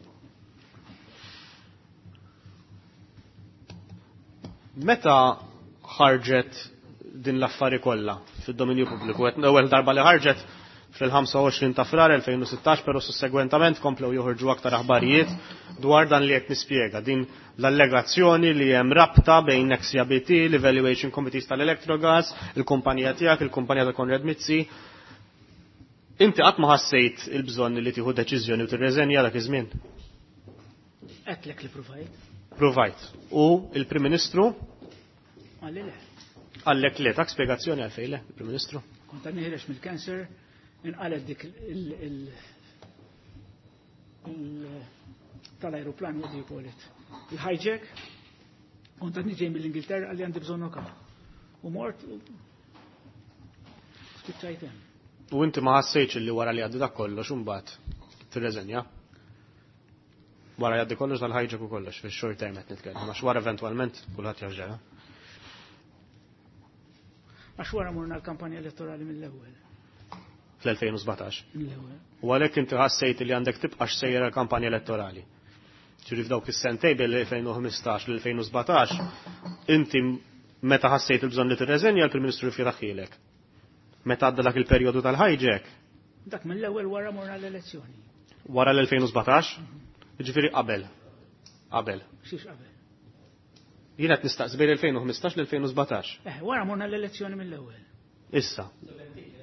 Meta ħarġet din l-affari kollha fid-dominju pubbliku, qed l-ewwel darba li ħarġet fil-25 ta' frar 2016, però sussegwentament komplew joħorġu aktar aħbarijiet dwar dan li qed nispjega, din l-allegazzjoni li hemm rabta bejn Nexia BT, l-Evaluation Committees tal-Electrogas, il-kumpanija tiegħek, il-kumpanija ta' Konrad Mizzi. Inti qatt ma ħassejt il-bżonn li tieħu deċiżjoni u tirreżenja dak iż-żmien? Għedtlek li provajt. Provajt. U il-Prim Ministru Għalli le. għallek le, tak spjegazzjoni għalfejn le, il-Prim Ministru. Kont għadni ħiereġ mill-cancer, inqalet dik tal-aeroplan, what do you call it? Il-hijack, kont għadni ġej mill-Ingilterra għalli għandi bżonn oka. U mort, u spiċċajt hemm. U inti ma ħassejtx li wara li għaddi dak kollox imbagħad tirreżenja. Wara jgħaddi kollox dal-hijack u kollox fix-short term qed nitkellem, għax wara eventwalment kulħadd jaf ġara. Għax wara morna l-kampanja elettorali mill-ewwel. Fl-2017. Mill-ewwel. U għalhekk inti ħassejt li għandek tibqa' sejjer l-kampanja elettorali. Ġifieri f'dawk is-sentej bil-2015 l-2017, inti meta ħassejt il-bżonn li tirreżenja l-Prim Ministru rifjetaħilek. Meta għadda dak il-perjodu tal-hijack, Dak mill-ewwel wara morna l-elezzjoni. wara l-2017, ġifieri qabel. Qabel. Xiex qabel. Jien qed nistaqsi bejn l-2015 l-2017. Wara morna l-elezzjoni mill-ewwel. Issa.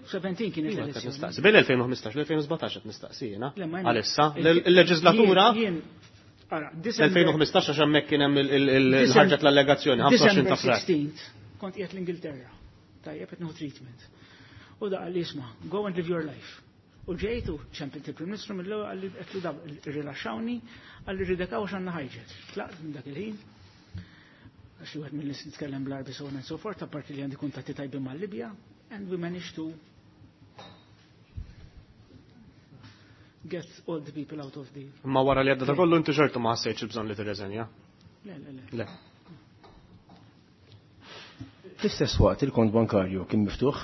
17 kienet Jien qed l-elezzjoni. nistaqsi bejn l-2015 l-2017 qed nistaqsi jiena. Le, ma jien- Għalissa il-leġislatura Jien, ara, December 2015 għax hemmhekk kien hemm il-ħarġet l-allegazzjoni 25 December ta' frar. 16th, kont qiegħed l-Ingilterra. Tajjeb qed nieħu treatment. U da qalli isma' go and live your life. U ġejtu ċempint il-Prim Ministru mill-ewwel qalli qed da irrilaxxawni qalli rridekaw għax għandna hijack. Tlaqt minn dak il-ħin. Għax wieħed mill-nies nitkellem bl-Arbi so on and so forth, apparti li għandi kuntatti tajbin mal-Libja, and we managed to get all the people out of the... Ma wara li għadda ta' kollu inti xorta ma ħassejtx il-bżonn li tirreżenja. Le, le, le. Le. Fl-istess waqt il-kont bankarju kien miftuħ,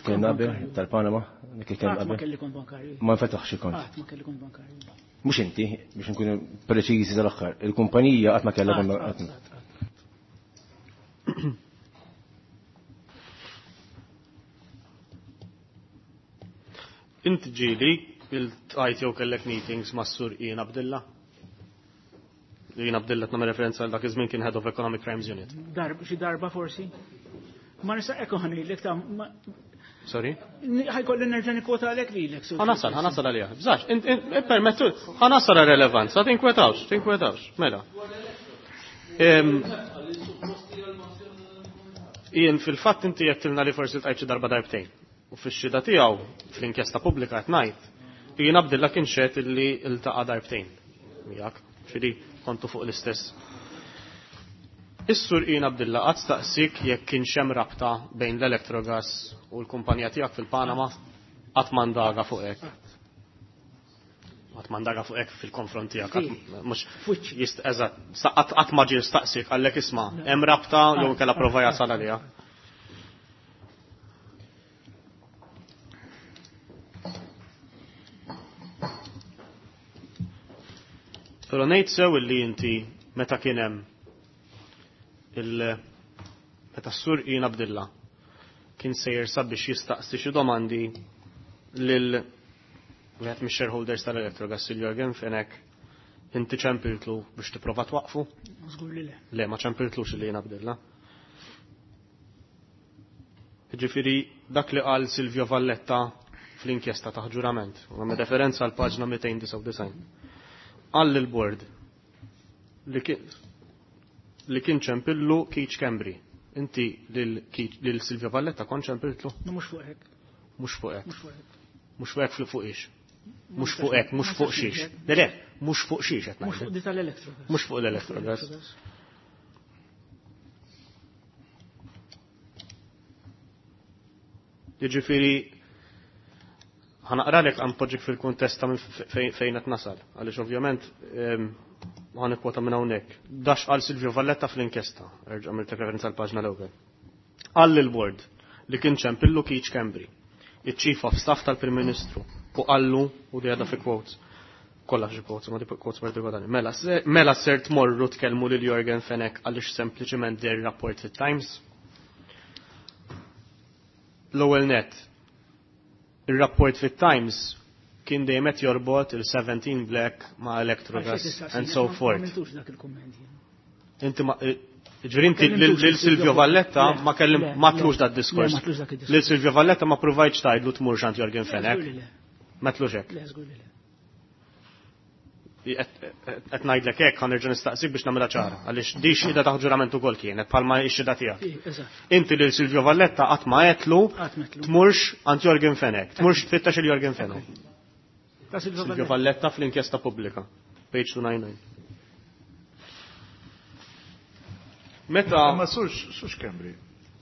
kien qabel tal-Panama, dik li kien Qatt ma qabel. kelli kont bankarju. Ma nfetaħx il-kont. Qatt ma kelli kont bankarju. Mhux inti, biex nkunu preċiżi tal-aħħar, il-kumpanija qatt ma kellha kont Qatt, qatt ma. qatt, qatt. Inti ġieli il-tqajt jew kellek meetings ma' Sur Ian Abdilla? Ian Abdilla qed nagħmel referenza għal dak iż-żmien kien Head of Economic Crimes Unit. Darba, xi darba forsi. Ma nista' ekku ħanilek ta' ma- Sorry? Ħajkolli nerġa' nikkwota għalek lilek. Ħanasal, ħanasal għalija. Bżax, permettu, ħanasal relevanza, tinkwetawx, tinkwetawx, mela. Jien fil-fatt inti jettilna li forsi tqajt xi darba darbtejn. U fix-xhieda tiegħu fl-inkjesta pubblika qed ngħid, jien Abdilla kien xehed illi ltaqa' darbtejn miegħek, ġifieri kontu fuq l-istess. Is-Sur Ian Abdilla qatt staqsik jekk kienx hemm rabta bejn l-Electrogas u l-kumpanija tiegħek fil-Panama? Qatt ma ndaga fuq hekk. Qatt ma ndaga fuq hekk fil-konfront tiegħek. Mhux eżatt, qatt ma ġie staqsik qallek isma' hemm rabta jew inkella prova jasal għaliha. Però ngħid sew illi inti meta kien hemm il meta s-Sur Ian Abdilla kien sejjer sabiex jistaqsi xi domandi lil wieħed mix-shareholders tal-Electrogas, il Jorgen Fenech, inti ċempiltlu biex tipprova twaqfu? Żgur li le. Le, ma ċempiltlux li Ian Abdilla. Ġifieri dak li qal Silvio Valletta fl-inkjesta ta' ġurament, u għamel referenza għal paġna 299. Qal lill-bord li kien ċempillu Keith Schembri. Inti lil Silvio Valletta kont ċempiltlu? No, mhux fuq hekk. Mhux fuq hekk. Mhux fuq hekk. Mhux fuq hekk fuq ix. Mhux fuq hekk, mhux fuq xiex. Le, le, mhux fuq xiex qed Mhux fuq ngħid. di tal-Electrogas. Mhux fuq l-Electrogas. Jiġifieri ħanaqralek għan poġġik fil-kuntest ta' fejn qed nasal, għaliex ovvjament ħa nikkwota minn hawnhekk. Dax qal Silvio Valletta fl-inkjesta, erġa' għamilt referenza għall paġna l-ewwel. Qal lill-bord li kien ċempillu Keith Schembri, iċ-Chief of Staff tal-Prim Ministru, u qallu, u di għadha fi quotes, kollha xi quotes, ma di quotes partikolari. Mela, mela ser tmorru tkellmu lil Jorgen Fenech għaliex sempliċement der rapport fit-Times. L-ewwel net, ir-rapport fit-Times kien dejjem qed jorbot il-17 Black ma' Electrogas and so forth. Ma għamiltux dak il-kumment jien. Inti ma, ġifieri inti lil Silvio Valletta ma kellim, ma tlux dat diskors. Le, ma tlux dak id-diskors. Lil Silvio Valletta ma provajtx tgħidlu tmurx għand Jorgen Fenech. Le, żgur li le. Ma tlux hekk. Le, żgur li le. Qed ngħidlek hekk ħa nerġa' nistaqsik biex nagħmilha ċara, għaliex di xhieda ta' ġurament ukoll kienet bħalma x-xhieda tiegħek. Ih, eżatt. Inti lil Silvio Valletta qatt ma għedtlu Qatt ma għedtlu. tmurx għand Jorgen Fenech, tmurx tfittax il Jorgen Fenech. Ta' Silvio Silvio Valletta. Valletta fl-inkjesta pubblika, page 299. Meta Ma sux Schembri,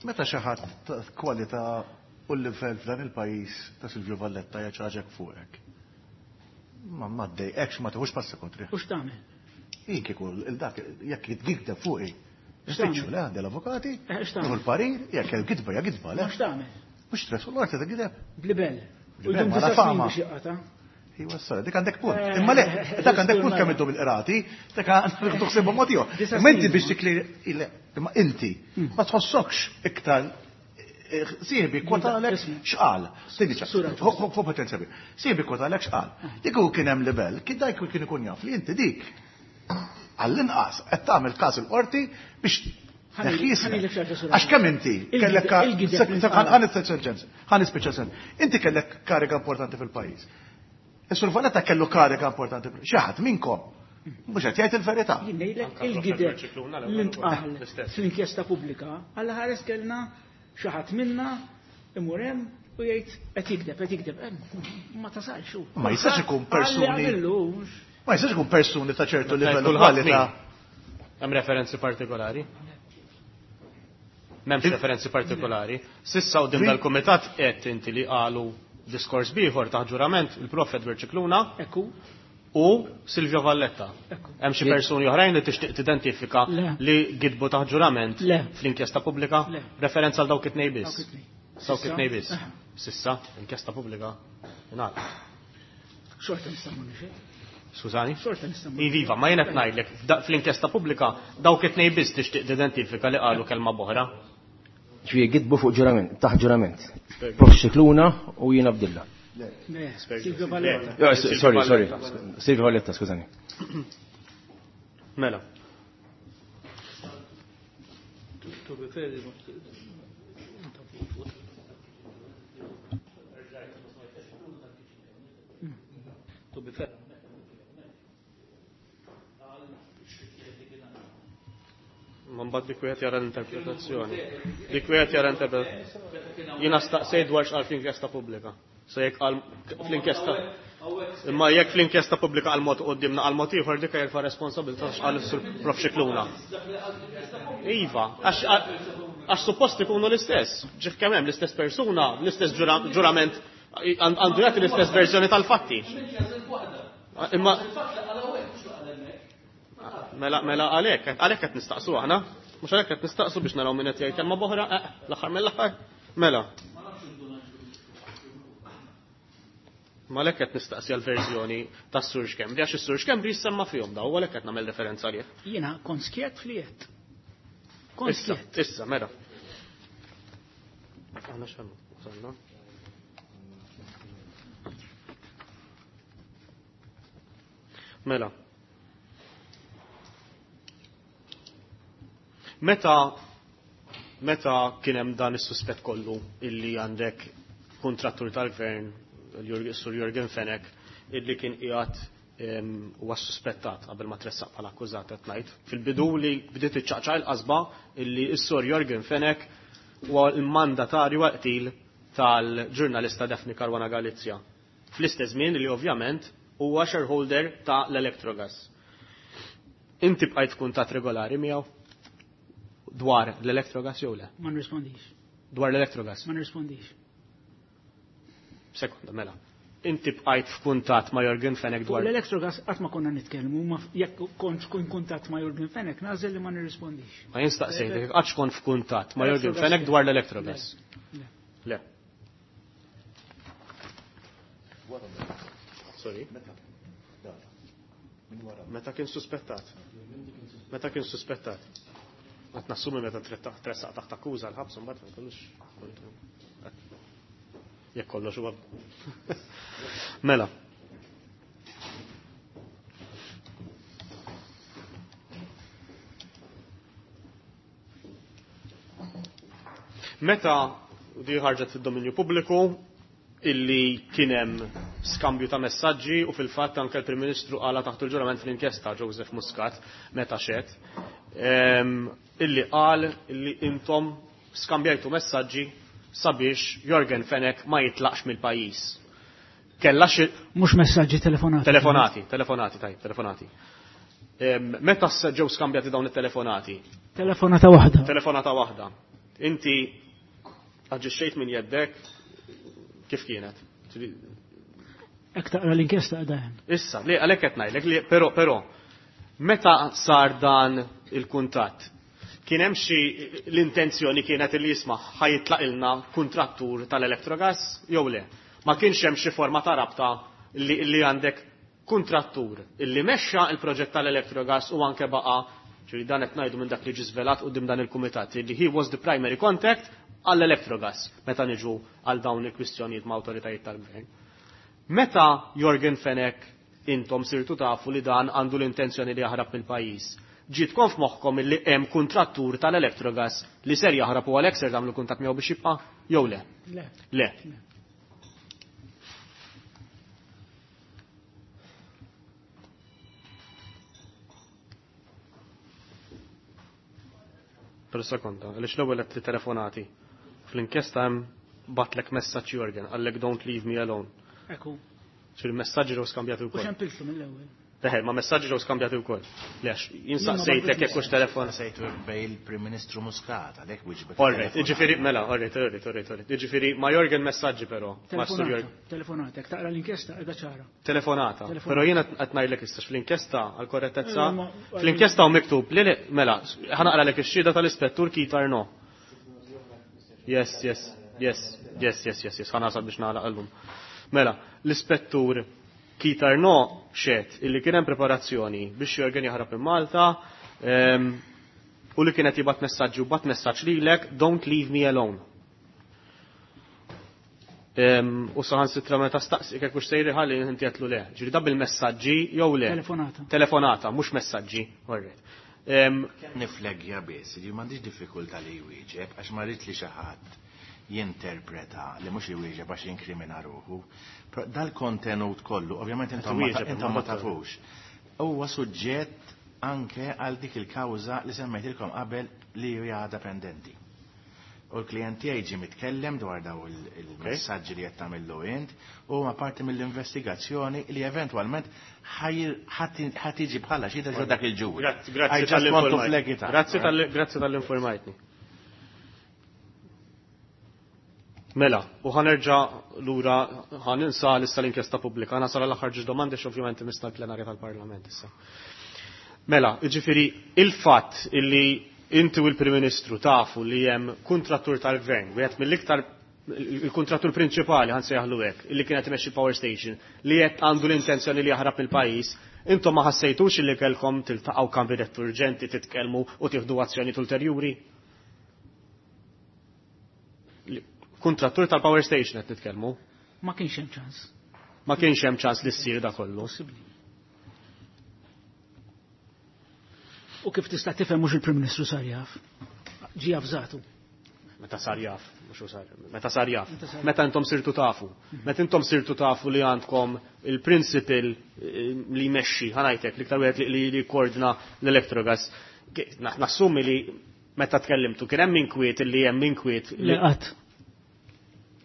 meta xi ħadd ta' kwalità u l-livell f'dan il-pajjiż ta' Silvio Valletta jaċaġek fuqek. Ma ma ddejqekx, ma tieħux passi kontri. U x'tagħmel? Jien kieku il-dak jekk jitgikdeb fuqi. Nispiċċu le għandi l-avukati, X'tagħmel? nieħu l-parir, jekk hemm gidba hija gidba le. Ma x'tagħmel? Mhux stress, u l-qorti ta' gideb. Blibel. U Blibel, jdum ma la disa' snin fama. biex jaqata'. Iwa, sorry, dik għandek punt. Imma le, dak għandek punt kemm iddum il-qrati, dak għandek tuħsibhom mod ieħor. Disa' Imma inti snin, biex tikli, le, imma inti ma tħossokx iktar sieħbi kwotalek Isma'. x'qal. Sidi ċa, Sura. hu potenza bi. Sieħbi kwotalek x'qal. Dik hu kien hemm livell, kien dak kien ikun jaf li inti dik għall-inqas qed tagħmel każ il-qorti biex Ħalli- neħħi ismek. ħalli lek xi ħaġa Għax kemm inti Il-gideb- kellek il-gideb li ntqal. ħan nispiċċa ħan nispiċċa sen. Inti kellek kariga importanti fil-pajjiż. Is-Sur Valletta kellu kariga importanti fil-pajjiż. Xi ħadd minnkom mhux qed jgħid il-verità. Jien ngħidlek Anka il-gideb Professor Ċikluna l-ewwel li ntqal l-istess. fl-inkjesta pubblika, għal ħares kellna xi ħadd minna imur hemm u jgħid qed jikdeb, qed jikdeb. Ma tasalx hu. Ma jistax ikun Qalli persuni- għamillux. Ma jistax ikun persuni ta' ċertu livell u Kulħadd kwalità. min? Hemm referenzi partikolari? M'hemmx referenzi partikolari. Sissa u din dal-kumitat qed inti li qalu diskors bieħor ta' ġurament il-Prof Edward Scicluna Ekku, u Silvio Valletta. Ekku. Hemm xi persuni oħrajn li tixtieq tidentifika Le. li gidbu ta' ġurament Le. fl-inkjesta pubblika? Le. Referenza għal dawk it-tnejn biss. Dawk it-tnejn. Dawk Sissa. it-tnejn biss. Aha. Sissa, inkjesta pubblika ingħalaq. Xorta nista' mmur nixhed. Skużani? Xorta nista' mmur. Iviva, ma jien qed ngħidlek fl-inkjesta pubblika dawk it-tnejn biss tixtieq tidentifika li qalu kelma boħra. Ġifieri gidbu fuq ġurament, taħt ġurament. Prof Scicluna u jien Abdilla. Le, Silvio Valletta. Jo, sorry, sorry. Silvio Valletta, skużani. Mela. To be fair, To be fair. Ma mbagħad dik wieħed jara l-interpretazzjoni. Dik wieħed jara l-interpretazzjoni. Jiena staqsejt dwar x'qal fl-inkjesta pubblika. So jekk qal fl-inkjesta Imma jekk fl-inkjesta pubblika għal mod qudiemna għal mod ieħor dik jerfa' responsabilità x'qal is-Sur Prof Scicluna. Iva, għax suppost ikunu l-istess. Ġif kemm hemm l-istess persuna, l-istess ġurament għandu jagħti l-istess verżjoni tal-fatti. Imma Mela, mela għalhekk, għalhekk qed nistaqsu aħna. Mhux għalhekk qed nistaqsu biex naraw min qed jgħid kelma b'oħra, eh, l-aħħar mill-aħħar. Mela. Ma għalhekk qed nistaqsi għall-verżjoni tas-Sur Schembri, għax is-Sur Schembri jissemma fihom daw, għalhekk qed nagħmel referenza għalih. Jiena kont skjett fliet. Kont Issa, issa, mela. Aħna x'għandna? Wasalna. Mela. Meta meta kien hemm dan is-suspett kollu illi għandek kontrattur tal-gvern Sur Jurgen Fenech illi kien qiegħed huwa suspettat qabel ma tressaq bħala akkużat qed ngħid. Fil-bidu li bdiet iċċaqċaq il-qasba illi s-Sur Jurgen Fenech huwa l-mandatarju għal-qtil tal-ġurnalista Daphne Caruana Galizia. Fl-istess żmien li ovvjament huwa shareholder ta' l-Electrogas. Inti bqajt f'kuntatt regolari miegħu dwar l-Electrogas jew le? Ma nirrispondix. Dwar l-Electrogas? Ma nirrispondix. Sekonda, mela. Inti bqajt f'kuntatt ma' Yorgen Fenech dwar. Fuq l-Electrogas qatt ma konna nitkellmu, ma jekk kontx in kuntatt ma' Yorgen Fenech nagħżel li ma nirrispondix. Ma jien staqsejtek, qattx kont f'kuntatt ma' Yorgen Fenech dwar l-Electrogas? Le. Le. Sorry. Meta kien suspettat? Meta kien suspettat? Qed nassumi meta tressaq taħt akkuża l-ħabs imbagħad ma jkollux. Jekk kollox huwa. Mela. Meta di ħarġet fid-dominju pubbliku illi kien hemm skambju ta' messaġġi u fil-fatt anke l-Prim Ministru qala taħt il-ġurament fl-inkjesta Joseph Muscat meta xed illi qal illi intom skambjajtu messaġġi sabiex Yorgen Fenech ma jitlaqx mill-pajjiż. Kella xi Mhux messaġġi, telefonati. Telefonati, telefonati, tajjeb, telefonati. Meta ġew skambjati dawn it-telefonati? Telefonata waħda. Telefonata waħda. Inti aġixxejt minn jeddek kif kienet? Hekk taqra l-inkjesta qiegħda hemm. Issa, li għalhekk qed ngħidlek li però però meta sar dan il-kuntatt kien hemm xi l-intenzjoni kienet li jisma' ħa jitlaqilna kuntrattur tal-Electrogas jew le? Ma kienx hemm xi forma ta' rabta li għandek kuntrattur illi mexxa il-proġett tal-Electrogas u anke baqa' ġifieri dan qed ngħidu minn dak li ġie żvelat quddiem dan il-kumitat li he was the primary contact għall-Electrogas meta niġu għal dawn il-kwistjonijiet ma' awtoritajiet tal-gvern. Meta Yorgen Fenech intom sirtu tafu li dan għandu l-intenzjoni li jaħrab mill-pajjiż, ġietkom f'moħħkom illi hemm kuntrattur tal-Electrogas li ser jaħrab u għalhekk ser tagħmlu kuntatt miegħu biex jibqa' jew le? Le. Le. Per sekonda, għaliex l-ewwel qed li telefonati. Fl-inkjesta hemm batlek messaġġ Yorgen, qallek don't leave me alone. Ekku. Ġifieri messaġġi ġew skambjati U wkoll. xempiltu mill-ewwel. Teħel, ma messaġġi ġew skambjati wkoll. Lex, jien saqsejtek jekk hux telefon. Saqsejtu bej il-Prim Ministru Muscat, għalhekk wieġbek. All right, jiġifieri, mela, all right, all right, all right, all right. Jiġifieri, ma Yorgen messaġġi però, ma Sur Telefonata, Yorgen. telefonata, jekk taqra l-inkjesta qiegħda ċara. Telefonata. Telefonata. Però jiena qed ngħidlek issa fl-inkjesta għal korrettezza, Eh, ma- fl-inkjesta hu miktub li li, mela, ħa naqralek ix-xhieda tal-ispettur Keith Arnaud. Yes, yes, yes, yes, yes, yes, yes, ħa nasal biex nagħlaq illum. Mela, l-ispettur Keith Arnaud xehed illi kien hemm preparazzjoni biex Yorgen jaħrab minn Malta, u li kienet jibgħat messaġġi u bat messaġġ lilek, don't leave me alone. U saħansitra meta staqsi kif hux sejri ħalli inti għedtlu le. Ġifieri da bil-messaġġi jew le? Telefonata. Telefonata, mhux messaġġi. All right. Nifleggja biss, li m'għandix diffikultà li jwieġeb għax ma rrid li xi ħadd Jinterpreta li mhux iwieġeb għax jinkrimina ruħu. Però dal-kontenut kollu, ovvjament intom ma Wieġeb, intom ma imma tafux. Huwa suġġett anke għal dik il-kawża li semmejtilkom qabel li hija għadha pendenti. U l-klient tiegħi ġie mitkellem dwar daw il-messaġġi li qed tagħmillu int u huma parti mill-investigazzjoni li eventwalment ħa tiġi bħala xi ġo dak il-ġuri. Grazzi, I grazzi just want to tal-informajtni. flag it up. Grazzi tal-informajtni. Mela, u ħa nerġa' lura ħa ninsa issa l-inkjesta pubblika. Ħa nasal l-aħħar ġiex domandi ovvjament imissna l-plenarja tal-Parlament issa. Mela, jiġifieri il-fatt illi inti u l-Prim Ministru tafu li hemm kuntrattur tal-gvern, wieħed mill-iktar il-kontrattur prinċipali ħa nsejjaħlu hekk, illi kienet imexxi power station, li qed għandu l-intenzjoni li jaħrab mill-pajjiż, intom ma ħassejtux illi kellkom tiltaqgħu kabinett urġenti titkellmu u tieħdu azzjonijiet ulterjuri? Kontrattur tal-power station qed nitkellmu. Ma kienx hemm ċans. Ma kienx hemm ċans li ssir da kollu. Possibbli. U kif tista' tifhem mhux il-Prim Ministru sar jaf. Ġie avżatu. Meta sar jaf, mhux hu sar, meta sar jaf. Meta sar jaf. Meta intom sirtu tafu. Meta intom sirtu tafu li għandkom il-principal li jmexxi, ħa ngħidlek, l-iktar wieħed li jkoordina l-Electrogas. Nassumi li meta tkellimtu kien hemm inkwiet li hemm inkwiet Le qatt.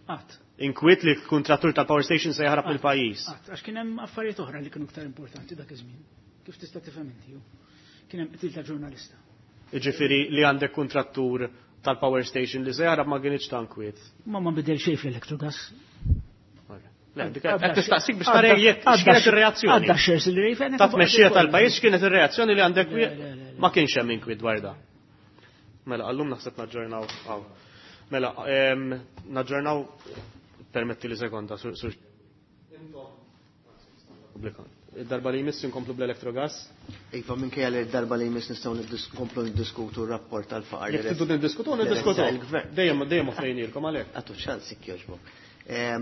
Qatt. Inkwiet li l-kontrattur tal-power station se jaħrab mill-pajjiż. Qatt, għax kien hemm affarijiet oħra li kienu iktar importanti dak iż-żmien. Kif tista' tifhem inti? Kien hemm qtil ta' ġurnalista. Jiġifieri li għandek kontrattur tal-power station li se jaħrab ma kienx ta' inkwiet. Ma bidel xejn fl-Electrogas. Le, dik qed tistaqsik biex tara jekk x'kienet ir-reazzjoni. Għadda shares li rejfen. Ta' tmexxija tal-pajjiż x'kienet ir-reazzjoni li għandek Le, le, le, le. ma kienx hemm inkwiet dwar da. Mela, għallum naħseb naġġornaw hawn. Mela, naġġornaw permetti li sekonda sur. Pubblika. Id-darba li jmiss inkomplu bl-Electrogas. Iva, minkejja li d-darba li jmiss nistgħu nkomplu niddiskutu r-rapport tal-faqar. Jekk tridu niddiskutu, li niddiskutu. ressaq il-gvern. Dejjem dejjem offrejnilkom għalhekk. Għatu ċans jekk jogħġbok.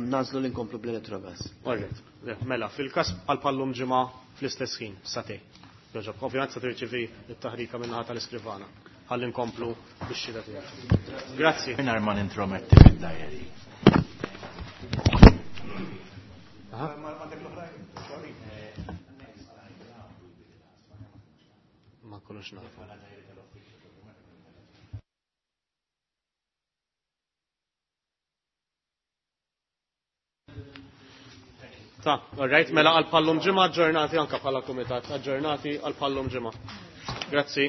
Nagħżlu li nkomplu bl-Electrogas. Alright. Le, mela, fil-każ għal pallum ġimgħa fl-istess ħin, satej. Jogħġob, ovvjament se tirċivi t-taħrika min-naħa tal-iskrivana. Ħalli nkomplu bix-xhieda tiegħek. Grazzi. Mingħajr ma nintrometti fid-diary. Ma nkunux nafu. Ta, all right, mela għal pallum ġimgħa aġġornati anka bħala kumitat, aġġornati għal pallum ġimgħa. Grazzi.